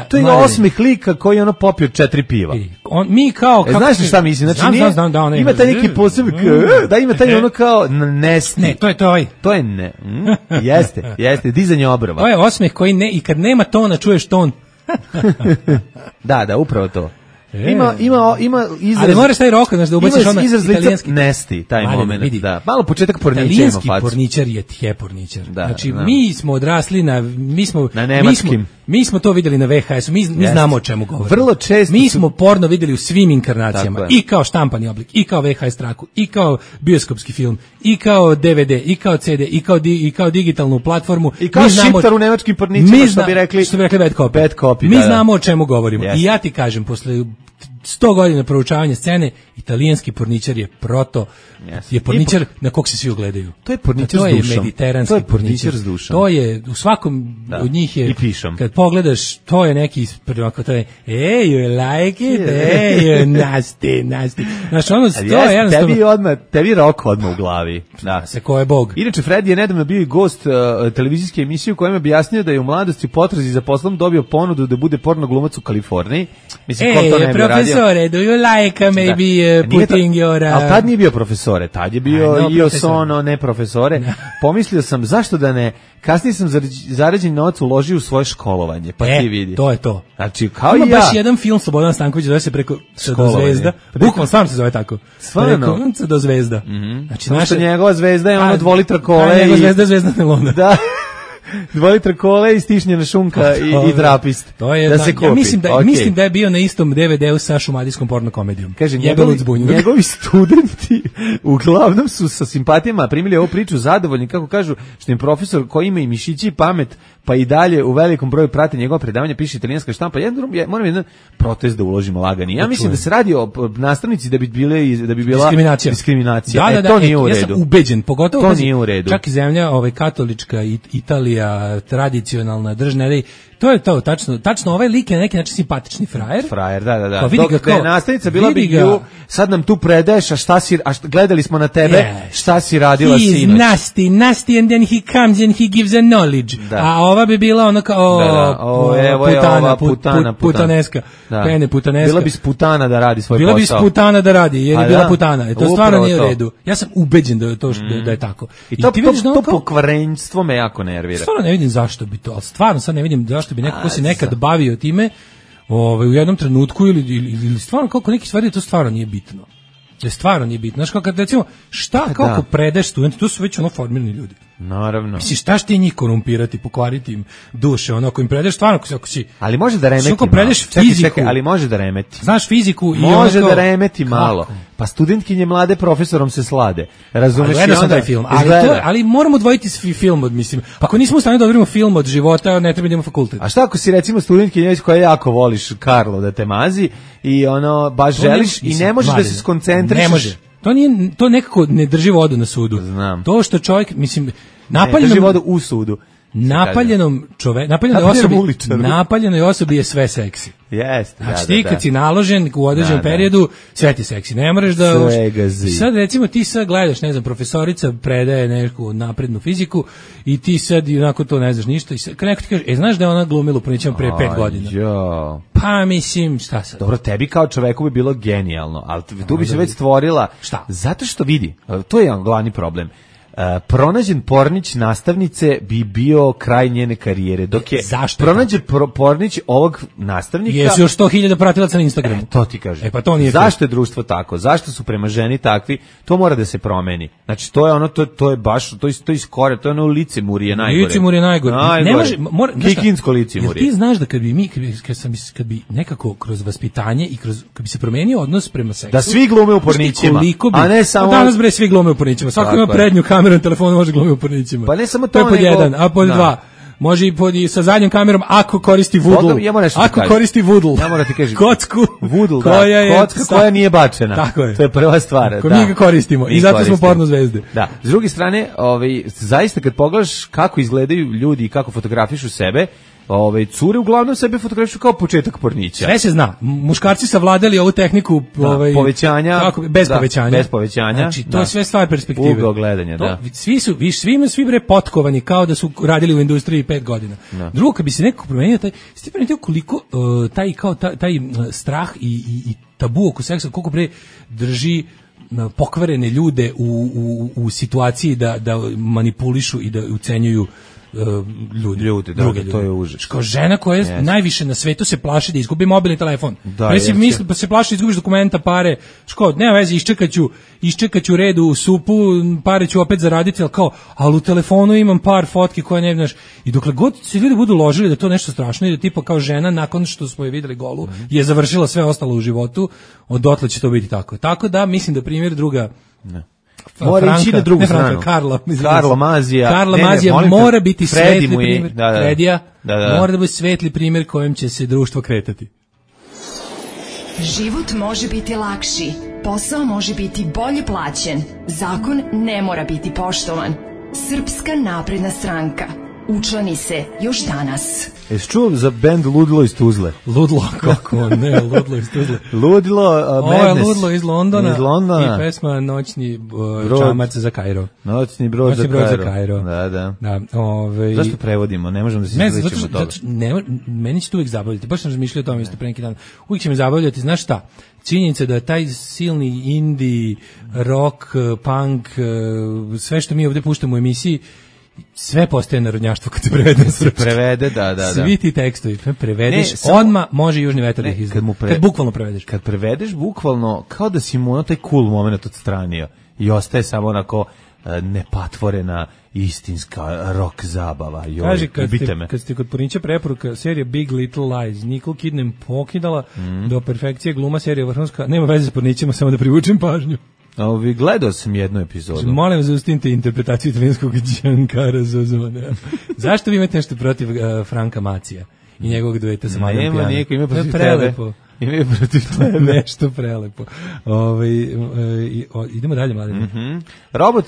to je osmeh lika koji je popio 4 piva. Mi kao... Znaš šta mislim? Znači, ima taj neki posebno, da ima taj kao nesti. Ne, to je to. To je ne. Jeste, dizanje obrva. To je osmeh koji ne, i kad nema tona, čuješ ton. Da, upravo to. Ima izraz. Ali moraš taj rok, znaš, da ubaciš ono italijanski nesti, taj moment, da. Malo početak porniča ima facu. Italijanski porničar je porničar. Znači, mi smo odrasli na nemačkim. Mi smo to videli na VHS-u, mi znamo o čemu govorimo. Vrlo često mi smo porno videli u svim inkarnacijama, i kao štampani oblik, i kao VHS traku, i kao bioskopski film, i kao DVD, i kao CD, i kao digitalnu platformu. I kao šiptar u nemačkim porničima, što bi rekli bad copy. Mi znamo o čemu govorimo. I ja ti kažem, posle 100 godina proučavanja scene, italijanski porničar je je porničar na kog se svi ugledaju. To je porničar s dušom. To je mediteranski porničar s dušom. To je, u svakom od njih je, kad pogledaš, to je neki, to je, you like it, nasty. Znači, to je jednostavno... Tebi rok odmah u glavi. Da. Se ko je Bog. Inače, Fred je nedavno bio i gost televizijske emisije u kojem je objasnio da je u mladosti potrazi za poslom dobio ponudu da bude porno glumac u Kaliforniji. Mislim, ko to ne bi radio. Profesore, do you like maybe putting your... Ali tad nije bio profesore, tad je bio ne profesore. Pomislio sam, zašto da ne, kasnije sam zarađen novac uložio u svoje školovanje, pa ti vidi. To je to. Znači, kao ima baš jedan film Slobodan Stanković, zove se Preko do zvezda. Bukvalno stvarno se zove tako. Preko do zvezda. Znači, naša njegova zvezda je ono 2 litra kole. Njegova zvezda je zvezda Nelona. Da. 2 litra kole i stišnjena šunka i trapist. To je, da se kupi. Ja mislim da je bio na istom DVD-u sa šumadijskom porno komedijom. Kaže, njegovi studenti uglavnom su sa simpatijama primili ovu priču zadovoljni, kako kažu, što im profesor koji ima i mišići i pamet, pa i dalje u velikom broju prate njegova predavanja, piše italijanska štampa. Moram jedan protest da uložimo lagani. Ja mislim da se radi o nastavnici da bi bila diskriminacija. Da, to nije u redu. Ja sam ubeđen, pogotovo to nije u redu. Čak i zemlja katolička, Italija, tradicionalna, držna, to je to, tačno ovaj lik je na neki način simpatični frajer. Frajer, da. Dok je nastavnica bila bi sad nam tu predaješ, gledali smo na tebe, šta si radila sinoć. He's nasty and then he comes and he gives a knowledge. A ova bi bila ono kao putaneska. Pene putaneska. Bila bi sputana da radi svoj posao. Bila bi sputana da radi, jer je bila putana. To stvarno nije u redu. Ja sam ubeđen da je tako. I to pokvarenstvo me jako nervira. Stvarno ne vidim zašto bi to, ali stvarno sad ne vidim zašto bi neko ko se nekad bavio time u jednom trenutku ili stvarno kako neki stvari to stvarno nije bitno. Da stvarno nije bitno. Znaš, kao kad recimo, kako predeš studenti, to su već ono formirani ljudi. Naravno. Misliš, šta ti njih korumpirati, pokvariti im duše, ono, ako im predeš stvarno, ako si... Ali može da remeti malo. Predeš fiziku. Čekaj, ali može da remeti. Znaš fiziku i može da remeti malo. Pa studentkinje mlade profesorom se slade. Razumeš? Gledao sam taj film. Ali moramo odvojiti film od, mislim, ako nismo u stanju da odvojimo film od života, ne treba da imamo fakultet. A šta ako si recimo studentkinja koja jako voliš Karlo da te mazi i ono, baš želiš i ne možeš da se skoncentrišeš? Ne može. To nekako ne drži vodu na sudu. Znam. To što čovjek, mislim, ne drži vodu u sudu. Napaljenoj osobi je sve seksi. Jeste. Znači ti kad si naložen u određenom periodu, sve ti seksi. Ne moraš da... Sad recimo ti sad gledaš, ne znam, profesorica predaje neku naprednu fiziku i ti sad onako to ne znaš ništa. I sad, kad neko ti kaže, znaš da je ona glumila u Pornićima pre 5 godina? Pa mislim, šta sad? Dobro, tebi kao čoveku bi bilo genijalno, ali tu bi se već stvorila... Šta? Zato što vidi, to je glavni problem. Pronađen pornić nastavnice bi bio kraj njene karijere, dok je pronađen pornić ovog nastavnika... Jesu još 100.000 pratilaca na Instagramu. To ti kažem. Pa to nije zašto je društvo tako? Zašto su prema ženi takvi? To mora da se promeni. Znači, to je ono, to je baš, to je iskore, to je ono licemurije najgore. Licemurije najgore. Ne može, kikinsko licemurije. Ti znaš da kad bi nekako kroz vaspitanje i kad bi se promenio odnos prema seksu... Da svi glume u pornićima, a ne samo... Danas bre svi glume u pornićima. Svako ima prednju kameru na telefonu, može glumiti u pornićima. Pa ne samo to, to je pod jedan, a pod dva. Može i sa zadnjom kamerom ako koristi vudl. Ako koristi vudl. Ja moram ti kažem. Kocku. Vudl, kocka koja nije bačena. Tako je. To je prva stvar. Ako mi ga koristimo i zato smo porno zvezde. Da. S druge strane, zaista kad pogledaš kako izgledaju ljudi i kako fotografišu sebe, cure uglavnom sebe fotografišu kao početak pornića. Sve se zna. Muškarci savladali ovu tehniku povećanja, bez povećanja. Bez povećanja. Znači, to je sve stvar perspektive. Ugao gledanja, da. Svi bre potkovani kao da su radili u industriji 5 godina. Drugo, kad bi se nekako promenio koliko taj strah i tabu oko seksa, koliko bre drži pokvarene ljude u situaciji da manipulišu i da ucenjuju ljudi, to je užas. Kao žena koja najviše na svetu se plaši da izgubi mobilni telefon. Misli pa se plaši da izgubiš dokumenta, pare. Nema veze, iščekaću redu u supu, pare ću opet zaraditi, ali u telefonu imam par fotki koje ne znaš. I dokle god se ljudi budu ložili da to nešto strašno i da tipa kao žena nakon što smo je videli golu je završila sve ostalo u životu, odotle će to biti tako. Tako da mislim da primjer druga mora ići na drugu stranu. Karla Mazija mora biti svetli primjer. Fredija mora da bude svetli primjer kojem će se društvo kretati. Život može biti lakši, posao može biti bolje plaćen, zakon ne mora biti poštovan. Srpska napredna stranka. Učlani se još danas. Jesi čuo za bend Ludilo iz Tuzle? Ludilo, kako ne, Ludilo iz Tuzle. Ludilo, Ovo je Ludilo iz Londona i pesma Noćni čamac za Kairo. Noćni brod za Kairo. Da. Zašto prevodimo? Ne možemo da se izličimo toga. Meni će to uvijek zabavljati. Baš sam razmišljao o tome isto pre neki dan. Uvijek će me zabavljati, znaš šta? Činjenica da taj silni indie, rock, punk, sve što mi ovdje puštamo u emisiji, sve postaje narodnjaštvo kad se prevede na srpski. Prevede, da. Svi ti tekstovi prevedeš, odmah može Južni vetar da ih izgleda. Kad bukvalno prevedeš. Kad prevedeš bukvalno, kao da si mu taj cool moment odstranio i ostaje samo onako nepatvorena istinska rock zabava. Kaži, kad ste kod Pornića preporuka serija Big Little Lies, Nicole Kidman pokidala do perfekcije gluma, serija vrhunska, nema veze s Pornićima, samo da privučem pažnju. Gledao sam jednu epizodu. Molim, zaustavite interpretaciju italijanskog Giancara Zozona. Zašto vi imate nešto protiv Franka Macija i njegovog dueta sa Majom Pijano? Ima protiv prelepo. Ima protiv tebe. Nešto prelepo. Idemo dalje, mladim. Robot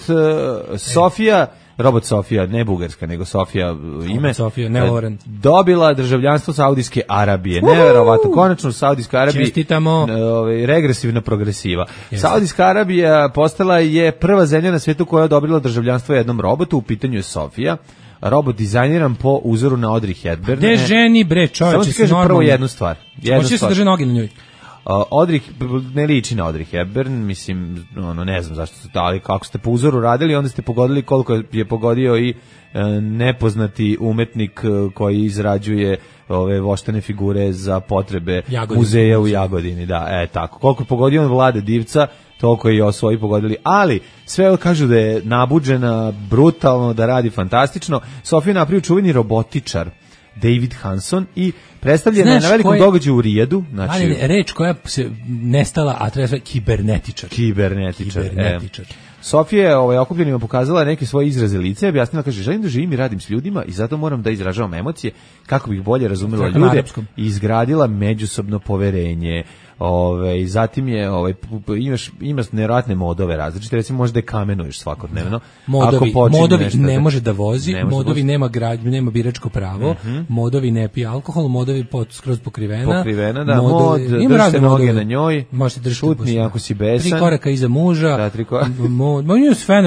Sofija, ne bugarska, nego Sofija ime. Sofija, ne Loren. Dobila državljanstvo Saudijske Arabije. Neverovatno, konačno u Saudijskoj Arabiji. Čestitamo. Regresivna progresiva. Saudijska Arabija postala je prva zemlja na svijetu koja je odobrila državljanstvo jednom robotu, u pitanju je Sofija. Robot dizajniran po uzoru na Audrey Hepburn. Gde ženi bre, čovječe, samo ti kažem prvo jednu stvar. Hoće se drže noge na njoj. Audrey ne liči na Audrey Hepburn, mislim, ne znam zašto su ali kako ste po uzoru radili, onda ste pogodili koliko je pogodio i nepoznati umetnik koji izrađuje ove voštane figure za potrebe muzeja u Jagodini, tako. Koliko je pogodio on Vlade Divca, toliko i osvoji pogodili, ali sve kažu da je nabuđena, brutalno, da radi fantastično. Sofija napravio čuveni robotičar David Hanson i predstavljena je na velikom događaju u Rijadu. Znači, ali reč koja se nestala, a treba sve kibernetičar. Sofija je okupljenima pokazala neke svoje izraze lica i objasnila, kaže, želim da živim i radim s ljudima i zato moram da izražavam emocije kako bih bolje razumela ljude i izgradila međusobno poverenje. Zatim je imaš nevjerojatne modove različite, recimo možda je kamenuješ svakodnevno. Modovi ne može da vozi, modovi nema nema biračko pravo, modovi ne pije alkohol, modovi skroz pokrivena, da, mod, drži se noge na njoj, šutni ako si besan, 3 koraka iza muža, da, 3 koraka,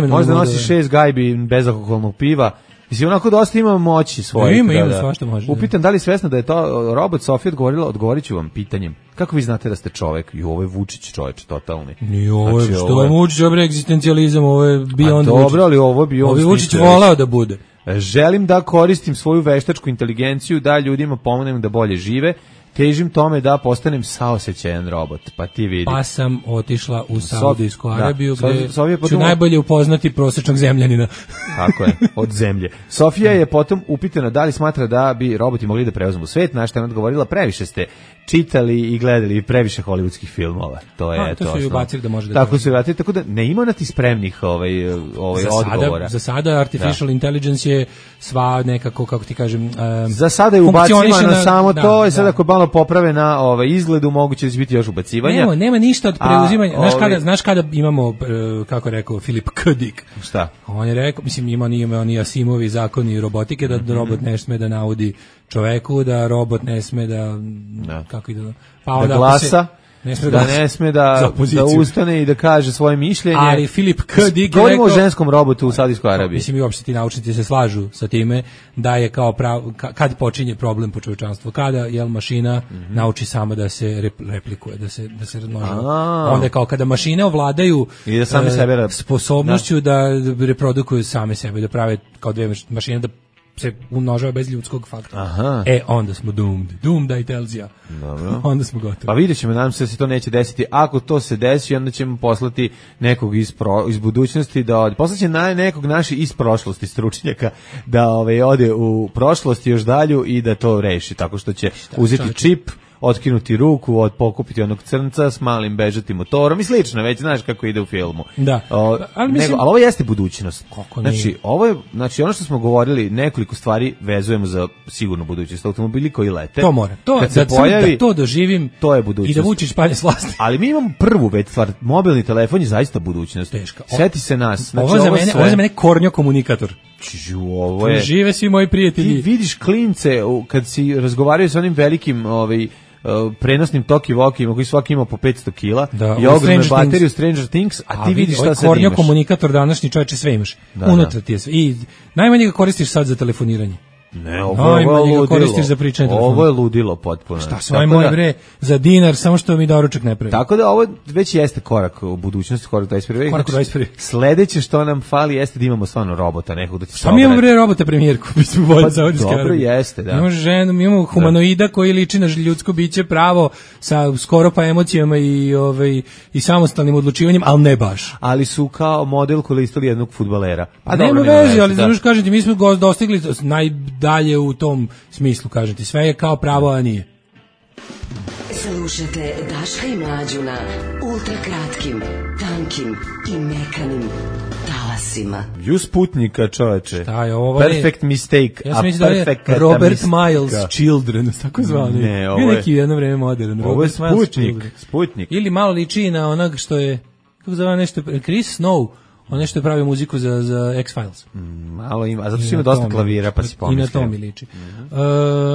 možda nosi 6 gajbi bezalkoholnog piva. Mislim, onako dosta ima moći svoje. Ima svašta može. Upitan da li svesna da je to robot, Sofija odgovorit ću vam pitanjem. Kako vi znate da ste čovek? I ovo je Vučić čoveč, totalni. Ni ovo je, što je Vučić, ovo je egzistencijalizam, ovo je beyond Vučić. Dobro, ali ovo je beyond Vučić. Ovo je Vučić volao da bude. Želim da koristim svoju veštačku inteligenciju, da ljudima pomognem da bolje žive. Težim tome da postanem saosećajan robot, pa ti vidi. Pa sam otišla u Saudijsku Arabiju, gde ću najbolje upoznati prosječnog zemljanina. Tako je, od zemlje. Sofija je potom upitana da li smatra da bi roboti mogli da preuzmu svet, na što je odgovorila, previše ste čitali i gledali previše hollywoodskih filmova. To je to su i ubacili da može da. Tako su ubacili, tako da ne ima na ti spremnih odgovora. Za sada artificial intelligence je sva nekako, kako ti kažem, za sada je ubacivano samo to, i sad ako malo poprave na izgledu, moguće će biti još ubacivanja. Nema ništa od preuzimanja. Znaš kada imamo, kako rekao Filip K. Dick? Šta? On je rekao, mislim, ima oni Asimovi zakoni robotike, da robot ne sme da naudi čoveku, da robot ne sme da kako ide, pa da glasa, ne sme da ustane i da kaže svoje mišljenje. Ali Filip K. Dick je govorimo o ženskom robotu u Saudijskoj Arabiji. Mislim, i uopšte ti naučnici se slažu sa time da je kao kad počinje problem po čovečanstvu, kada mašina nauči sama da se replikuje, da se razmnožava. Onda je kao kada mašine ovladaju i da same sebe sposobnošću da reprodukuju same sebe, da prave kao dve mašine da se umnožava bez ljudskog faktora. Onda smo doomed, I tells ya. Dobro. Onda smo gotovi. Pa vidjet ćemo, nadam se da se to neće desiti. Ako to se desi, onda ćemo poslati nekog iz budućnosti, poslaće nekog naši iz prošlosti stručnjaka da ode u prošlost još dalju i da to reši, tako što će uzeti čip, otkinuti ruku, pokupiti onog crnca s malim bežati motorom i slično, već znaš kako ide u filmu. Da. Ali ovo jeste budućnost. Znači, ono što smo govorili, nekoliko stvari vezujemo za sigurnu budućnost. Automobili koji lete. To mora. Kad se pojavi, da to doživim, to je budućnost. I da Vučić palje s vlasti. Ali mi imamo prvu već stvar, mobilni telefon je zaista budućnost. Teška. Seti se nas. Znači, ovo je za mene kornjo komunikator. Ovo je. Žive svi moji prijatelji. Ti vidiš klince kad si razgovaraju sa onim velikim prenosnim talkie-walkima koji svaki ima po 500 kila i ogromnu bateriju Stranger Things, a ti vidiš šta sad imaš. Kornjo komunikator današnji, čovječe, sve imaš. Unutra ti je sve. I najmanje ga koristiš sad za telefoniranje. Ne, ovo je ludilo. Koristiš za pričanje telefona. Ovo je ludilo potpuno. Šta svoj moj bre, za dinar, samo što mi doručak ne pravi. Tako da ovo već jeste korak u budućnosti, korak 21. Korak 21. Sledeće što nam fali jeste da imamo stvarno robota, nekog da će se. Mi imamo bre robota premijerku, mi smo bolji Saudijska Arabija. Dobro jeste, da. Imamo ženu, mi imamo humanoida koji liči na ljudsko biće pravo sa skoro pa emocijama i samostalnim odlučivanjem, al ne baš. Ali su kao model koristili jednog fudbalera. Pa nema veze, ali znači kažem ti, mi smo dostigli najdalje u tom smislu, kažem ti, sve je kao pravo, a nije. Slušajte Daška i Mlađu na ultrakratkim, tankim i mekanim talasima. Sputnika, čoveče. Šta je ovo? Perfect mistake. Ja sam mislim da je Robert Miles Children, tako zvani. Ne, ovo je neki jedno vreme modern. Ovo je Sputnik. Ili malo liči na onog što je, kako zove nešto, Chris Snow. On nešto je pravio muziku za X-Files. Malo ima, a zato što ima dosta klavira, pa si pomislio. I na to mi liči.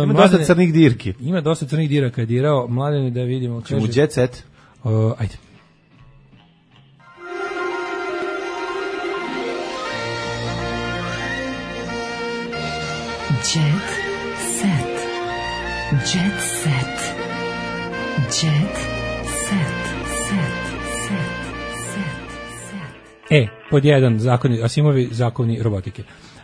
Ima dosta crnih dirki. Ima dosta crnih diraka je dirao. Mladene, da vidimo. Čemu Jet Set? Ajde. Jet Set. Jet Set. Jet Set. Pod jedan, Asimovi zakoni robotike.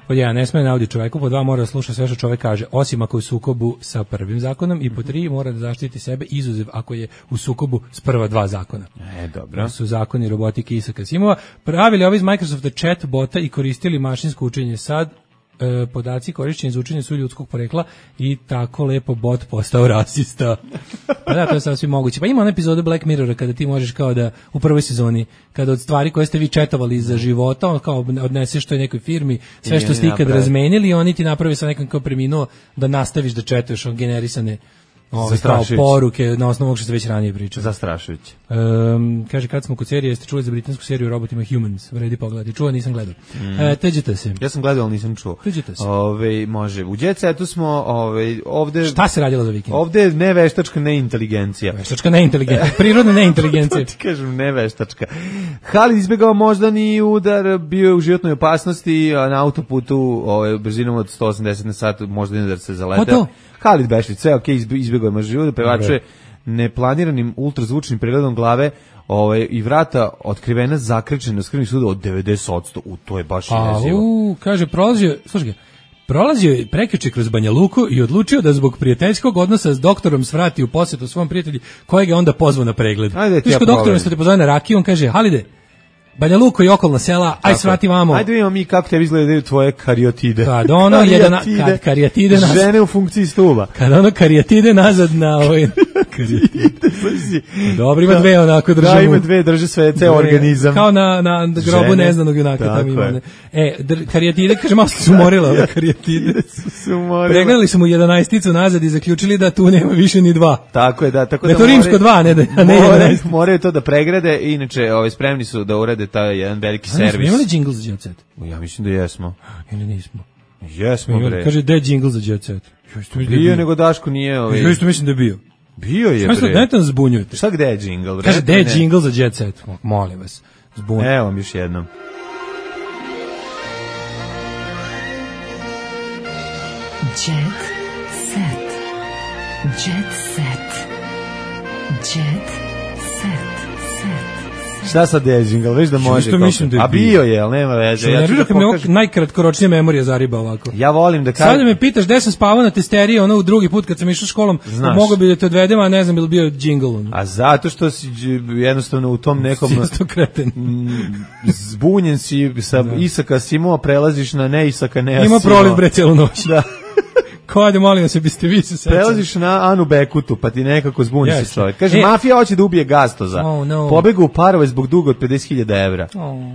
Pod 1, ne sme naudi čoveku, pod 2, mora da sluša sve što čovek kaže, osim ako je u sukobu sa prvim zakonom, i pod 3, mora da zaštiti sebe, izuzev ako je u sukobu s prva 2 zakona. Dobro. To su zakoni robotike Isaka Asimova. Pravili ovi iz Microsofta chat bota i koristili mašinsko učenje. Sad podaci korišćeni za učenje su ljudskog porekla i tako lepo bot postao rasista. Pa da, to je sasvim moguće. Pa ima ona epizoda Black Mirrora kada ti možeš kao da, u prvoj sezoni, kada od stvari koje ste vi četovali za života, on kao odneseš toj nekoj firmi, sve što ste ikad razmenili, oni ti naprave sa nekom kao preminuo da nastaviš da četuješ on generisane kao poruke na osnovu što ste već ranije pričali. Zastrašujuće. Kaže, kad smo kod serije, jeste čuli za britansku seriju o robotima Humans? Vredi pogledati. Čuo, nisam gledao. Teđete se. Ja sam gledao, ali nisam čuo. Teđete se. Može. U Jet Setu smo ovde... Šta se radilo za vikend? Ovde ne veštačka, ne inteligencija. Veštačka, ne inteligencija. Prirodna ne inteligencija. To ti kažem, ne veštačka. Halid izbjegao moždani udar, bio je u životnoj opasnosti na autoputu brzinom od 180 na sat, moždani udar se zaleteo. Halid Bešlić, sve izbjegao je možda, pevačuje neplaniranim ultrazvučnim pregledom glave i vrata otkrivena zakrčena s krvnim sudom od 90%. To je baš jezivo. Kaže, prolazio je prekjuče kroz Banja Luku i odlučio da zbog prijateljskog odnosa s doktorom svrati u posjetu svom prijatelju, kojeg je onda pozvao na pregled. Tiško doktorom se te pozove na rakiju, on kaže, Halide, Banja Luka i okolna sela, aj svrati vamo. Ajde vidimo mi kako tebi izgledaju tvoje karijotide. Kad ono karijatide nazad. Žene u funkciji stuba. Kad ono karijatide nazad na ovaj... Dobro, ima dve onako držu. Da, ima dve, drže sve, ceo organizam. Kao na grobu neznanog junaka. Tamo ima. Karijatide, kaže, malo su umorila karijatide. Pregledali su mu 11-icu nazad i zaključili da tu nema više ni 2. Tako je, da. Tako da je to rimsko 2, ne 11. Moraju to da pregrade, inače spremni su da urade taj jedan veliki servis. Smo imali džingl za Jet Set? Ja mislim da jesmo. Ili nismo? Jesmo, bre. Kaže, da je džingl za Jet Set? Bio, nego Daško nije. Ja isto mislim da je bio. Bio je, bre. Dajte nas zbunjujete. Šta gde je džingl, bre? Kaže, gde je džingl za Jet Set? Molim vas, zbunjujete. Evo vam još jednom. Jet Set. Jet Set. Jet Set. Šta sad je džingl, već da može. A bio je, ali nema veze. Ja ću da pokažem. Najkratkoročnija memorija zariba ovako. Ja volim da kažem. Sada me pitaš gde sam spavao na testeriji, ono u drugi put kad sam išao školom, mogo bi da te odvedem, a ne znam bi bio džingl. A zato što si jednostavno u tom nekom... Sisto kreten. Zbunjen si sa Isaka Asimova, prelaziš na ne Isaka, ne Asimova. Ima proliv bre celu noć. Da. Kode, molim se, biste vi se sećali. Prelaziš na Anu Bekutu, pa ti nekako zbuni se čovjek. Kaže, mafija hoće da ubije Gastoza. Pobegu u parove zbog duga od 50.000 evra.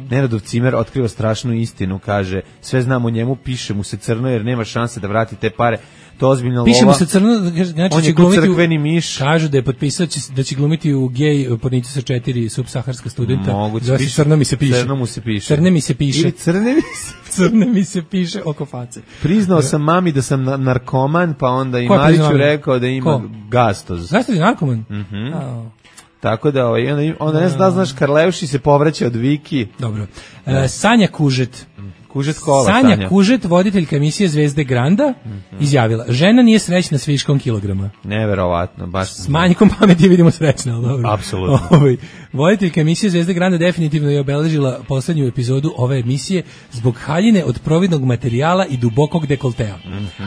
Nenadov Cimer otkriva strašnu istinu, kaže, sve znamo o njemu, piše mu se crno jer nema šanse da vrati te pare. To ozbiljna lova. Piše mu se crno, znači on je crkveni miš. Kažu da je potpisao da će glumiti u gej pornicu sa 4 subsaharska studenta. Moguće. Crno mi se piše. Crno mu se piše. Crne mi se piše. Ili crne mi se piše oko face. Priznao sam mami da sam narkoman, pa onda i Mariću rekao da ima Gastoz. Gastoz je narkoman? Tako da onda ne znaš, Karlevši se povraća od Viki. Dobro. Sanja Kužet. Sanja Kužet, voditeljka emisije Zvezde Granda, izjavila, žena nije srećna s viškom kilograma. Neverovatno, baš. S manjkom pameti vidimo srećna, ali dobro. Apsolutno. Voditeljka emisije Zvezde Granda definitivno je obeležila poslednju epizodu ove emisije zbog haljine od providnog materijala i dubokog dekoltea.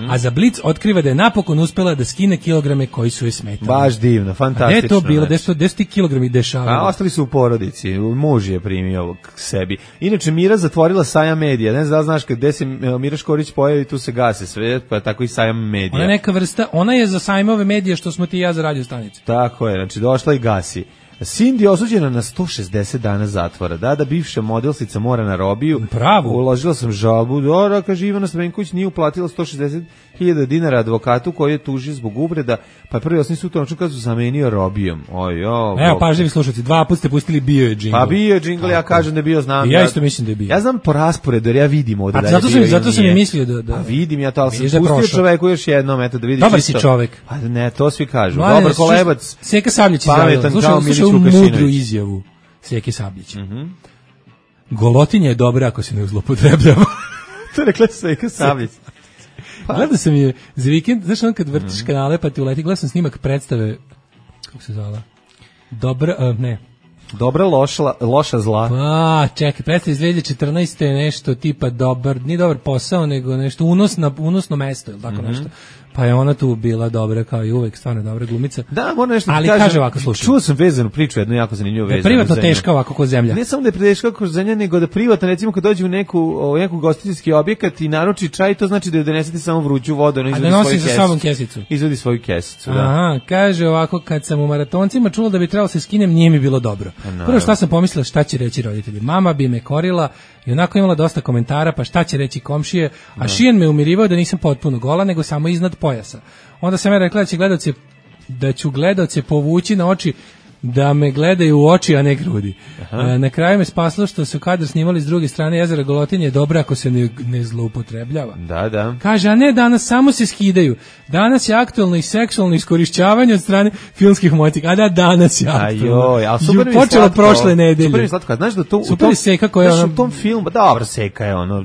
A za Blic otkriva da je napokon uspela da skine kilograme koji su je smetali. Baš divno, fantastično. A gde je to bilo? Gde su ti kilogrami dešavali? A ostali su u porodici, muž je primio k sebi. Inače, Mira zatvorila Sajam medija. Ne znam da znaš gde se Mira Škorić pojavi, tu se gase sve, pa tako i Sajam medija. Ona je neka vrsta, ona je za Sajmove medije što smo ti i ja za radio stanicu. Tako je, znači došla i gasi. Cindy osuđena na 160 dana zatvora. Da, bivša modelsica mora na robiju. Pravo. Uložila sam žalbu. Kaže, Ivana Stamenković nije uplatila 160.000 dinara advokatu koji je tužio zbog uvreda, pa prvi osnovni sud tonačno kad su zamenio robijom. Evo, pažljivi slušalci, 2 puta ste pustili bio je džingl. Pa bio je džingl, ja kažem da je bio, znam. Ja isto mislim da je bio. Ja znam po rasporedu, jer ja vidim ovdje da je bio. Zato sam i mislio da... Pa vidim ja to, ali sam pustio čoveku još jednom, eto da vidiš isto. Dobar si čovek. Pa ne, to svi kažu. Dobar kolebac. Seka Sabljić izjavila. Slušaj mudru izjavu Sjeke Sabljića. Golotinja je dobra ako se ne zloupotrebljava. To je rekla Sjeka Sabljić. Gledao sam je za vikend, znaš on kad vrtiš kanale pa ti uleti, gledao sam snimak predstave, kako se zvala? Dobra, ne. Dobra, loša, zla. Pa, čekaj, predstav iz 2014. je nešto tipa nije dobar posao, nego nešto unosno mesto, ili tako nešto. Pa je ona tu bila dobra kao i uvek, stvarno dobra glumica. Da, moram nešto ali kaže ovako, slušaj. Čuo sam vezanu priču, jednu jako zanimljivu vezanu. Privatno teška ovako kod zemlja. Ne samo da je teška kod zemlja, nego da privatno, recimo kad dođe u neku gostiteljski objekat i naruči čaj, to znači da donesete samo vruću vodu, a da nosi sa sobom kesicu. Izvodi svoju kesicu, da. Aha, kaže ovako, kad sam u maratoncima čula da bi trebalo se skinem, nije mi bilo dobro. Prvo šta sam pomislila, šta će reći roditelji. Mama bi me korila i onako imala dosta komentara, pa šta će reći komšije, a Šijan me umirivao da nisam potpuno gola, nego samo iznad pojasa. Onda sam ja rekla da ću gledaoce povući na oči, da me gledaju u oči, a ne grudi. Na kraju me spaslo što su kadar snimali s druge strane jezera Golotinje, dobro ako se ne zloupotrebljava. Da. Kaže, a ne danas, samo se skidaju. Danas je aktualno i seksualno iskorišćavanje od strane filmskih motika. A da, danas je aktualno. Počelo prošle nedelje. Super mi slatko. Znaš da to super seka koja je u tom filmu, dobro, seka je ono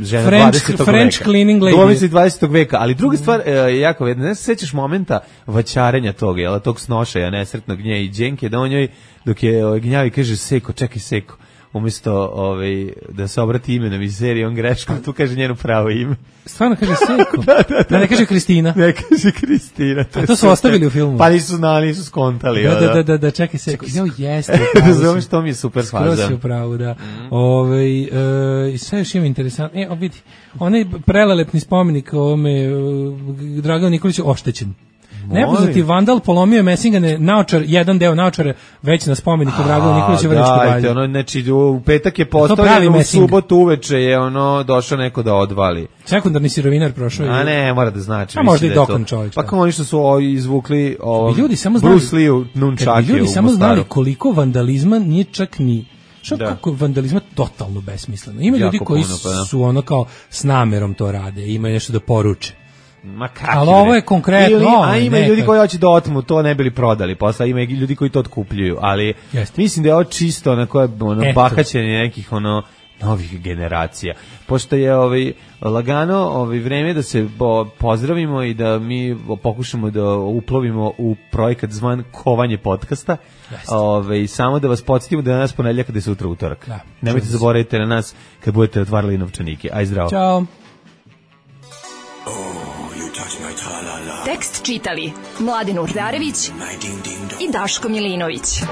žena 20. veka. French cleaning lady. Domisli 20. veka, ali druga stvar jako vedna, ne se sećaš momenta vaćarenja toga, jel, tog snošaja nesretnog nje i Đenke, da on njoj dok je gnjavi kaže Seko, čekaj Seko, umjesto da se obrati imenom iz serije, on greškom tu kaže njeno pravo ime. Stvarno kaže Seko? Da, ne kaže Kristina. Ne kaže Kristina. To su ostavili u filmu. Pa nisu znali, nisu skontali. Da, čekaj Seko. Jeste. Zovem što mi je super fazan. Skoro si u pravu, da. I sve još ima interesantno. Vidi, onaj prelelepni spomenik Draganu Nikoliću oštećen. Nepoznati vandal polomio Messingane naočar, jedan deo naočara već na spomeniku Draganu Nikoliću Vrnjačkoj banji. Znači u petak je postavljeno, u subotu uveče je došao neko da odvali. Sekundarni sirovinar prošao. A ne, mora da znači. A možda i dokan čovjek. Pa kao oni što su izvukli Bruce Lee u nunčake. Ljudi samo znali koliko vandalizma nije čak ni kako vandalizma totalno besmisleno. Ima ljudi koji su kao s namerom to rade, imaju nešto da poruče. Ali ovo je konkretno. A ima ljudi koji hoće da otmu, to ne bili prodali posle, ima ljudi koji to otkupljuju, ali mislim da je ovo čisto bahaćenje nekih novih generacija. Pošto je lagano vreme da se pozdravimo i da mi pokušamo da uplovimo u projekat zvan Kovanje podcasta. Samo da vas podsjetimo da je danas ponedjeljak, da je sutra utorak. Nemojte zaboraviti na nas kad budete otvarali novčanike. Aj zdravo. Ćao. Tekst čitali Mladen Urdarević i Daško Milinović.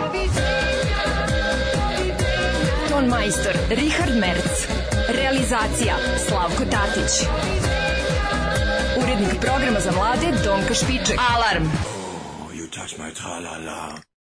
Ton majstor Richard Merc. Realizacija Slavko Tatić. Urednik programa za mlade Donka Špiček. Alarm!